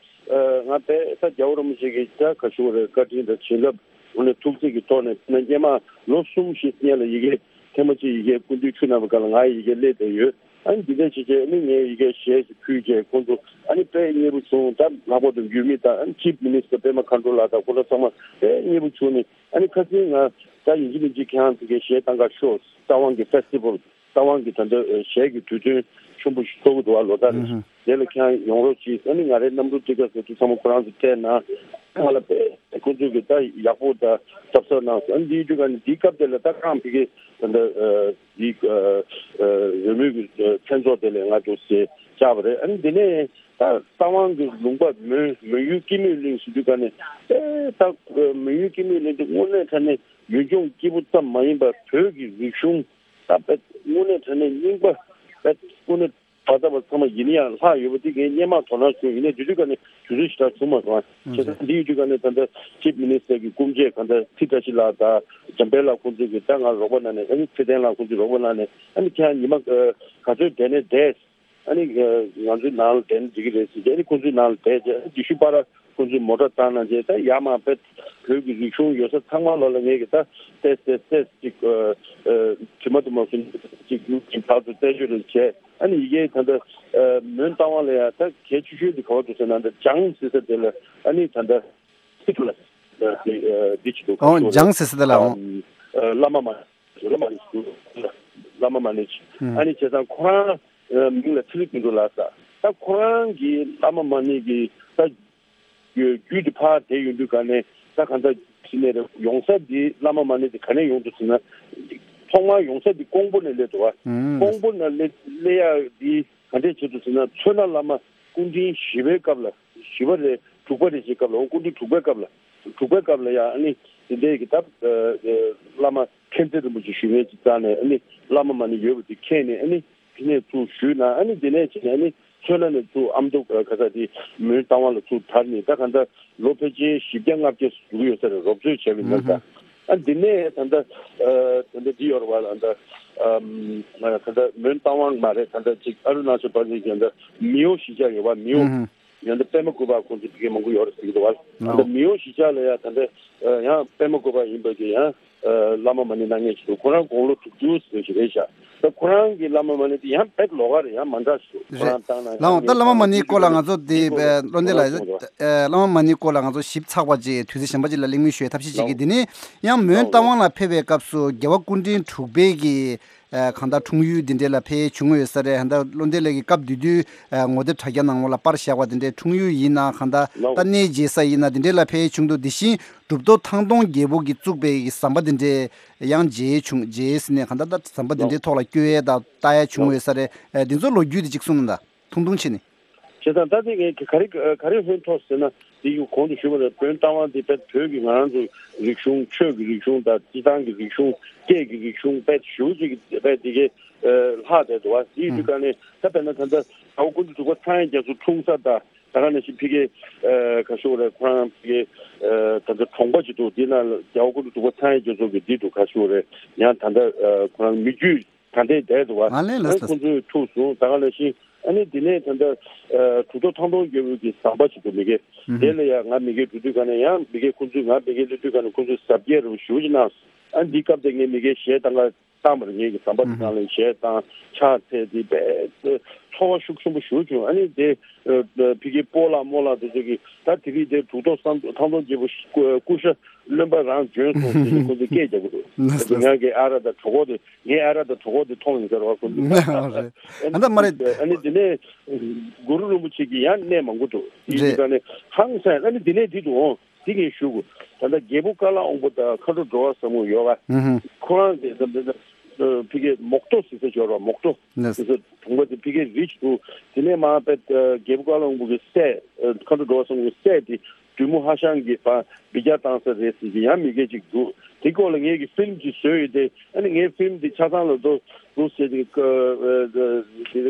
ང་དཔེ་ད་རྒྱལ་བ་རིན་པོ་ཆེ་གི་ད་ག་ཞུ་བ་རེད། བཀའ་དྲིན་དང་བྱིན་རླབས་དངོས་གནས་ཐུགས་བརྩེ་གི་ཐོག་ནས་ན་སྔོན་མ་ལོ་གསུམ་བཞི་སྔོན་ལ་ཡ་གི་ཐེངས་མ་གཅིག་ཡ་གི་སྐུ་མདུན་ཆུ་ནང་པ་ག་ལ་ང་ཡ་གི་སླེབས་བསྡད་ཡོད། ཨ་ནི་འདི་འདྲ་བྱས་བྱས་ཨ་ནི་ངས་ཡ་གི་ཞལ་ཞིག་ཕུལ་བྱས་ཁོང་ཚོ་ཨ་ནི་དཔེ་མཉེས་པོ་བྱུང་། ད་ལྷག་པར་དུ་འགོ་དམིགས་ད་ཨ་ནི་ཅིབ་མི་ནི་སི་ཊར་པད་མ་མཁའ་འགྲོ་ལགས་དང་ཁོང་ཚོ་ཚང་མ་དཔེ་མཉེས་པོ་བྱུང་ནས། ཨ་ནི་ཁ་སང་ང་ད་ཡིན་གཅིག་མིན་གཅིག་ཁྱེད་རང་ཚོ་གི་ཞལ་བཏང་ག་ཤོག་རྟ་དབང་གི་ཕེ་སི་ཊི་བལ། རྟ་དབང་གི་ད་ལྟ་ཞལ་གྱི་དུས་སྟོན་ཆེན་པོ་ཞིག་ཚོགས་ཀྱི་འདུག་བ། ལོ་ལྟར་རེ་བཞིན། དེ་ལ་ཁྱེད་རང་ཡོང་རོགས་གྱིས། ཨ་ནི་ང་རའི་གནམ་གྲུ་ཊི་ཀེ་ཊི་སོགས་དུ་ཚང་མ་ཁོ་རང་ཚོ་སྤྲད་གནང་། ང་ལ་དཔེ་ཁོ་ཚོས་གི་ད་ཡག་པོ་ད་གཟབ་གཟབ་གནང་སོང་། ཨ་ནི་འདིའི་དུས་ག་ནས་འདིའི་སྐབས་དེ་ལ་ད་ཁོ་རང་ཕ་གི་ད་ལྟ་འདི་རོལ་མོའི་གི་མཚན་ཚོགས་དེ་ལ་ང་ཚོ་ཞལ་བཅར་བ་རེད། ཨ་ནི་འདི་ནས་ད་རྟ་དབང་གི་ལུང་པ་མོན་མོན་ཡུལ་སྐྱིད་མོས་གླིང་ཟེར་དུས་ག་ནས་ཨེ་ད་མོན་ཡུལ་སྐྱིད་མོས་གླིང་དེ་དངོས་གནས་དྲང་གནས་ཡུལ་ལྗོངས་སྐྱིད་པོ་ཙམ་མ་ཡིན་པར་བོད་ཀྱི་རིག་གཞུང་ད་དཔེ་དངོས་གནས་དྲང་གནས་རྙིང་པ་དཔེ་དངོས་གནས་བ་ད་བ་ཚང་མ་ཡིན་ན་ཡང་ལྷག་ཡོད་པ་དེ་ངས་སྔོན་མ་དོ་སྣང་བྱུང་། ཡིན་ནའི་དེ་དུས་ག་ནས་དུས་ཚོད་ཞེ་དྲག་བྱུང་མ་སོང་། བྱས་ཙང་འདི་ཡོད་དུས་ག་ནས་ད་ལྟ་ཅིབ་མི་ནི་སི་ཊར་གྱི་སྐུ་མཆེད་གང་ལྟར་ཚེ་བཀྲ་ཤིས་ལགས་དང་འཇམ་དཔལ་ལགས་ཁོང་ཚོས་ཀྱི་ད་ང་རོགས་པ་གནང་ནས། ཨ་ནི་ཚེ་བརྟན་ལགས་ཁོང་ཚོས་རོགས་པ་གནང་ནས། ཨ་ནི་ཁྱེད་རང་ཉི་མ་ག་ཚོད་བསྡད་ནས་བསྡད། ཨ་ནི་ང་ཚོའི་ནང་ལ་བསྡད་ན་འགྲིག་གི་རེད་ཟེར་བྱས། ཨ་ནི་ཁོང་ཚོའི་ནང་ལ་བསྡད་བྱས། ཨ་ནི་དེ་ཤུ་པ་ར་ཁོང་ཚོས་མོ་ཊ་བཏང་གནང་བྱས། ད་ཡར་མར་དཔེ་བོད་ཀྱི་རིག་གཞུང་ཡོད་ས་ཚང་མ་ལོག་ལ་ངས་ཀྱི་ད་ཏེས་ཏེས་ཏེས་ཅིག་དྲི་མ་དུ་མ་སུ་ཅིག་ཡུག་ཅིག་ཕར་ཚུར་རྩད་གཅོད་རེ་བྱས། ཨ་ནི་ཡ་གི་ད་ལྟ་མོན་རྟ་དབང་ལ་ཡ་ད་གལ་ཆེ་ཤོས་དེ་ག་བ་འདུག་ཟེར་ན། ད་ལྗང་ཟེར་ས་དེ་ལ་ཨ་ནི་ད་ལྟ་སི་ཐུ་ལ་འདི་ཅིག་འདུག་ཨོ་ལྗང་ཟེར་ས་དེ་ལ་ཨོ། བླ་མ་མ་བླ་མ་མ་ནི་བླ་མ་མ་ནི་ཨ་ནི་བྱས་ཙང་ཁོ་རང་མིང་ལ་ཚེ་རིང་དོན་གྲུབ་ལགས་ཟེར། ད་ཁོ་རང་གི་བླ་མ་མ་ནི་གི་ད་རྒྱུད་དེ་ཕར་དེད་ཡོང་དུས་ག་ནས་ད་གང་ལྟར་ཕྱི་ནས་རེད། ཡོང་ས་འདི་བླ་མ་མ་ཎི་འདི་ག་ནས་ཡོང་འདུག་ཟེར་ན། ཐོག་མར་ཡོང་ས་འདི་ཀོང་པོ་ནས་སླེབས་འདུག་བ། ཀོང་པོ་ནས་སླེབས་སླེབས་ཡག་འདི་ག་འདྲས་བྱེད་འདུག་ཟེར་ན། མཚོ་སྣ་བླ་མ་སྐུ་ཕྲེང་བཞི་པའི་སྐབས་ལ། བཞི་པ་རེད། དྲུག་པ་རེད་ཅེས་སྐབས་ལ། འོ་སྐུ་ཕྲེང་དྲུག་པའི་སྐབས་ལ། དྲུག་པའི་སྐབས་ལ་ཡ་ཨ་ནི་དེ་འདྲས་ཀྱི་ད་བླ་མ་མཁྱེན་བརྩེ་རིན་པོ་ཆེ་ཞུ་མཁན་ཅིག་བཙལ་ནས། ཨ་ནི་བླ་མ་མ་ཎི་ཡོད་པ་དེ་མཁྱེན་ནས། ཨ་ནི་དེ་ནས་ཚུར་ཞུས་ན། ཨ་ནི་དེ་ནས་བྱས་ནས་ཨ་ནི་མཚོ་སྣ་ནས་ཚུར་ཨ་མདོ་ག་ས་དེ་མོན་རྟ་དབང་ལ་ཚུར་དར་ནས། ད་ག་ད་ལོ་ཕལ་ཆེར་བཞི་བརྒྱ་ལྔ་བརྒྱ་ཟུག་ཡོད་ས་རེད། རོབ་ཚོད་བྱས་པའི་ནང་ད། ཨ་འདི་ནས་ད་ད་ད་ད་འདི་ཡོད་རེད་བ། ད་ད་ད་ད་མོན་རྟ་དབང་མ་རེད། ད་ད་ཅིག་ཨ་རུ་ན་ཅལ་པར་ལི་ད་མིའོ་གཞིས་ཆགས་ཡོད་བ། མིའོ། ཡང་ད་པདྨ་བཀོད་པ་ཁོང་ཚོ་ཕ་གི་མང་པོ་ཡོད་རེད་ཟེར་གྱི་འདུག་བ། ད་མིའོ་གཞིས་ཆགས་ལ་ཡ་ད་ད་ཡང་པདྨ་བཀོད་པ་ཡིན་པ་གི་ཡང་བླ་མ་མ་ཎི་གནང་མཁན་ཞིག་འདུག་ཁོ་རང་དགུང་ལོ་དྲུག་ཅུ་ཟེར་ཞིག་རེད་ཤག་ད་ཁོ་རང་གི་བླ་མ་མ་ཎི་དེ་ཡང་དཔེ་ལོགས་ཀ་རེད། ཡང་མ་འདྲ་ཞིག་འདུག་ཁོ་རང་བཏང་ན་ལའོ། ད་བླ་མ་མ་ཎིའི་སྐོར་ལ་ང་ཚོ་དེ་བློ་འདས་ལ་བླ་མ་མ་ཎིའི་སྐོར་ལ་ང་ཚོ་ཞིབ་ཚགས་པ་ཅིག་དུས་ཚོད་གཞན་པ་ཅིག་ལ་གླེང་མོལ་ཞུ་བའི་ཐབས་ཤེས་བྱེད་ཀྱི། དེ་ནས་ཡང་མོན་རྟ་དབང་ལ་ཕེབས་པའི་སྐབས་སུ་རྒྱལ་བ་སྐུ་ཕྲེང་དྲུག་པའི་གི་ཨ་གང་ལྟར་འཁྲུངས་ཡུལ་འདི་འདྲས་ལ་ཕེབས་བྱུང་ཡོད་ས་རེད། ད་བློ་འདས་ལགས་ཀྱིས་སྐབས་དེ་དུས་ཨ་ངོ་དེབ་དྲ་རྒྱ་ནང་ལོགས་ལ་པར་བཞག་པ་དེ་འདྲས། འཁྲུངས་ཡུལ་ཡིན་ན་གང་ལྟར་ད་གནས་མཇལ་ས་ཡིན་ན་དེ་འདྲས་ལ་ཕེབས་བྱུང་འདུག་དེ་བཞིན་གྲུབ་ཐོབ་ཐང་སྟོང་རྒྱལ་པོ་གིས་བཙུགས་པའི་ཟམ་པ་དེ་འདྲས་ཡང་མཇལ་བྱུང་། མཇལ་ཟེར་ནས་གང་ལྟར་ད་ཟམ་པ་དེ་འདྲས་ཐོག་ལ་སྐྱོད་ཡས་དང་ལྟ་ཡས་བྱུང་ཡོད་ས་རེད། ཨ་འདི་ཚོ་ལོ་རྒྱུས་དེ་གཅིག་གསུངས་གནང་དང་། ཐུང་ཐུང་བྱས་ནས། བྱས་ཙང་ད་ལྟ་ངས་ག་རེ་ག་རེ་ཧོན་ཐོག་ཟེར་ན། འདི་གོང་དུ་ཞུས་པ་ལྟར་བོད་རྟ་དབང་འདི་བོད་ཀྱི་ང་རང་ཚོ་རིག་གཞུང་། ཆོས་ཀྱི་རིག་གཞུང་དང་སྤྱི་བཏང་གི་རིག་གཞུང་། སྐད་ཀྱི་རིག་གཞུང་དཔེ་ཞུ་ཅིག་དཔེ་འདི་གའི་ལྷག་བསྡད་འདུག་བ། དེའི་དུས་ག་ནས་ད་དཔེར་ན་ད་ལྟ་ཟླ་བ་ཀུན་ཏུ་དྲུག་པ་ཚངས་དབྱངས་རྒྱ་མཚོ་འཁྲུངས་ས་དང་། ད་ག་ནང་བཞིན་ཕ་གི་ག་ཞུ་རེད། ཁོ་རང་ཕ་གི་ད་ལྟ་གྲོང་པ་ཅིག་འདུག་འདི་ན་ཟླ་བ་ཀུན་ཏུ་དྲུག་པ་ཚངས་དབྱངས་རྒྱ་མཚོ་གི་འདི་འདུག་ག་ཞུ་རེད། ཡང་ད་ལྟ་ཁོ་རང་མི་རྒྱུད་ད་ལྟའི་བསྡད་འདུག་བ། ཨ་ལས་ལ་ཨ་ཁོང་ཚོས་ཐུག་སོང་། ད་ག་ནང་བཞིན་ཨ་ནི་དེ་ནས་ད་ལྟ་གྲུབ་ཐོབ་ཐང་སྟོང་རྒྱལ་པོ་གི་ཟམ་པ་ཅིག་འདུག་མི་གེ། དེ་ལ་ཡང་ང་མི་གེ་འགྲོ་དུས་ག་ནས་ཡང་མི་གེ་ཁོང་ཚོས་ང་མི་གེ་སླེབས་དུས་ག་ནས་ཁོང་ཚོས་གཟབ་རྒྱས་རུ་ཞུ་ཅིག་གནང་། ཨ་འདི་སྐབས་དེ་ངས་མི་གེ་གཞས་བཏང་ག་བཏང་བར་ངེད་ཀྱི་ཟམ་པ་དེ་ནང་ལ་གཞས་བཏང་ཕྱག་འཚལ་ཏེ་དཔེ་ཚོར་བ་ཤུགས་ཆེན་པོ་ཞུ་བྱུང་། ཨ་ནི་དེ་ཕ་གི་སྤོ་ལགས་རྨོ་ལགས་དེ་ཚོ་གིས་ད་དེ་རིང་དེ་གྲུབ་ཐོབ་ཐང་སྟོང་རྒྱལ་པོ་སྐུ་ཤ་རློན་པ་རང་བྱོན་སོང་ཟེར་ནས་ཁོང་ཚོས་སྐད་རྒྱག་གི་འདུག་ང་གི་ཨ་ར་དང་གྲོགས་པོ་དེ་ངའི་ཨ་ར་དང་གྲོགས་པོ་དེ་མཐོང་ཡིན་ཟེར་བ་ཁོང་ཚོས། ཨ་ནི་དེ་ནས་གུ་རུ་རིན་པོ་ཆེ་གི་ཡང་གནས་མང་པོ་འདུག་དེ་ཡིན་ཙང་ནས་ཧང་སངས། ཨ་ནི་དེ་ནས་དེ་འདུག་འོང་། དེ་ངས་ཞུ་དགོས། ད་ལྟ་རྒྱལ་པོ་ཀ་ལ་དབང་པོ་དང་མཁའ་འགྲོ་འགྲོ་བ་ཟབ་མོ་ཡོད་པ། ཁོ་རང་གིས་ད་ལྟ་ ཕ་གིའི་མོག་ཏོ་ཟེར་ས་ཅིག་ཡོད་རེད་པ། མོག་ཏོ་ཟེར་ས་གྲོང་པ་དེ་ཕ་གིའི་རི་ཅིག་འདུག་དེ་ནས་མར་དཔེ་རྒྱལ་པོ་ཀ་ལོན་སྦུག་གི་སྲས། མཁའ་འགྲོ་འགྲོ་བ་གསུམ་གྱི་སྲས་དེ་བདུད་མོ་ཧ་ཤང་གི་བ་འབུད་རྒྱག་བཏང་ས་རེད་ཟེར་གྱི་ཡང་མི་སྐད་ཅིག་འདུག་དེ་སྐོར་ལ་ངས་ཀྱི་ཕིལམ་ཅིག་བཟོས་ཡོད་དེ། ཨ་ནི་ངའི་ཕིལམ་དེ་ཆ་ཚང་ལ་འདུག་འདུག་ཟེར་གྱི་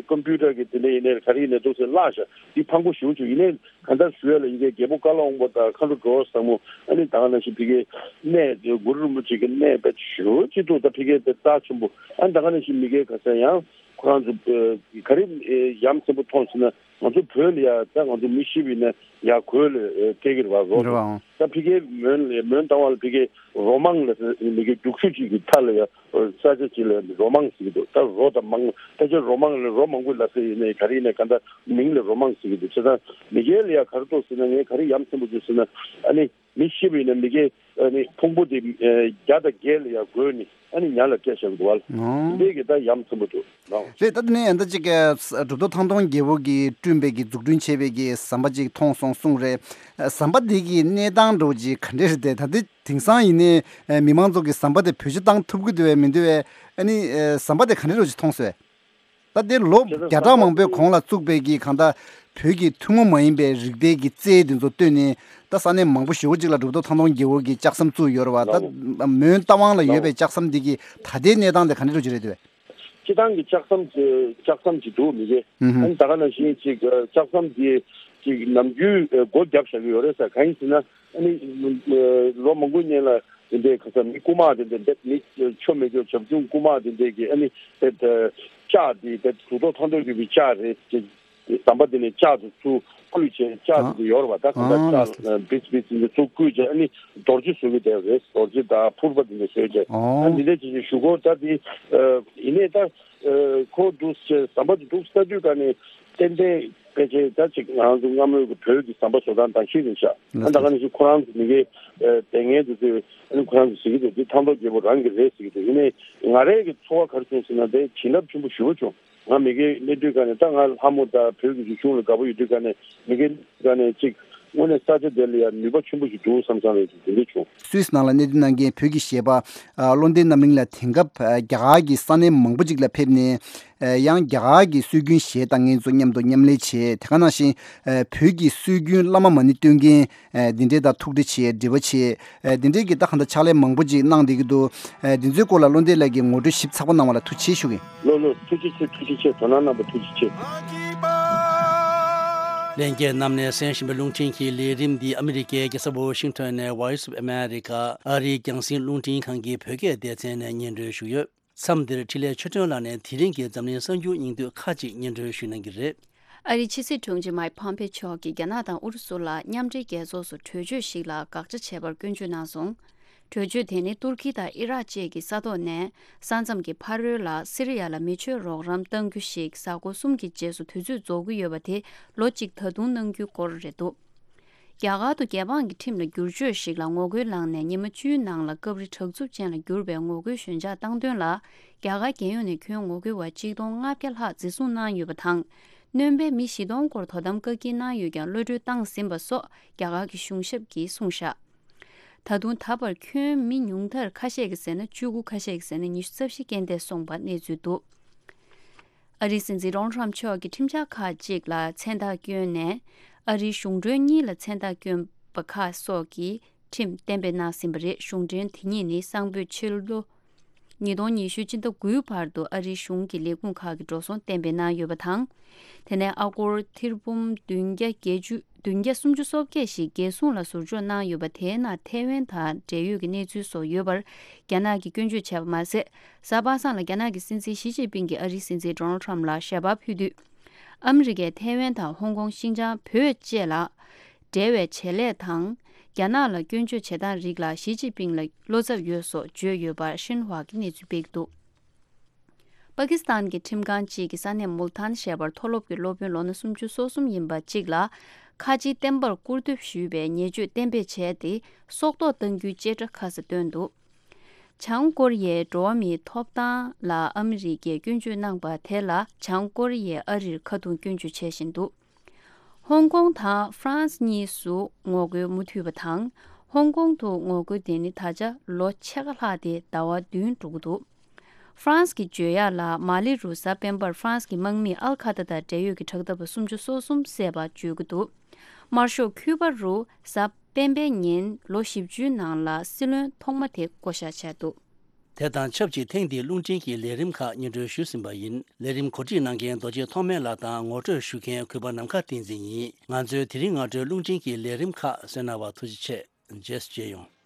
ཀོམ་པིའུ་ཊར་གྱི་དེ་འདྲ་ཡིན་ནའི་ག་རེ་ཡིན་ནའི་འདུག་ཟེར་བརླག་ཤག་དེ་ཕངས་པོ་ཞེ་པོ་བྱུང་། ཡིན་ནའི་གང་ལྟར་ཞུ་ཡ་ལ་ཡི་གེ་རྒྱལ་པོ་ཀ་ལོན་སྦུག་དང་མཁའ་འགྲོ་འགྲོ་བ་ཟབ་མོ། ཨ་ནི་ད་ག་ནང་བཞིན་ཕ་གིའི་གནས་དེ་གུ་རུ་རིན་པོ་ཆེ་གི་གནས་དཔེ་ཞེ་པོ་ཅིག་འདུག་ད་ཕ་གིའི་དཔེ་རྩ་ཆེན་པོ། ཨ་ནི་ད་ག་ནང་བཞིན་མི་སྒེར་ག་ས་ཡང་ཁོ་རང་ཚོ་ག་རེ་ཡ་མཚན་པོ་མཐོང་ཟེར་ན། ང་ཚོ་བོད་ལ་ཡ་ད་ང་ཚོ་མི་ཤི་བ་ཡིན་ན་ཡ་གོས་ལ་སྐྱེལ་གྱི་རེད་པ། རོ་རེད་པ། ཨང་། ད་ཕ་གིའི་མོན་ལ་མོན་རྟ་དབང་ལ་ཕ་གིའི་རོ་མང་ལ་མི་སྒེར་རྒྱུག་ཤུགས་ཅིག་གི་མཐའ་ལ་ཡ་ས་ཆ་ཅིག་ལ་རོ་མང་ཟེར་གྱི་འདུག་ད་རོ་དང་མང་ད་ཆ་རོ་མང་ལ་རོ་མང་པོ་ལབ་ས་ཡིན་ནའི་ག་རེ་ཡིན་ནའི་གང་ལྟར་མིང་ལ་རོ་མང་ཟེར་གྱི་འདུག་བྱས་ཙང་མི་སྒེར་ལ་ཡ་ག་རེ་འདུག་ཟེར་ན། ངས་ག་རེ་ཡ་མཚན་པོ་བྱུང་ཟེར་ན། ཨ་ནི་མི་ཤི་བ་ཡིན་ན་མི་སྒེར་ཨ་ནི་ཕུང་པོ་དེ་ཨ་བརྒྱ་དང་བརྒྱད་ལ་ཡ་བགོས་ནས་ཨ་ནི་ཉ་ལ་སྤྲད་བཞག་གི་འདུག་བ། ཨང་། འདི་གི་ད་ཡ་མཚན་པོ་འདུག་ལགས། རེད། ད་དེ་ནས་ཡང་ད་ཅིག་གི་གྲུབ་ཐོབ་ཐང་སྟོང་རྒྱལ་པོ་གིས་བསྐྲུན་པའི་གི་འཛུགས་སྐྲུན་བྱས་པའི་གི་ཟམ་པ་ཅིག་མཐོང་སོང་གསུངས་རེད། ཟམ་པ་འདི་གི་གནས་སྟངས་འདྲ་བོ་ཅིག་ག་འདྲས་རེད་དེ། ད་འདི་དེང་སང་ཡིན་ནའི་མི་མང་ཚོ་གིས་ཟམ་པ་དེ་བེད་སྤྱོད་བཏང་ཐུབ་ཀྱི་འདུག་བས་མི་འདུག་བས། ཨ་ནི་ཟམ་པ་དེ་ག་འདྲས་འདྲ་བོ་ཅིག་མཐོང་སོང་བས། ད་དེ་ལོ་བརྒྱ་ཕྲག་མང་པོའི་གོང་ལ་བཙུགས་པའི་གི་གང་ལྟར་བོད་ཀྱི་ཐུན་མོང་མ་ཡིན་པའི་རིག་གནས་ཀྱི་རྩལ་དེ་ཚོ་བཏོན་ནས། ད་ས་གནས་མང་པོ་ཞེ་པོ་ཅིག་ལ་གྲུབ་ཐོབ་ཐང་སྟོང་རྒྱལ་པོ་གིས་ལྕགས་ཟམ་བཙུགས་ཡོད་རེད་པ། ད་ལའོ། མོན་རྟ་དབང་ལ་ཡོད་པའི་ལའོ། ལྕགས་ཟམ་འདི་གི་ད་ལྟའི་གནས་སྟངས་དེ་ག་འདྲ་འདྲ་བོ་ཅིག་རེད་འདུག་བས། སྤྱིར་བཏང་གི་ལྕགས་ཟམ་དེ་ལྕགས་ཟམ་ཅིག་འདུག་མི་གེ། ཨུ་ཧུ། ཨ་ནི་ད་ག་ནང་བཞིན་ཅིག་ལྕགས་ཟམ་དེ་ཅིག་ནམ་རྒྱུན་སྒོ་བརྒྱབ་བཞག་གི་ཡོད་རེད་ཟེར། གང་ཡིན་ཟེར་ན། ཨ་ནི་ལོ་མང་པོའི་སྔོན་ལ་དེ་འདྲའི་ག་ས་མི་རྐུ་མ་དེ་འདྲ་འདེབས། མི་ཆོ་མེད་ཆོ་བྱབ་ཆུང་རྐུ་མ་དེ་འདྲའི་གི་ཨ་ནི་དེ་ལྕགས་དེ་དེ་གྲུབ་ཐོབ་ཐང་སྟོང་རྒྱལ་པོའི་ལྕགས་རེད། ཟམ་པ་དེ་ནས་ལྕགས་དེ་ཚུར་བརྐོས་བྱས། ལྕགས་དེ་འདྲ་ཡོད་རེད་པ། ད་གང་ལྟར་ལྕགས་བིས་བིས་དེ་འདྲ་ཚུར་བརྐོས་བྱས་ཨ་ནི་རྡོ་རྗེ་བཟོ་གི་དེ་རེད། རྡོ་རྗེ་དང་ཕུར་པ་དེ་འདྲ་བཟོས་བྱས། ཨ་འདི་འདྲ་ཅིག་ཞུ་གོ། ད་དེ་ཡིན་ནའི་ད། ཁོ་འདུག་ཟམ་པ་དེ་འདུག་ས་དུས་ག་ནས་ཏན་ཏན་ཕལ་ཆེར་ད་ཅིག་ང་རང་ཚོ་སྔ་མོའི་གི་བོད་ཀྱི་ཟམ་པ་བཟོ་སྟངས་དང་ཤེས་རེད་ཤག་ཨ་ད་ག་ནང་བཞིན་ཁོ་རང་ཚོ་མི་སྒེར་ལས་ངན་དེ་ཚོས་ཨ་ནི་ཁོ་རང་ཚོ་ཟེར་གྱི་འདུག་དེ་ཐང་སྟོང་རྒྱལ་པོ་རང་གི་རེད་ཟེར་གྱི་འདུག་ཡིན་ནའི་ང་རའི་གི་ཚོར་བ་ག་རེ་བྱུང་ཟེར་ན། དེ་བྱིན་རླབས་ཆེན་པོ་ཞེ་པོ་བྱུང་། ང་མི་སྒེར་གནས་དུས་ག་ནས་ད་ང་ལྷ་མོ་དང་བོད་ཀྱི་རིག་གཞུང་ལ་དགའ་པོ་ཡོད་དུས་ག་ནས་མི་སྒེར་ག་ནས་ཅིག་དངོས་གནས་ས་ཆ་དེ་ལ་ཡང་ནུས་པ་ཆེན་པོ་ཞིག་འདུག་བསམ་བསམ་རེད། དེ་འདྲ་བྱུང་། སུད་སི་ནང་ལ་གནས་སྡོད་གནང་མཁན་བོད་ཀྱི་གཞས་པ་ཨ་བློ་ལྡན་རྣམ་གླིང་ལགས་དེང་སྐབས་ཨ་རྒྱ་གར་གྱི་ས་གནས་མང་པོ་ཅིག་ལ་ཕེབས་ནས་ཨ་ཡང་རྒྱ་གར་གྱི་སྲོལ་རྒྱུན་གཞས་བཏང་མཁན་ཚོ་མཉམ་དུ་མཉམ་ལས་བྱས། དེ་ག་ནང་བཞིན་ཨ་བོད་ཀྱི་སྲོལ་རྒྱུན་བླ་མ་མ་ཎི་འདོན་མཁན་ཨ་འདི་འདྲས་དང་ཐུག་འཕྲད་བྱས། འབྲེལ་བ་བྱས། ཨ་འདི་འདྲས་ཀྱི་ད་གང་ལྟར་ཕྱག་ལས་མང་པོ་ཅིག་གནང་བསྡད་ཀྱི་འདུག་ཨ་འདི་ཚོའི་སྐོར་ལ་བློ་ལྡན་ལགས་ཀྱིས་ངོ་སྤྲོད་ཞིབ་ཚགས་པོ་གནང་བ་ལ་ཐུགས་རྗེ་ཆེ་ཞུ་གི་ཡིན། ལགས་ལགས། ཐུགས་རྗེ་ཆེ། ཐུགས་རྗེ་ཆེ། དོ་སྣང་གནང་བ་ཐུགས་རྗེ་ཆེ། ལྷན་རྒྱས་རྣམས་ནས་གསན་བཞིན་པའི་རླུང་འཕྲིན་གྱི་ལས་རིམ་འདི་ཨ་མི་རི་ཀའི་རྒྱལ་ས་ཝོ་ཤིང་ཊོན་ནས་Voice of America ཨ་རིའི་རྒྱང་སྲིང་རླུང་འཕྲིན་ཁང་གི་བོད་སྐད་སྡེ་ཚན་ནས་སྙན་སྒྲོན་ཞུས་ཡོད། མཚམས་འདིར་འཕྲིན་ལས་ཆོས་སྒྲོན་ལགས་ནས་དེ་རིང་གི་འཛམ་གླིང་གསར་འགྱུར་སྙིང་བསྡུས་ཁག་ཅིག་སྙན་སྒྲོན་ཞུ་གནང་གི་རེད། ཨ་རིའི་ཕྱི་སྲིད་དྲུང་ཆེ་མཱིག་ཕོམ་པེ་མཆོག་གིས་རྒྱ་ནག་དང་ཨུ་རུ་སུ་ལ་མཉམ་འབྲེལ་རྒྱལ་ཚོགས་སུ་གྲོས་ཆོད་ཤིག་ལ་དགག་བྱ་བྱེད་པར་སྐྱོན་བརྗོད་གནང་སོང་། གྲོས་ཆོད་དེ་ནི་ཏུར་ཀི་དང་ཨི་རག་བཅས་ཀྱི་ས་ཐོག་ནས་ས་མཚམས་ཀྱི་ཕ་རོལ་ལ་སི་རི་ཡ་ལ་མི་ཆོས་རོགས་རམ་གཏང་རྒྱུ་ཞིག་གཟའ་འཁོར་གསུམ་གྱི་རྗེས་སུ་དུས་ཚོད་རྫོགས་ཀྱི་ཡོད་པ་དེ་ལོ་གཅིག་ད་དུང་གནང་རྒྱུའི་སྐོར་རེད་འདུག་རྒྱ་གར་དུ་རྒྱལ་འབངས་ཀྱི་ཁྲིམས་ལ་བསྒྱུར་བཅོས་ཤིག་ལ་ངོ་རྒོལ་གནང་ནས་ཉི་མ་བཅུའི་ནང་ལ་སྐབས་རེ་དྲག་རྩུབ་ཅན་ལ་གྱུར་པའི་ངོ་རྒོལ་ཞོད་འཇགས་བཏང་དོན་ལ་རྒྱ་གར་རྒྱལ་ཡོངས་ནས་ཁྱོན་ངོ་རྒོལ་བ་གཅིག་སྟོང་ལྔ་བརྒྱ་ལྷག་འཛིན་བཟུང་གནང་ཡོད་པ་དང་། སྣོན་པའི་མི་བཞི་སྟོང་སྐོར་དོ་དམ་བཀག་སྐྱིལ་གནང་ཡོད་ཀྱང་གློད་གྲོལ་བཏང་ཟིན་པ་སོགས་རྒྱ་གར་གྱི་གཞུང་ཞབས་ཀྱིས་གསུངས་བཞག་ད་དུང་ད་བར་ཁྱོན་མི་ཉུང་མཐར་ཁ་ཤས་ཀྱིས་ཟེར་ན་བཅུ་དགུ། ཁ་ཤས་ཀྱིས་ཟེར་ན་ཉི་ཤུ་རྩ་བཞི་རྐྱེན་འདས་སོང་བ་གནས་ཚུལ་འདུག་ཨ་རིའི་སྲིད་འཛིན་ཌོ་ནལ་ཊམ་མཆོག་གིས་ཁྲིམས་འཆར་ཁག་ཅིག་ལ་མཚན་རྟགས་བསྐྱོན་ནས། ཨ་རིའི་གཞུང་གྲོན་གཉིས་ལ་མཚན་རྟགས་བསྐྱོན་པ་ཁག་སོགས་ཀྱི་ཁྲིམས་གཏན་འབེབས་གནང་ཟིན་པ་རེད། གཞུང་གྲོན་དེ་གཉིས་ནི་སང་ཕོད་ཕྱི་ལོ་ཉིས་སྟོང་ཉི་ཤུ་སྤྱི་ཟླ་དགུའི་བར་དུ་ཨ་རིའི་གཞུང་གི་ལས་ཁུངས་ཁག་གི་འགྲོ་སོང་གཏན་འབེབས་གནང་ཡོད་པ་དང་། དེ་ནས་ཨ་སྒོར་ཐེར་འབུམ་བདུན་བརྒྱ་བརྒྱད་ཅུ། བདུན་བརྒྱ་སུམ་ཅུ་སོ་བརྒྱད་ཞིག་རྒྱལ་སྲུང་ལ་ཟུར་འཇོག་གནང་ཡོད་པ་དེའི་ནང་ཐའེ་ཝན་དང་འབྲེལ་ཡོད་ཀྱི་གནས་ཚུལ་སོགས་ཡོད་པར་རྒྱ་ནག་གིས་སྐྱོན་བརྗོད་བྱས་པ་མ་ཟད། གཟའ་པ་སངས་ལ་རྒྱ་ནག་གི་སྲིད་འཛིན་ཞི་ཅིན་ཕིང་གིས་ཨ་རིའི་སྲིད་འཛིན་ཌོ་ནལ་ཊམ་ལ་ཞལ་པར་ཕུལ་དུས། ཨ་མི་རི་ཀས་ཐའེ་ཝན་དང་ཧོང་ཀོང་། ཤིན་ཅང་། བོད་བཅས་ལ་འབྲེལ་བའི་བྱེད་ལས་དང་། རྒྱ་ནག་ལ་སྐྱོན་བརྗོད་བྱེད་སྟངས་རིགས་ལ་ཞི་ཅིན་ཕིང་ལ་བློ་འཚབ་ཡོད་སོགས་བརྗོད་ཡོད་པར་ཤིན་ཧྭ་གིས་གནས་ཚུལ་སྤེལ་འདུག་པ་ཀི་སི་ཐན་གྱི་ཁྲིམས་ཁང་གཅིག་གིས་ས་གནས་མུལ་ཐཱན་ཞེས་པར་མཐོ་སློབ་ཀྱི་སློབ་དཔོན་ལོ་ན་སུམ་ཅུ་སོ་གསུམ་ཡིན་པ་གཅིག་ལ་ཁ་ཆེའི་བསྟན་པར་སྐུར་འདེབས་ཞུས་པའི་ཉེས་སྤྱོད་གཏན་འབེབས་བྱས་ཏེ། སྲོག་ཐོག་གཏང་རྒྱུའི་བཅད་ཁྲ་ཁ་ས་བཏོན་འདུག་བྱང་ཀོ་རི་ཡའི་འགྲོ་བ་མིའི་ཐོབ་ཐང་ལ་ཨ་མི་རི་ཀས་སྐྱོན་བརྗོད་གནང་པ་དེ་ལ་བྱང་ཀོ་རི་ཡས་ཨ་རིར་ཁ་རྡུང་སྐྱོན་བརྗོད་བྱས་བཞིན་འདུག་ཧོང་ཀོང་དང་ཧྥ་རན་སི་གཉིས་སུ་ངོ་རྒོལ་མུ་མཐུད་པ་དང་། ཧོང་ཀོང་དུ་ངོ་རྒོལ་དེ་ནི་ད་ཆ་ལོ་ཕྱེད་ཀ་ལྷག་སྟེ་ཟླ་བ་བདུན་འགྲོ་གི་འདུག་ཧྥ་རན་སི་གིས་བརྗོད་ཡག་ལ། མ་ལི་རུ་གཟའ་སྤེན་པར་ཧྥ་རན་སི་གི་དམག་མིས་ཨལ་ཁ་ཏ་དང་འབྲེལ་ཡོད་ཀྱི་དྲག་འཐབ་པ་སུམ་ཅུ་སོ་གསུམ་བསད་པ་བརྗོད་ཀྱི་འདུག། དམར་ཤོག་ཁུ་པ་རུ་གཟའ་སྤེན་པའི་ཉིན་ལོ་བཞི་བཅུའི་ནང་ལ་སྲིད་བློན་ཐོག་མ་དེ་བསྐོ་བཞག་བྱས་འདུག། དེ་དང་ཆབས་ཅིག་ཐེངས་འདིའི་རླུང་འཕྲིན་གྱི་ལས་རིམ་ཁག་སྙན་སྒྲོན་ཞུས་ཟིན་པ་ཡིན། ལས་རིམ་གོ་སྒྲིག་གནང་མཁན་རྡོ་རྗེ་ཐོགས་མེད་ལགས་དང་ངོ་སྤྲོད་ཞུ་མཁན་གུས་པ་ནམ་མཁའ་བསྟན་འཛིན་ཡིན། ང་ཚོའི་དེ་རིང་སྔ་དྲོའི་རླུང་འཕྲིན་གྱི་ལས་རིམ་ཁག་གསན་གནང་བར་ཐུགས་རྗེ་ཆེ། རྗེས་སུ་མཇལ་ཡོང་།